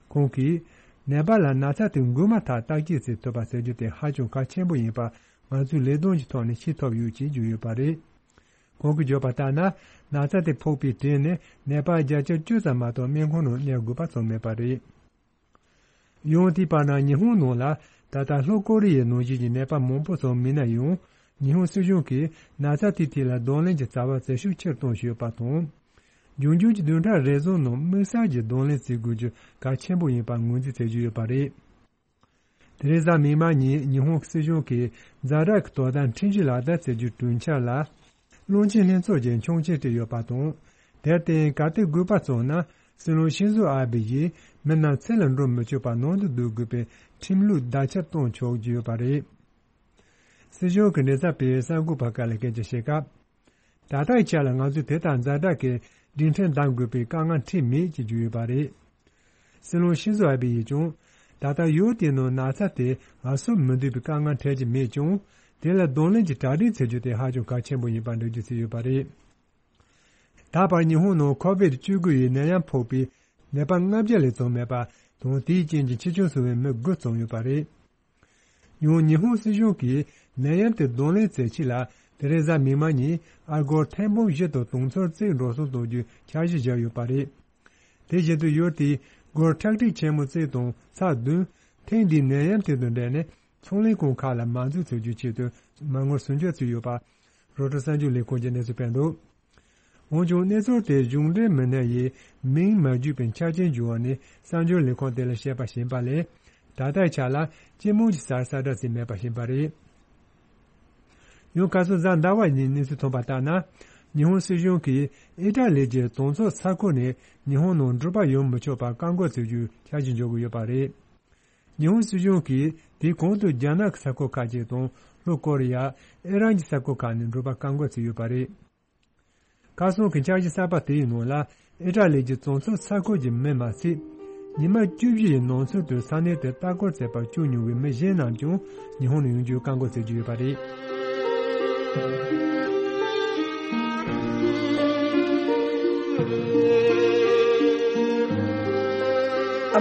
ཁོང་གིས། ནད་པ་ལ་ན་ཚ་དེ་འགོས་མ་ཐག་བརྟག་དཔྱད་བྱེད་ཐུབ་པ་ཟེར་རྒྱུ་དེ་ཧ་ཅང་གལ་ཆེན་པོ་ཡིན་པ་ང་ཚོའི་ལས་དོན་གྱི་ཐོག་ནས་ཤེས་ཐུབ་ཡོད་ཅེས་བརྗོད་ཡོད་པ་རེད། ཁོང་གིས་བརྗོད་པ་ལྟར་ན། ན་ཚ་དེ་ཕོག་པའི་རྗེས་ནས་ནད་པ་བརྒྱ་ཆ་བཅུ་ཙམ་མ་གཏོགས་སྨན་ཁང་ནང་གནས་དགོས་པ་བྱུང་མེད་པ་རེད། ཡང་དེའི་བར་ན་ཉི་ཧོང་ནང་ལ་ད་ལྟ་ལྷོ་ཀོ་རི་ཡའི་ནང་བཞིན་གྱི་ནད་པ་མང་པོ་ཙམ་མིན་ན་ཡང་། ཉི་ཧོང་སྲིད་གཞུང་གིས་ན་ཚ་དེའི་ཐད་ལ་གདོང་ལེན་གྱི་རྩ་བ་ཟབ་ཤུགས་ཆེར་གཏོང་བཞིན་ཡོད་པ་དང་། འབྱུང་འགྱུར་གྱི་བདུན་ཕྲག་རེ་ཟུང་ནང་དམིགས་བསལ་གྱི་གདོང་ལེན་བྱེད་དགོས་རྒྱུ་གལ་ཆེན་པོ་ཡིན་པ་ངོས་འཛིན་བྱེད་ཀྱི་ཡོད་པ་རེད། དེ་རིང་གཟའ་མིག་དམར་ཉིན་ཉི་ཧོང་སྲིད་གཞུང་གིས་ཛ་དྲག་གི་དོ་དམ་ཁྲིམས་གཞི་ལག་བསྟར་བྱེད་རྒྱུའི་གྲོས་འཆར་ལ། བློན་ཆེན་ལྷན་ཚོགས་ཀྱིས་མཆན་བྲིས་ཡོད་པ་དང་། དེར་བརྟེན་གལ་ཏེ་དགོས་པ་བྱུང་ན། སྲིད་བློན་ཤིན་ཛོ་ཨ་བྷེ་ཡིས་མི་རྣམས་ཚུར་ལ་འགྲོ་མི་ཆོག་པར་ནང་དུ་སྡོད་དགོས་པའི་ཁྲིམས་ལུགས་བརྡ་ཁྱབ་གཏོང་ཆོག་རྒྱུ་ཡོད་པ་རེད། སྲིད་གཞུང་གི་མགྲིན་ཚབ་པས་གསར་འགོད་པར་སྐད་ཆ་བཤད་སྐབས། ད་ལྟའི་ཆ་ལ་ང་ཚོས་དེ་ལྟར་ཛ་དྲག་གི་སྒྲིག་ཁྲིམས་བསྡམ་དགོས་པའི་དཀའ་ངལ་འཕྲད་མེད་ཅེས་བརྗོད་ཡོད་པ་རེད། སྲིད་བློན་ཤིན་ཛོ་ཨ་བྷེ་ཡིས་ཀྱང་། ད་ལྟ་ཡུལ་དེའི་ནང་ན་ཚ་དེ་ཧ་སོ་མི་འདུས་པའི་དཀའ་ངལ་འཕྲད་ཀྱི་མེད་ཀྱང་། དེ་ལ་གདོང་ལེན་གྱི་གྲ་སྒྲིག་བྱེད་རྒྱུ་དེ་ཧ་ཅང་གལ་ཆེན་པོ་ཡིན་པར་འགྲེལ་བརྗོད་བྱས་ཡོད་པ་རེད། ད་བར་ཉི་ཧོང་ནང་ཁོ་བིད་བཅུ་དགུ་ཡི་ནད་ཡམས་ཕོག་པའི་ནད་པ་ལྔ་བརྒྱ་ལས་བརྩམས་མེད་པ་དང་། དེའི་རྐྱེན་གྱིས་འཆི་སྐྱོན་སོང་བའི་མི་དགུ་བརྩམས་ཡོད་པ་རེད། ཡང་ཉི་ཧོང་སྲིད་གཞུང་གིས་ནད་ཡམས་དེ་གདོང་ལེན་བྱེད་ཆེད་ལ། དེ་རིང་གཟའ་མིག་དམར་ཉིན་ཨ་སྒོར་ཐེར་འབུམ་བཞི་དང་དུང་ཕྱུར་གཅིག་འགྲོ་སོང་གཏོང་རྒྱུའི་འཆར་གཞི་བཞག་ཡོད་པ་རེད། དེ་བཞིན་དུ་ཡུལ་དེའི་སྒོར་ཁྲག་ཁྲིག་ཆེན་མོ་གཅིག་དང་ཚེག་བདུན། ཐེངས་འདིའི་ནད་ཡམས་དེ་དང་འབྲེལ་ནས་ཚོང་ལས་ཁང་ཁག་ལ་མ་འཛུལ་བྱེད་རྒྱུའི་ཆེད་དུ་མ་དངུལ་ཟུར་འཇོག་བྱས་ཡོད་པ། རོའི་ཊར་གསར་འགྱུར་ལས་ཁུངས་ཀྱིས་གནས་ཚུལ་སྤེལ་འདུག་འོན་ཀྱང་གནས་ཚུལ་དེ་གཞུང་འབྲེལ་མི་སྣ་ཡིས་མིང་མ་བརྗོད་པའི་ཆ་རྐྱེན་བརྗོད་པ་ནི་གསར་འགྱུར་ལས་ཁུངས་དེ་ལ་བཤད་པ་ཡིན་པ་ལས། ད་ལྟའི་ཆ་ལ་སྤྱི་དམངས་ཀྱི་སར་གསལ་བསྒྲགས་བྱས་མེད་པ་ཡིན་པ་རེད། ཡང་ཁ་སང་གཟའ་ཟླ་བ་ཉིན་གནས་ཚུལ་ཐོན་པ་ལྟར་ན། ཉི་ཧོང་སྲིད་གཞུང་གིས་ཨི་ཊ་ལི་གྱི་གྲོང་ཚོ་ས་ཁུལ་ནས་ཉི་ཧོང་ནང་འགྲུལ་པ་ཡོང་མི་ཆོག་པར་བཀག་འགོག་བྱེད་རྒྱུའི་འཆར་གཞི་འཇོག་གི་ཡོད་པ་རེད། ཉི་ཧོང་སྲིད་གཞུང་གིས་དེའི་གོང་དུ་རྒྱ་ནག་གི་ས་ཁུལ་ཁག་ཅིག་དང་ལྷོ་ཀོ་རི་ཡ། ཨི་རན་གྱི་ས་ཁུལ་ཁག་ནས་འགྲུལ་པ་བཀག་འགོག་བྱས་ཡོད་པ་རེད། ཁ་སང་གི་འཆར་གཞི་གསར་པ་དེའི་ནང་ལ་ཨི་ཊ་ལི་གྱི་གྲོང་ཚོ་ས་ཁུལ་གྱི་མི་མ་ཟད། ཉི་མ་བཅུ་བཞི་ཡི་ནང་ཚུད་དུ་ས་གནས་དེར་ལྟ་སྐོར་བྱེད་པར་བཅུག་མྱོང་བའི་མི་གཞན་རྣམས་ཀྱང་ཉི་ཧོང་ནང་ཡོང་རྒྱུའི་བཀག་འགོག་བྱེད་ཀྱི་ཡོད་པ་རེད། ཨ་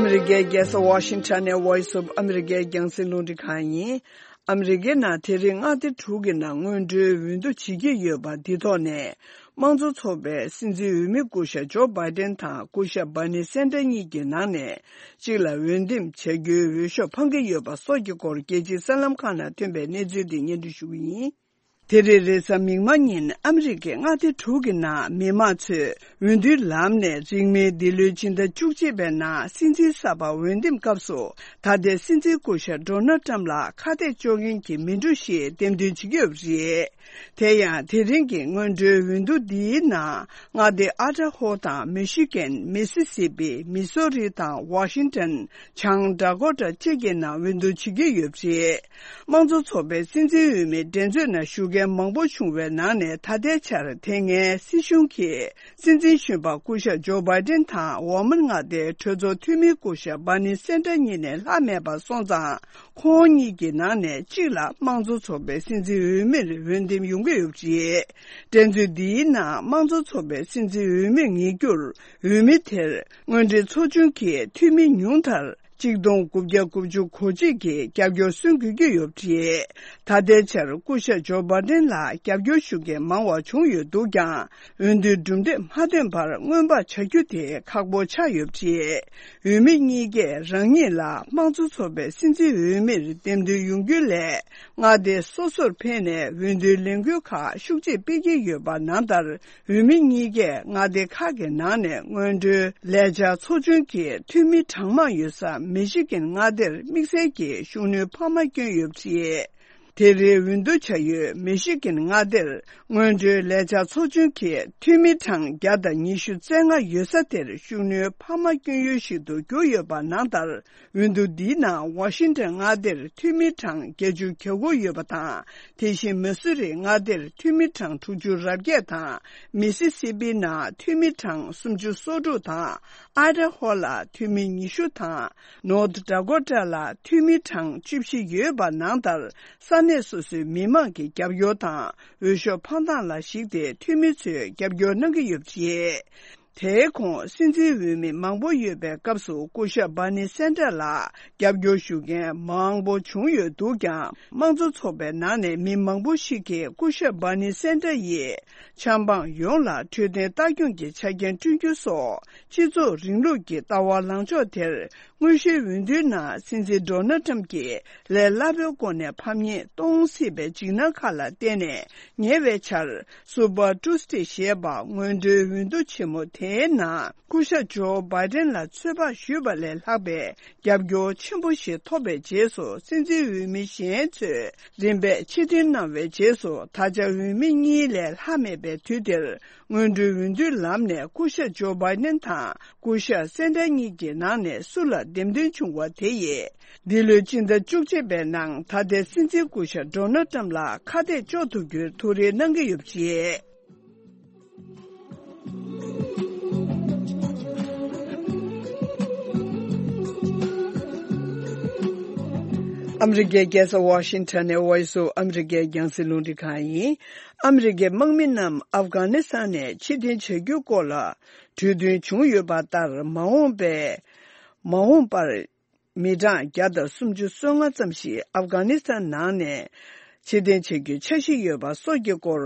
མི་རི་ཀའི་རྒྱལ་ས་ཝ་ཤིང་ཊོན་ནས་Voice of America་རྒྱང་སྲིང་རླུང་འཕྲིན་ཁང་ཡིན། ཨ་མི་རི་ཀའི་ནང་དེ་རིང་མངའ་སྡེ་དྲུག་གི་ནང་སྔོན་འགྲོའི་འོས་བསྡུ་བྱེད་ཀྱི་ཡོད་པ་འདི་ཐོག་ནས། དམངས་གཙོ་ཚོགས་པའི་སྲིད་འཛིན་འོས་མི་སྐུ་ཞབས་ཇོ་བྷའི་ཏན་དང་སྐུ་ཞབས་བྷར་ནི་སན་ཏར་གཉིས་ཀྱི་ནང་ནས་གཅིག་ལ་འོས་འདེམས་བྱ་རྒྱུའི་འོས་ཤོག་འཕང་གི་ཡོད་པ་སོགས་ཀྱི་སྐོར་རྒྱལ་སྤྱིའི་གསར་ལམ་ཁག་ནང་ཐོན་པའི་གནས་ཚུལ་དེ་སྙན་སྒྲོན་ཞུ་གི་ཡིན། དེ་རིང་རེས་གཟའ་མིག་དམར་ཉིན་ཨ་མི་རི་ཀའི་མངའ་སྡེ་དྲུག་གི་ནང་མི་མང་ཚོས་འོས་བསྡུའི་ལམ་ནས་རིང་མིན་འདི་ལོའི་ཕྱི་ཟླ་བཅུ་གཅིག་པའི་ནང་སྲིད་འཛིན་གསར་པ་འོས་འདེམས་སྐབས་སུ། ད་ལྟའི་སྲིད་འཛིན་སྐུ་ཞབས་ཌོ་ནལ་ཊམ་ལ་ཁ་གཏད་གཅོག་མཁན་གྱི་མི་འགྲོ་ཞིག་འདེམས་ཐོན་བྱེད་ཀྱི་ཡོད་པ་རེད། དེ་ཡང་དེ་རིང་གི་སྔོན་འགྲོའི་འོས་བསྡུ་འདིའི་ནང་མངའ་སྡེ་ཨ་ཌ་ཧོ་དང་མི་ཤི་གན། མི་སི་སི་པི། མི་སོ་རི་དང་ཝ་ཤིང་ཊོན། བྱང་ཌ་ཀོ་ཊ་བཅས་ཀྱི་ནང་འོས་བསྡུ་བྱེད་ཀྱི་ཡོད་པ་རེད། དམངས་གཙོ་ཚོགས་པའི་སྲིད་འཛིན་འོས་མིའི་འགྲན་རྩོད་ནང་ཞུགས་ མང་པོ་བྱུང་བའི་ནང་ནས། ད་ལྟའི་ཆར་དེ་སྔའི་སྲིད་གཞུང་གི་སྲིད་འཛིན་གཞོན་པ་སྐུ་ཞབས་ཇོ་བྷའི་ཏིན་དང་འོག་མིན་མངའ་སྡེའི་གྲོས་ཚོགས་འཐུས་མི་སྐུ་ཞབས་བྷར་ནི་སན་ཏར་གཉིས་ནས་ལྷག་མེད་པ་སོང་ཙང་། ཁོང་གཉིས་ཀྱི་ནང་ནས་གཅིག་ལ་དམངས་གཙོ་ཚོགས་པའི་སྲིད་འཛིན་འོས་མིར་འོས་འདེམས་ཡོང་གི་ཡོད་པ་རེད། འགྲན་རྩོད་འདིའི་ནང་དམངས་གཙོ་ཚོགས་པའི་སྲིད་འཛིན་འོས་མི་ངེས་རྒྱུར། འོས་མི་དེར་དངོས་འབྲེལ་ཚོགས་ཆུང་གི་འཐུས་མི་ཉུང་མཐར་གཅིག་སྟོང་དགུ་བརྒྱ་དགུ་བཅུ་གོ་གཅིག་གིས་རྒྱབ་སྐྱོར་སོན་དགོས་ཀྱི་ཡོད་པ་རེད། ད་ལྟའི་ཆར་སྐུ་ཞབས་ཇོ་བྷའི་ཏིན་ལ་རྒྱབ་སྐྱོར་ཞུ་མཁན་མང་བ་བྱུང་ཡོད་འདུག་ཀྱང་། འོས་བསྡུའི་གྲུབ་འབྲས་མ་ཐོན་བར་སྔོན་དཔག་བྱ་རྒྱུ་དེ་ཁག་པོ་ཆགས་ཡོད་པ་རེད། འོས་མི་གཉིས་ཀས་རང་ཉིད་ལ་དམངས་གཙོ་ཚོགས་པའི་སྲིད་འཛིན་འོས་མིར་འདེམས་ཐོན་ཡོང་རྒྱུ་ལས། མངའ་སྡེ་སོ་སོར་ཕེབས་ནས་འོས་བསྡུའི་ལས་འགུལ་ཁག་ཤུགས་ཆེ་སྤེལ་གྱི་ཡོད་པ་ནང་ལྟར། འོས་མི་གཉིས་ཀས་མངའ་སྡེ་ཁག་གི་ནང་ནས་སྔོན་འགྲོའི་ལས་འཆར་ཚོགས་ཆུང་གི་འཐུས་མི་གྲངས་མང་ཡོད་ས་མི་ཤི་གན་མངའ་སྡེར་དམིགས་བསལ་གྱི་ཤུགས་སྣོན་འཕར་མ་བསྐྱོན་ཡོད་པ་རེད། དེ་རིང་འོས་བསྡུ་བྱ་ཡུལ་མི་ཤི་གན་མངའ་སྡེར་སྔོན་འགྲོའི་ལས་འཆར་ཚོགས་ཆུང་གི་འཐུས་མི་གྲངས་བརྒྱ་དང་ཉི་ཤུ་རྩ་ལྔ་ཡོད་ས་དེར་ཤུགས་སྣོན་འཕར་མ་བསྐྱོན་ཡུལ་ཞིག་ཏུ་གྱུར་ཡོད་པ་ནང་ལྟར། འོས་བསྡུ་འདིའི་ནང་ཝ་ཤིང་ཊོན་མངའ་སྡེར་འཐུས་མི་གྲངས་བརྒྱད་ཅུ་གྱ་དགུ་ཡོད་པ་དང་། དེ་བཞིན་མི་སུ་རི་མངའ་སྡེར་འཐུས་མི་གྲངས་དྲུག་ཅུ་རེ་བརྒྱད་དང་། མི་སི་སི་པི་ནང་འཐུས་མི་གྲངས་སུམ་ཅུ་སོ་དྲུག་དང་། ཨའི་ཌ་ཧོ་ལ་འཐུས་མི་ཉི་ཤུ་དང་། ནོར་ཐི་ཌ་ཀོ་ཊ་ལ་འཐུས་མི་གྲངས་བཅུ་བཞི་ཡོད་པ་ནང་ལྟར། ས་གནས་སོ་སོའི་མི་མང་གི་རྒྱབ་སྐྱོར་དང་། འོས་ཤོག་འཕང་ཐང་ལ་གཞིགས་ཏེ་འཐུས་མི་ཚོས་རྒྱབ་སྐྱོར་གནང་གི་ཡོད་པ་རེད། དེའི་གོང་སྲིད་འཛིན་འོས་མི་མང་པོ་ཡོད་པའི་སྐབས་སུ་སྐུ་ཞབས་བྷར་ནི་སན་ཏར་ལ་རྒྱབ་སྐྱོར་ཞུ་མཁན་མང་པོ་བྱུང་ཡོད་འདུག་ཀྱང་། དམངས་གཙོ་ཚོགས་པའི་ནང་ནས་མི་མང་པོ་ཞིག་གིས་སྐུ་ཞབས་བྷར་ནི་སན་ཏར་ཡིས་ཆབ་འབངས་ཡོངས་ལ་འཕྲོད་བསྟེན་ལྟ་སྐྱོང་གི་ཆ་རྐྱེན་བསྐྲུན་རྒྱུ་སོགས་སྤྱི་ཚོགས་རིང་ལུགས་ཀྱི་ལྟ་བ་ལངས་ཕྱོགས་དེར། དངོས་གཞིའི་འོས་བསྡུའི་ནང་སྲིད་འཛིན་ཌོ་ནལ་ཊམ་གྱིས་ལས་སླ་པོའི་སྒོ་ནས་ཕམ་ཉེས་གཏོང་སྲིད་པའི་འཇིགས་སྣང་ཁག་ལ་བརྟེན་ནས། ཉེ་བའི་ཆར་སུ་པར་ཊུས་ཌེ་ཞེས་པ་སྔོན་འགྲོའི་འོས་བསྡུ་ཆེན་མོ་དེའི་ནང་སྐུ་ཞབས་ཇོ་བྷའི་ཏན་ལ་ཚོད་དཔག་ཞུས་པ་ལས་ལྷག་པའི་རྒྱབ་སྐྱོར་ཆེན་པོ་ཞིག་ཐོབ་པའི་རྗེས་སུ། སྲིད་འཛིན་འོས་མི་གཞན་ཚོས་རིམ་པས་ཕྱིར་འཐེན་གནང་བའི་རྗེས་སུ། ད་ཆ་འོས་མི་གཉིས་ལས་ལྷག་མེད་པའི་དུས་དེར། སྔོན་འགྲོའི་འོས་བསྡུའི་ལམ་ནས་སྐུ་ཞབས་ཇོ་བྷའི་ཏན་དང་སྐུ་ཞབས་སན་ཏར་གཉིས་ཀྱི་ནང་ནས་སུ་ལ་འདེམས་ཐོན་བྱུང་བ་དེ་ཡིས། འདི་ལོའི་སྤྱི་ཟླ་བཅུ་གཅིག་པའི་ནང་ད་ལྟའི་སྲིད་འཛིན་སྐུ་ཞབས་ཌོ་ནལ་ཏྲམ་ལ་ཁ་གཏད་གཅོག་ཐུབ་རྒྱུའི་ཐུགས་རེ་གནང་གི་ཡོད་པ་རེད། ཨ་མི་རི་ཀའི་རྒྱལ་ས་ཝ་ཤིང་ཊོན་ནས་Voice of America རྒྱང་སྲིང་རླུང་འཕྲིན་ཁང་ཡིན། ཨ་མི་རི་ཀའི་དམག་མི་རྣམས་ཨབ་གྷ་ནི་སི་ཐན་ནས་ཕྱིར་འཐེན་བྱ་རྒྱུའི་སྐོར་ལ་གྲོས་མཐུན་བྱུང་ཡོད་པ་ལྟར། མ་འོངས་པའི་མ་འོངས་པར་མི་གྲངས་བརྒྱ་དང་སུམ་ཅུ་སོ་ལྔ་ཙམ་ཞིག་ཨབ་གྷ་ནི་སི་ཐན་ནང་ནས་ཕྱིར་འཐེན་བྱ་རྒྱུའི་འཆར་གཞི་ཡོད་པ་སོགས་ཀྱི་སྐོར།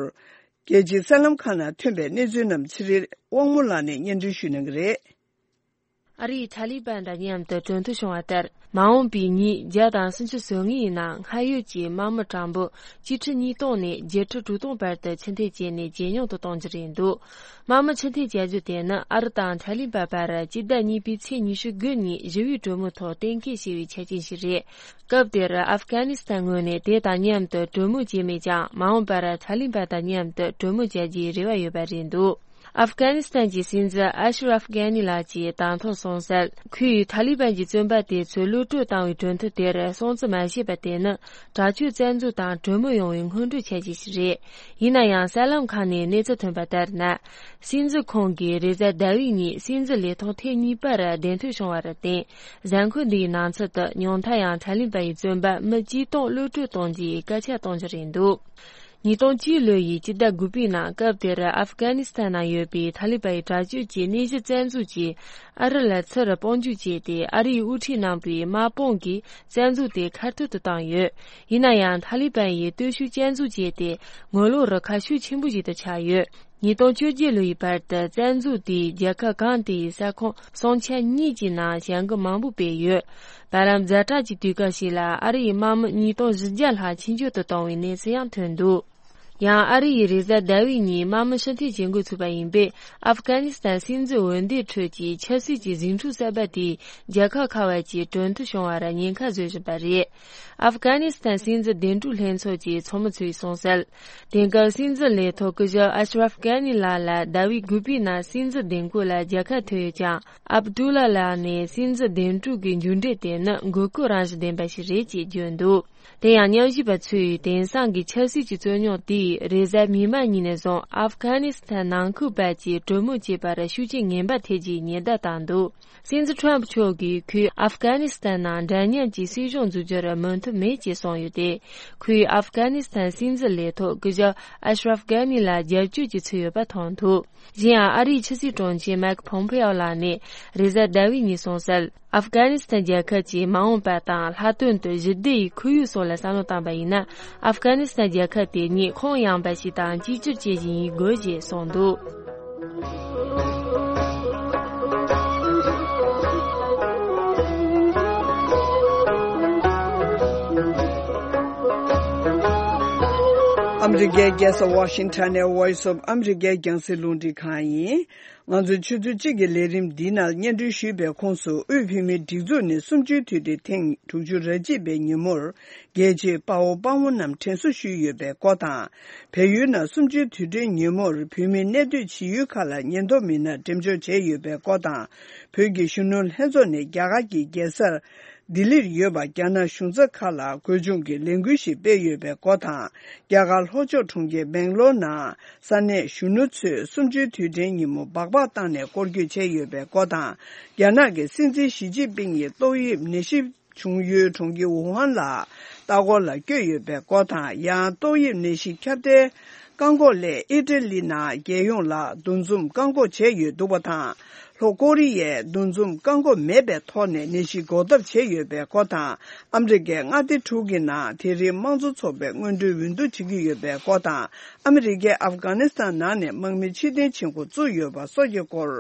རྒྱལ་སྤྱིའི་གསར་ལམ་ཁག་ནང་ཐོན་པའི་གནས་ཚུལ་རྣམས་ཚེ་རིང་དབང་མོ་ལགས་ནས་སྙན་སྒྲོན་ཞུ་གནང་གི་རེད། ཨ་རིའི་ཐ་ལི་བན་དང་མཉམ་དུ་གྲོས་མཐུན་བྱུང་བ་ལྟར། མ་འོངས་པའི་ཉིན་བརྒྱ་དང་སུམ་ཅུ་སོ་ལྔའི་ནང་སྔར་ཡོད་ཀྱི་དམག་མི་གྲངས་འབོར་བཅུ་ཁྲི་ཉིས་སྟོང་ནས་བརྒྱད་ཁྲི་དྲུག་སྟོང་བར་དུ་ཕྱིར་འཐེན་བྱས་ནས་ཇེ་ཉུང་དུ་གཏོང་རྒྱུ་རེད་འདུག་དམག་མི་ཕྱིར་འཐེན་བྱ་རྒྱུ་དེ་ནི་ཨ་རི་དང་ཐ་ལི་བན་བར་སྤྱི་ཟླ་གཉིས་པའི་ཚེས་ཉི་ཤུ་དགུ་ཉིན་ཞི་བའི་གྲོས་མོལ་ཐོག་གཏན་འཁེལ་བྱས་པའི་ཆ་རྐྱེན་ཞིག་རེད། སྐབས་དེར་ཨབ་གྷ་ནི་སི་ཐན་ངོས་ནས་དེ་དང་མཉམ་དུ་གྲོས་མོལ་བྱས་མེད་ཀྱང་། མ་འོངས་པར་ཐ་ལི་བན་དང་མཉམ་དུ་གྲོས་མོལ་བྱ་རྒྱུའི་རེ་བ་ཡོད་པ་རེད་འདུག་ཨབ་གྷ་ནི་སི་ཐན་གྱི་སྲིད་འཛིན་ཨ་ཤ་རབ་གྷ་ནི་ལགས་ཀྱིས་དང་ཐོག་གསུངས་གསལ། ཁོས་ཐ་ལི་བན་གྱི་བཙོན་པ་དེ་ཚོས་གློད་གྲོལ་བཏང་བའི་གྲོས་མཐུན་དེར་སྲུང་བརྩི་མ་བྱས་པ་དེ་ནི་དྲག་སྤྱོད་བཙན་འཛུལ་དང་གྲོས་མོལ་ཡོང་བའི་སྔོན་འགྲོའི་ཆ་རྐྱེན་ཞིག་རེད། ཡིན་ན་ཡང་། གསར་ལམ་ཁག་ནས་གནས་ཚུལ་ཐོན་པ་ལྟར་ན། སྲིད་འཛིན་ཁོང་གིས་རེས་གཟའ་ཟླ་བའི་ཉིན་སྲིད་འཛིན་ལས་ཐོག་ཐེངས་གཉིས་པར་གདན་འཐོན་བྱུང་བར་བརྟེན། གཟའ་འཁོར་འདིའི་ནང་ཚུད་དུ་ཉུང་མཐའ་ཡང་ཐ་ལི་བན་ཡི་བཙོན་པ་མི་བཅུ་སྟོང་གློད་གྲོལ་གཏོང་རྒྱུའི་སྐད་ཆ་གཏོང་རྒྱུ་རེད་འདུག་ཉིས་སྟོང་བཅུ་ལོ་ཡི་སྤྱི་ཟླ་དགུ་པའི་ནང་སྐབས་དེར་ཨབ་གྷ་ནི་སི་ཐན་ནང་ཡོད་པའི་ཐ་ལི་བན་ཡི་དྲག་སྤྱོད་ཀྱི་གནས་གཞི་བཙན་འཛུལ་གྱིས་ཨ་རི་ལ་ཚུར་དཔུང་འཇུག་བྱས་ཏེ། ཨ་རིའི་དབུ་ཁྲིད་རྣམ་པའི་དམག་དཔུང་གིས་བཙན་འཛུལ་དེ་ཁ་ཐུག་ཏུ་བཏང་ཡོད། ཡིན་ན་ཡང་། ཐ་ལི་བན་ཡིས་སྟོབས་ཤུགས་བསྐྱར་འཛུགས་བྱས་ཏེ། ངོ་ལོག་རུ་ཁག་ཤུགས་ཆེན་པོ་ཞིག་ཏུ་ཆགས་ཡོད། ཉིས་སྟོང་བཅོ་བརྒྱད་ལོ་ཡི་བར་དུ་བཙན་འཛུལ་དེས་རྒྱལ་ཁབ་གང་དེའི་ས་ཁོངས་སྲུང་ཆ་གཉིས་ཀྱི་ནང་བྱ་འགུལ་མང་པོ་སྤེལ་ཡོད། བར་ལམ་ཛ་དྲག་གི་དུས་སྐབས་ཤིག་ལ་ཨ་རི་ཡི་དམག་མི་ཉིས་སྟོང་བཞི་བརྒྱ་ལྷག་ཕྱིར་འབྱོར་དུ་བཏང་བའི་གནས་ཚུལ་ཡང་ཐོན་འདུག་ཡང་ཨ་རི་ཡིས་རེས་གཟའ་ཟླ་བའི་ཉིན་དམག་མི་ཕྱིར་འཐེན་བྱེད་འགོ་ཚུགས་པ་ཡིན་པས། ཨབ་གྷ་ནི་སི་ཐན་སྲིད་འཛིན་འོས་འདེམས་ཁྲོད་ཀྱི་ཆབ་སྲིད་ཀྱི་ཟིང་འཁྲུག་གསར་པ་དེས་རྒྱལ་ཁབ་ཁག་བར་གྱི་གྲོས་མཐུན་བྱུང་བར་ཉེན་ཁ་བཟོ་བཞིན་པ་རེད། ཨབ་གྷ་ནི་སི་ཐན་སྲིད་འཛིན་བདེ་འགྲོའི་ལྷན་ཚོགས་ཀྱི་ཚོགས་མི་ཚོས་གསུངས་གསལ། དེང་སྐབས་སྲིད་འཛིན་ལས་ཐོག་སྐུ་ཞབས་ཨ་ཤ་རབ་གྷ་ནི་ལགས་ལ་ཟླ་བའི་དགུ་པའི་ནང་སྲིད་འཛིན་བདེ་འཁོད་ལ་རྒྱལ་ཁ་ཐོབ་ཡོད་ཀྱང་། ཨབ་ཏུ་ལ་ལགས་ནས་སྲིད་འཛིན་བདེ་འགྲོ་གི་མཇུག་འབྲས་དེ་ནི་མགོ་སྐོར་རང་བཞིན་ལྡན་པ་ཞིག་རེད་ཅེས་བརྗོད་འདུག་དེ་ཡང་མཉམ་ཞུགས་པ་ཚོས་དེང་སང་གི་ཆབ་སྲིད་ཀྱི་རྩོད་རྙོག་དེས་རེས་གཟའ་མིག་དམར་ཉིན་ནས་བཟུང་ཨབ་གྷ་ནི་སི་ཐན་ནང་ཁུལ་བར་གྱི་གྲོས་མོལ་བྱེད་པར་ཤུགས་རྐྱེན་ངན་པ་ཐེབས་རྒྱུའི་ཉེན་བརྡ་བཏང་འདུག་སྲིད་འཛིན་ཁྲོམ་མཆོག་གིས་ཁོས་ཨབ་གྷ་ནི་སི་ཐན་ནང་འདྲ་མཉམ་གྱི་སྲིད་གཞུང་འཛུགས་རྒྱུར་མོས་མཐུན་མེད་ཅེས་གསུངས་ཡོད་དེ། ཁོས་ཨབ་གྷ་ནི་སི་ཐན་སྲིད་འཛིན་ལས་ཐོག་སྐུ་ཞབས་ཨ་ཤ་རབ་གྷ་ནི་ལ་རྒྱབ་སྐྱོར་གྱི་ཚུལ་ཡོད་པ་མཐོང་ཐུབ། གཞན་ཡང་ཨ་རིའི་ཕྱི་སྲིད་དྲུང་ཆེ་མེག་ཕོམ་ཕེ་ཨོ་ལགས་ནས་རེས་གཟའ་ཟླ་བའི་ཉིན་གསུངས་གསལ། ཨབ་གྷ་ནི་སི་ཐན་རྒྱལ་ཁབ་ཀྱི་མ་འོངས་པ་དང་ལྷག་དོན་དུ་ཞི་བདེ་ཡི་ཁོར་ཡུག་སོགས་ལ་བསམ་བློ་བཏང་པ་ཡིན་ན། ཨབ་གྷ་ནི་སི་ཐན་རྒྱལ་ཁབ་དེ་ཉིད་ཁོངས་ཡངས་པ་ཞིག་དང་གཅིག་གྱུར་ཅན་ཞིག་ཡིན་དགོས་ཞེས་གསུངས་འདུག་ཨ་མི་རི་ཀའི་རྒྱལ་ས་ཝ་ཤིང་ཊོན་ནས་Voice of America རྒྱང་སྲིང་རླུང་འཕྲིན་ཁང་ཡིན། ང་ཚོའི་ཆུ་ཚོད་གཅིག་གི་ལས་རིམ་འདིའི་ནང་སྙན་སྒྲོན་ཞུས་པའི་ཁོངས་སུ། དབུས་བོད་མིའི་སྒྲིག་འཛུགས་ནས་གསུམ་བཅུའི་དུས་དྲན་ཐེངས་དྲུག་ཅུ་རེ་གཅིག་པའི་ཉིན་མོར། རྒྱལ་གཅེས་དཔའ་བོ་དཔའ་མོ་རྣམས་དྲན་གསོ་ཞུས་ཡོད་པའི་སྐོར་དང་། བལ་ཡུལ་ནང་གསུམ་བཅུའི་དུས་དྲན་ཉིན་མོར་བོད་མིའི་གནས་སྡོད་བྱེད་ཡུལ་ཁག་ལ་ཉེན་རྟོག་མི་སྣར་འགྲེམས་འཇོག་བྱས་ཡོད་པའི་སྐོར་དང་། བོད་ཀྱི་གཞོན་ནུ་ལྷན་ཚོགས་ནས་རྒྱ་གར་གྱི་རྒྱལ་ས་ལྡི་ལིར་ཡོད་པ་རྒྱ་ནག་གཞུང་ཚབ་ཁག་ལ་གོས་ཆུང་གི་ལས་འགུལ་ཞིག་སྤེལ་ཡོད་པའི་སྐོར་དང་། རྒྱ་གར་ལྷོ་ཕྱོགས་གྲོང་ཁྱེར་སྦེང་ལོར་ནང་ས་གནས་གཞོན་ནུ་ཚོས་གསུམ་བཅུའི་དུས་དྲན་ཉིན་མོ་སྦག་སྦག་བཏང་ནས་སྐོར་སྐྱོད་བྱས་ཡོད་པའི་སྐོར་དང་། རྒྱ་ནག་གི་སྲིད་འཛིན་ཞི་ཅིན་ཕིང་ཡིས་ཏོག་དབྱིབས་ནད་གཞི་བྱུང་ཡུལ་གྲོང་ཁྱེར་ཝུ་ཧན་ལ་ལྟ་སྐོར་ལ་བསྐྱོད་ཡོད་པའི་སྐོར་དང་། ཡང་ཏོག་དབྱིབས་ནད་གཞི་ཁྱབ་གདལ་བཀག་འགོག་སླད་ཨི་ཊ་ལི་ནང་རྒྱལ་ཡོངས་ལ་འདུ་འཛོམས་བཀག་འགོག་བྱས་ཡོད་འདུག་པ་དང་། ལྷོ་ཀོ་རི་ཡས་འདུ་འཛོམས་བཀག་འགོག་མེད་པའི་ཐོག་ནས་ནད་གཞི་འགོག་ཐབས་བྱས་ཡོད་པའི་སྐོར་དང་། ཨ་མི་རི་ཀའི་མངའ་སྡེ་དྲུག་གི་ནང་དེ་རིང་དམངས་གཙོ་ཚོགས་པའི་སྔོན་འགྲོའི་འོས་བསྡུ་བྱེད་ཀྱི་ཡོད་པའི་སྐོར་དང་། ཨ་མི་རི་ཀས་ཨབ་གྷ་ནི་སི་ཐན་ནང་ནས་དམག་མི་ཕྱིར་འཐེན་བྱེད་འགོ་བཙུགས་ཡོད་པ་སོགས་ཀྱི་སྐོར་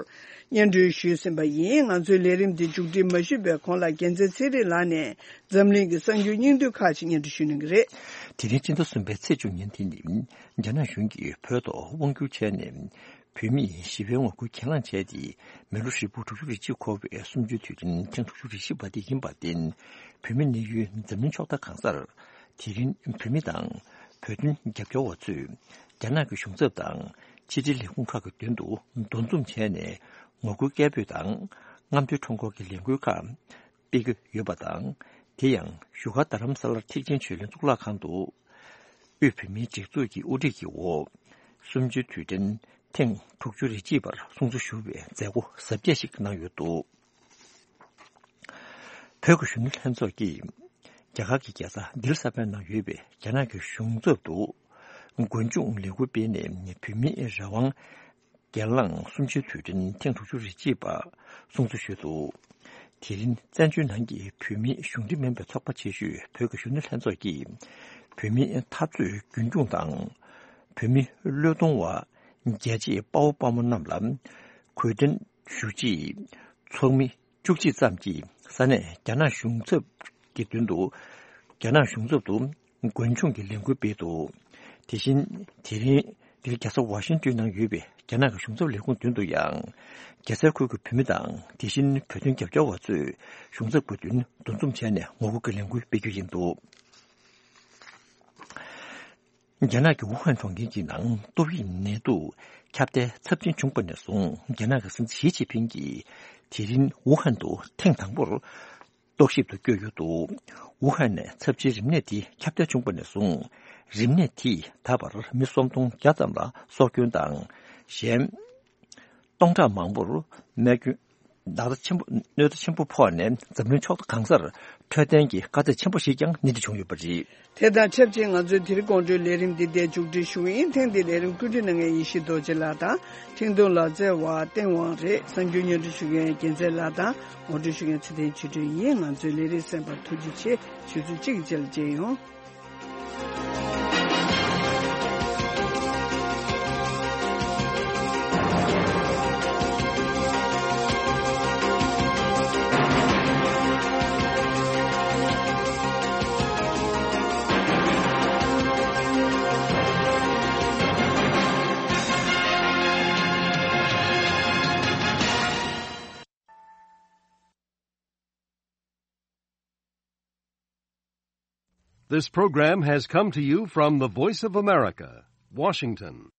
སྙན་སྒྲོན་ཞུས་ཟིན་པ་ཡིན། ང་ཚོའི་ལས་རིམ་འདི་མཇུག་སྒྲིལ་མ་ཞུས་པའི་གོང་ལ་རྒྱལ་མཚན་ཚེ་རིང་ལགས་ནས་འཛམ་གླིང་གི་གསར་འགྱུར་སྙིང་བསྡུས་ཁག་ཅིག་སྙན་སྒྲོན་ཞུ་གནང་གི་རེད། དེ་རིང་སྤྱི་ཟླ་གསུམ་པའི་ཚེས་བཅུ་ཉིན་དེ་ནི་རྒྱ་ནག་གཞུང་གིས་བོད་ཐོག་དབང་བསྒྱུར་བྱས་ནས། བོད་མིས་ཞི་བའི་ངོ་རྒོལ་གྱེན་ལངས་བྱས་ཏེ། མི་ལོ་ཧྲིལ་པོ་དྲུག་ཅུ་རེ་གཅིག་འཁོར་བའི་གསུམ་བཅུའི་དུས་དྲན་ཐེངས་དྲུག་ཅུ་རེ་བཞི་པ་དེ་ཡིན་པར་བརྟེན། བོད་མི་གནས་ཡུལ་འཛམ་གླིང་ཕྱོགས་མཐའ་གང་སར། དེ་རིང་བོད་མི་དང་བོད་དོན་རྒྱབ་སྐྱོར་བ་ཚོས་རྒྱ་ནག་གི་གཞུང་ཚབ་དང་ཕྱི་དྲིལ་ལས་ཁུངས་ཁག་གི་མདུན་དུ་འདུ་འཛོམས་བྱས་ནས། ངོ་རྒོལ་སྐད་འབོད་དང་། རྔམ་སྟོན་ཁྲོམ་སྐོར་གྱི་ལས་འགུལ་ཁག་སྤེལ་གྱི་ཡོད་པ་དང་། དེ་ཡང་བཞུགས་སྒར་རྡ་རམ་ས་ལར་ཐེག་ཆེན་ཆོས་གླིང་གཙུག་ལག་ཁང་དུ། དབུས་བོད་མིའི་སྒྲིག་འཛུགས་ཀྱི་དབུ་ཁྲིད་ཀྱི་འོག་གསུམ་བཅུའི་དུས་དྲན་ཐེངས་དྲུག་ཅུ་རེ་གཅིག་པར་སྲུང་བརྩི་ཞུ་བའི་མཛད་སྒོ་གཟབ་རྒྱས་ཤིག་གནང་ཡོད་འདུག་བོད་ཀྱི་གཞོན་ནུ་ལྷན་ཚོགས་ཀྱིས་རྒྱ་གར་གྱི་རྒྱལ་ས་ལྡི་ལི་གསར་པའི་ནང་ཡོད་པའི་རྒྱ་ནག་གི་གཞུང་ཚབ་ཏུ་མགོན་ཆུང་ལས་འགུལ་སྤེལ་ནས་བོད་མིའི་རང་དབང་གྱེན་ལངས་གསུམ་བཅུའི་དུས་དྲན་ཐེངས་དྲུག་ཅུ་རེ་གཅིག་པ་སྲུང་བརྩི་ཞུས་འདུག་དེ་རིང་བཙན་བྱོལ་ནང་གི་བོད་མིའི་གཞུང་འབྲེལ་མིན་པའི་ཚོགས་པ་ཆེ་ཤོས་བོད་ཀྱི་གཞོན་ནུ་ལྷན་ཚོགས་ཀྱིས་བོད་མིའི་འཐབ་རྩོད་རྒྱུན་འཁྱོངས་དང་། བོད་མི་བློས་གཏོང་བ་རྒྱལ་གཅེས་དཔའ་བོ་དཔའ་མོ་རྣམས་ལ་གུས་བརྩི་ཞུ་ཆེད་ཚོགས་མི་བཅུ་གཅིག་ཙམ་གྱིས་ས་གནས་རྒྱ་ནག་གཞུང་ཚབ་ཀྱི་མདུན་དུ། རྒྱ་ནག་གཞུང་ཚབ་ཏུ་མགོན་ཆུང་གི་ལས་འགུལ་སྤེལ་འདུག་དེ་བཞིན་དེ་རིང་འདིར་རྒྱལ་ས་ཝ་ཤིང་ཏོན་ནང་ཡོད་པའི་རྒྱ་ནག་གི་གཞུང་ཚབ་ལས་ཁུངས་མདུན་དུ་ཡང་། རྒྱལ་སའི་ཁུལ་གྱི་བོད་མི་དང་། དེ་བཞིན་བོད་དོན་རྒྱབ་སྐྱོར་བ་ཚོས་གཞུང་ཚབ་ཀྱི་མདུན་འདུ་འཛོམས་བྱས་ནས་ངོ་རྒོལ་གྱི་ལས་འགུལ་སྤེལ་རྒྱུ་ཡིན་འདུག་རྒྱ་ནག་གི་ཝུ་ཧན་གྲོང་ཁྱེར་གྱི་ནང་ཏོག་དབྱིབས་ནད་དུག་ཁྱབ་གདལ་ཚབས་ཆེན་བྱུང་པ་ནས་བཟུང་། རྒྱ་ནག་གི་སྲིད་འཛིན་ཞི་ཅིན་ཕིང་གིས་དེ་རིང་ཝུ་ཧན་དུ་ཐེངས་དང་པོར་རྟོག་ཞིབ་ཏུ་བསྐྱོད་ཡོད་འདུག་ཝུ་ཧན་ནས་ཚབས་ཆེའི་རིམས་ནད་དེ་ཁྱབ་གདལ་བྱུང་པ་ནས་བཟུང་། རིམས་ནད་དེས་ད་བར་མི་སུམ་སྟོང་བརྒྱ་ཙམ་ལ་སྲོག་སྐྱོན་དང་། གཞན་སྟོང་ཕྲག་མང་པོར་རྨས་སྐྱོན། ལག་བརྡ་ཆེན་པོ། གནོད་འཚེ་ཆེན་པོ་ཕོག་ནས་འཛམ་གླིང་ཕྱོགས་གང་སར་འཕྲོད་བསྟེན་གྱི་དཀའ་ཚེགས་ཆེན་པོ་ཞིག་ཀྱང་སྣེ་ཁྲིད་བྱུང་ཡོད་པ་རེད། དེ་དང་ཆབས་ཅིག་ང་ཚོའི་དེ་རིང་དགོང་དྲོའི་ལས་རིམ་འདི་འདིར་མཇུག་སྒྲིལ་ཞུ་གི་ཡིན། ཐེངས་འདིའི་ལས་རིམ་བཀོད་སྒྲིག་གནང་མཁན་ཡེ་ཤེས་རྡོ་རྗེ་ལགས་དང་། འཕྲིན་གཏོང་ལག་རྩལ་བ་བསྟན་དབང་རེད། གསར་འགྱུར་སྙན་སྒྲོན་ཞུ་མཁན་རྒྱལ་མཚན་ལགས་དང་ངོ་སྤྲོད་ཞུ་མཁན་ཚེ་བརྟན་ཆོས་སྒྲོན་ཡིན། ང་ཚོའི་ལས་རིམ་གསན་པར་ཐུགས་རྗེ་ཆེ། ཆུ་ཚོད་གཅིག་གི་རྗེས་ལ་མཇལ་ཡོང་། This program has come to you from the Voice of America, Washington.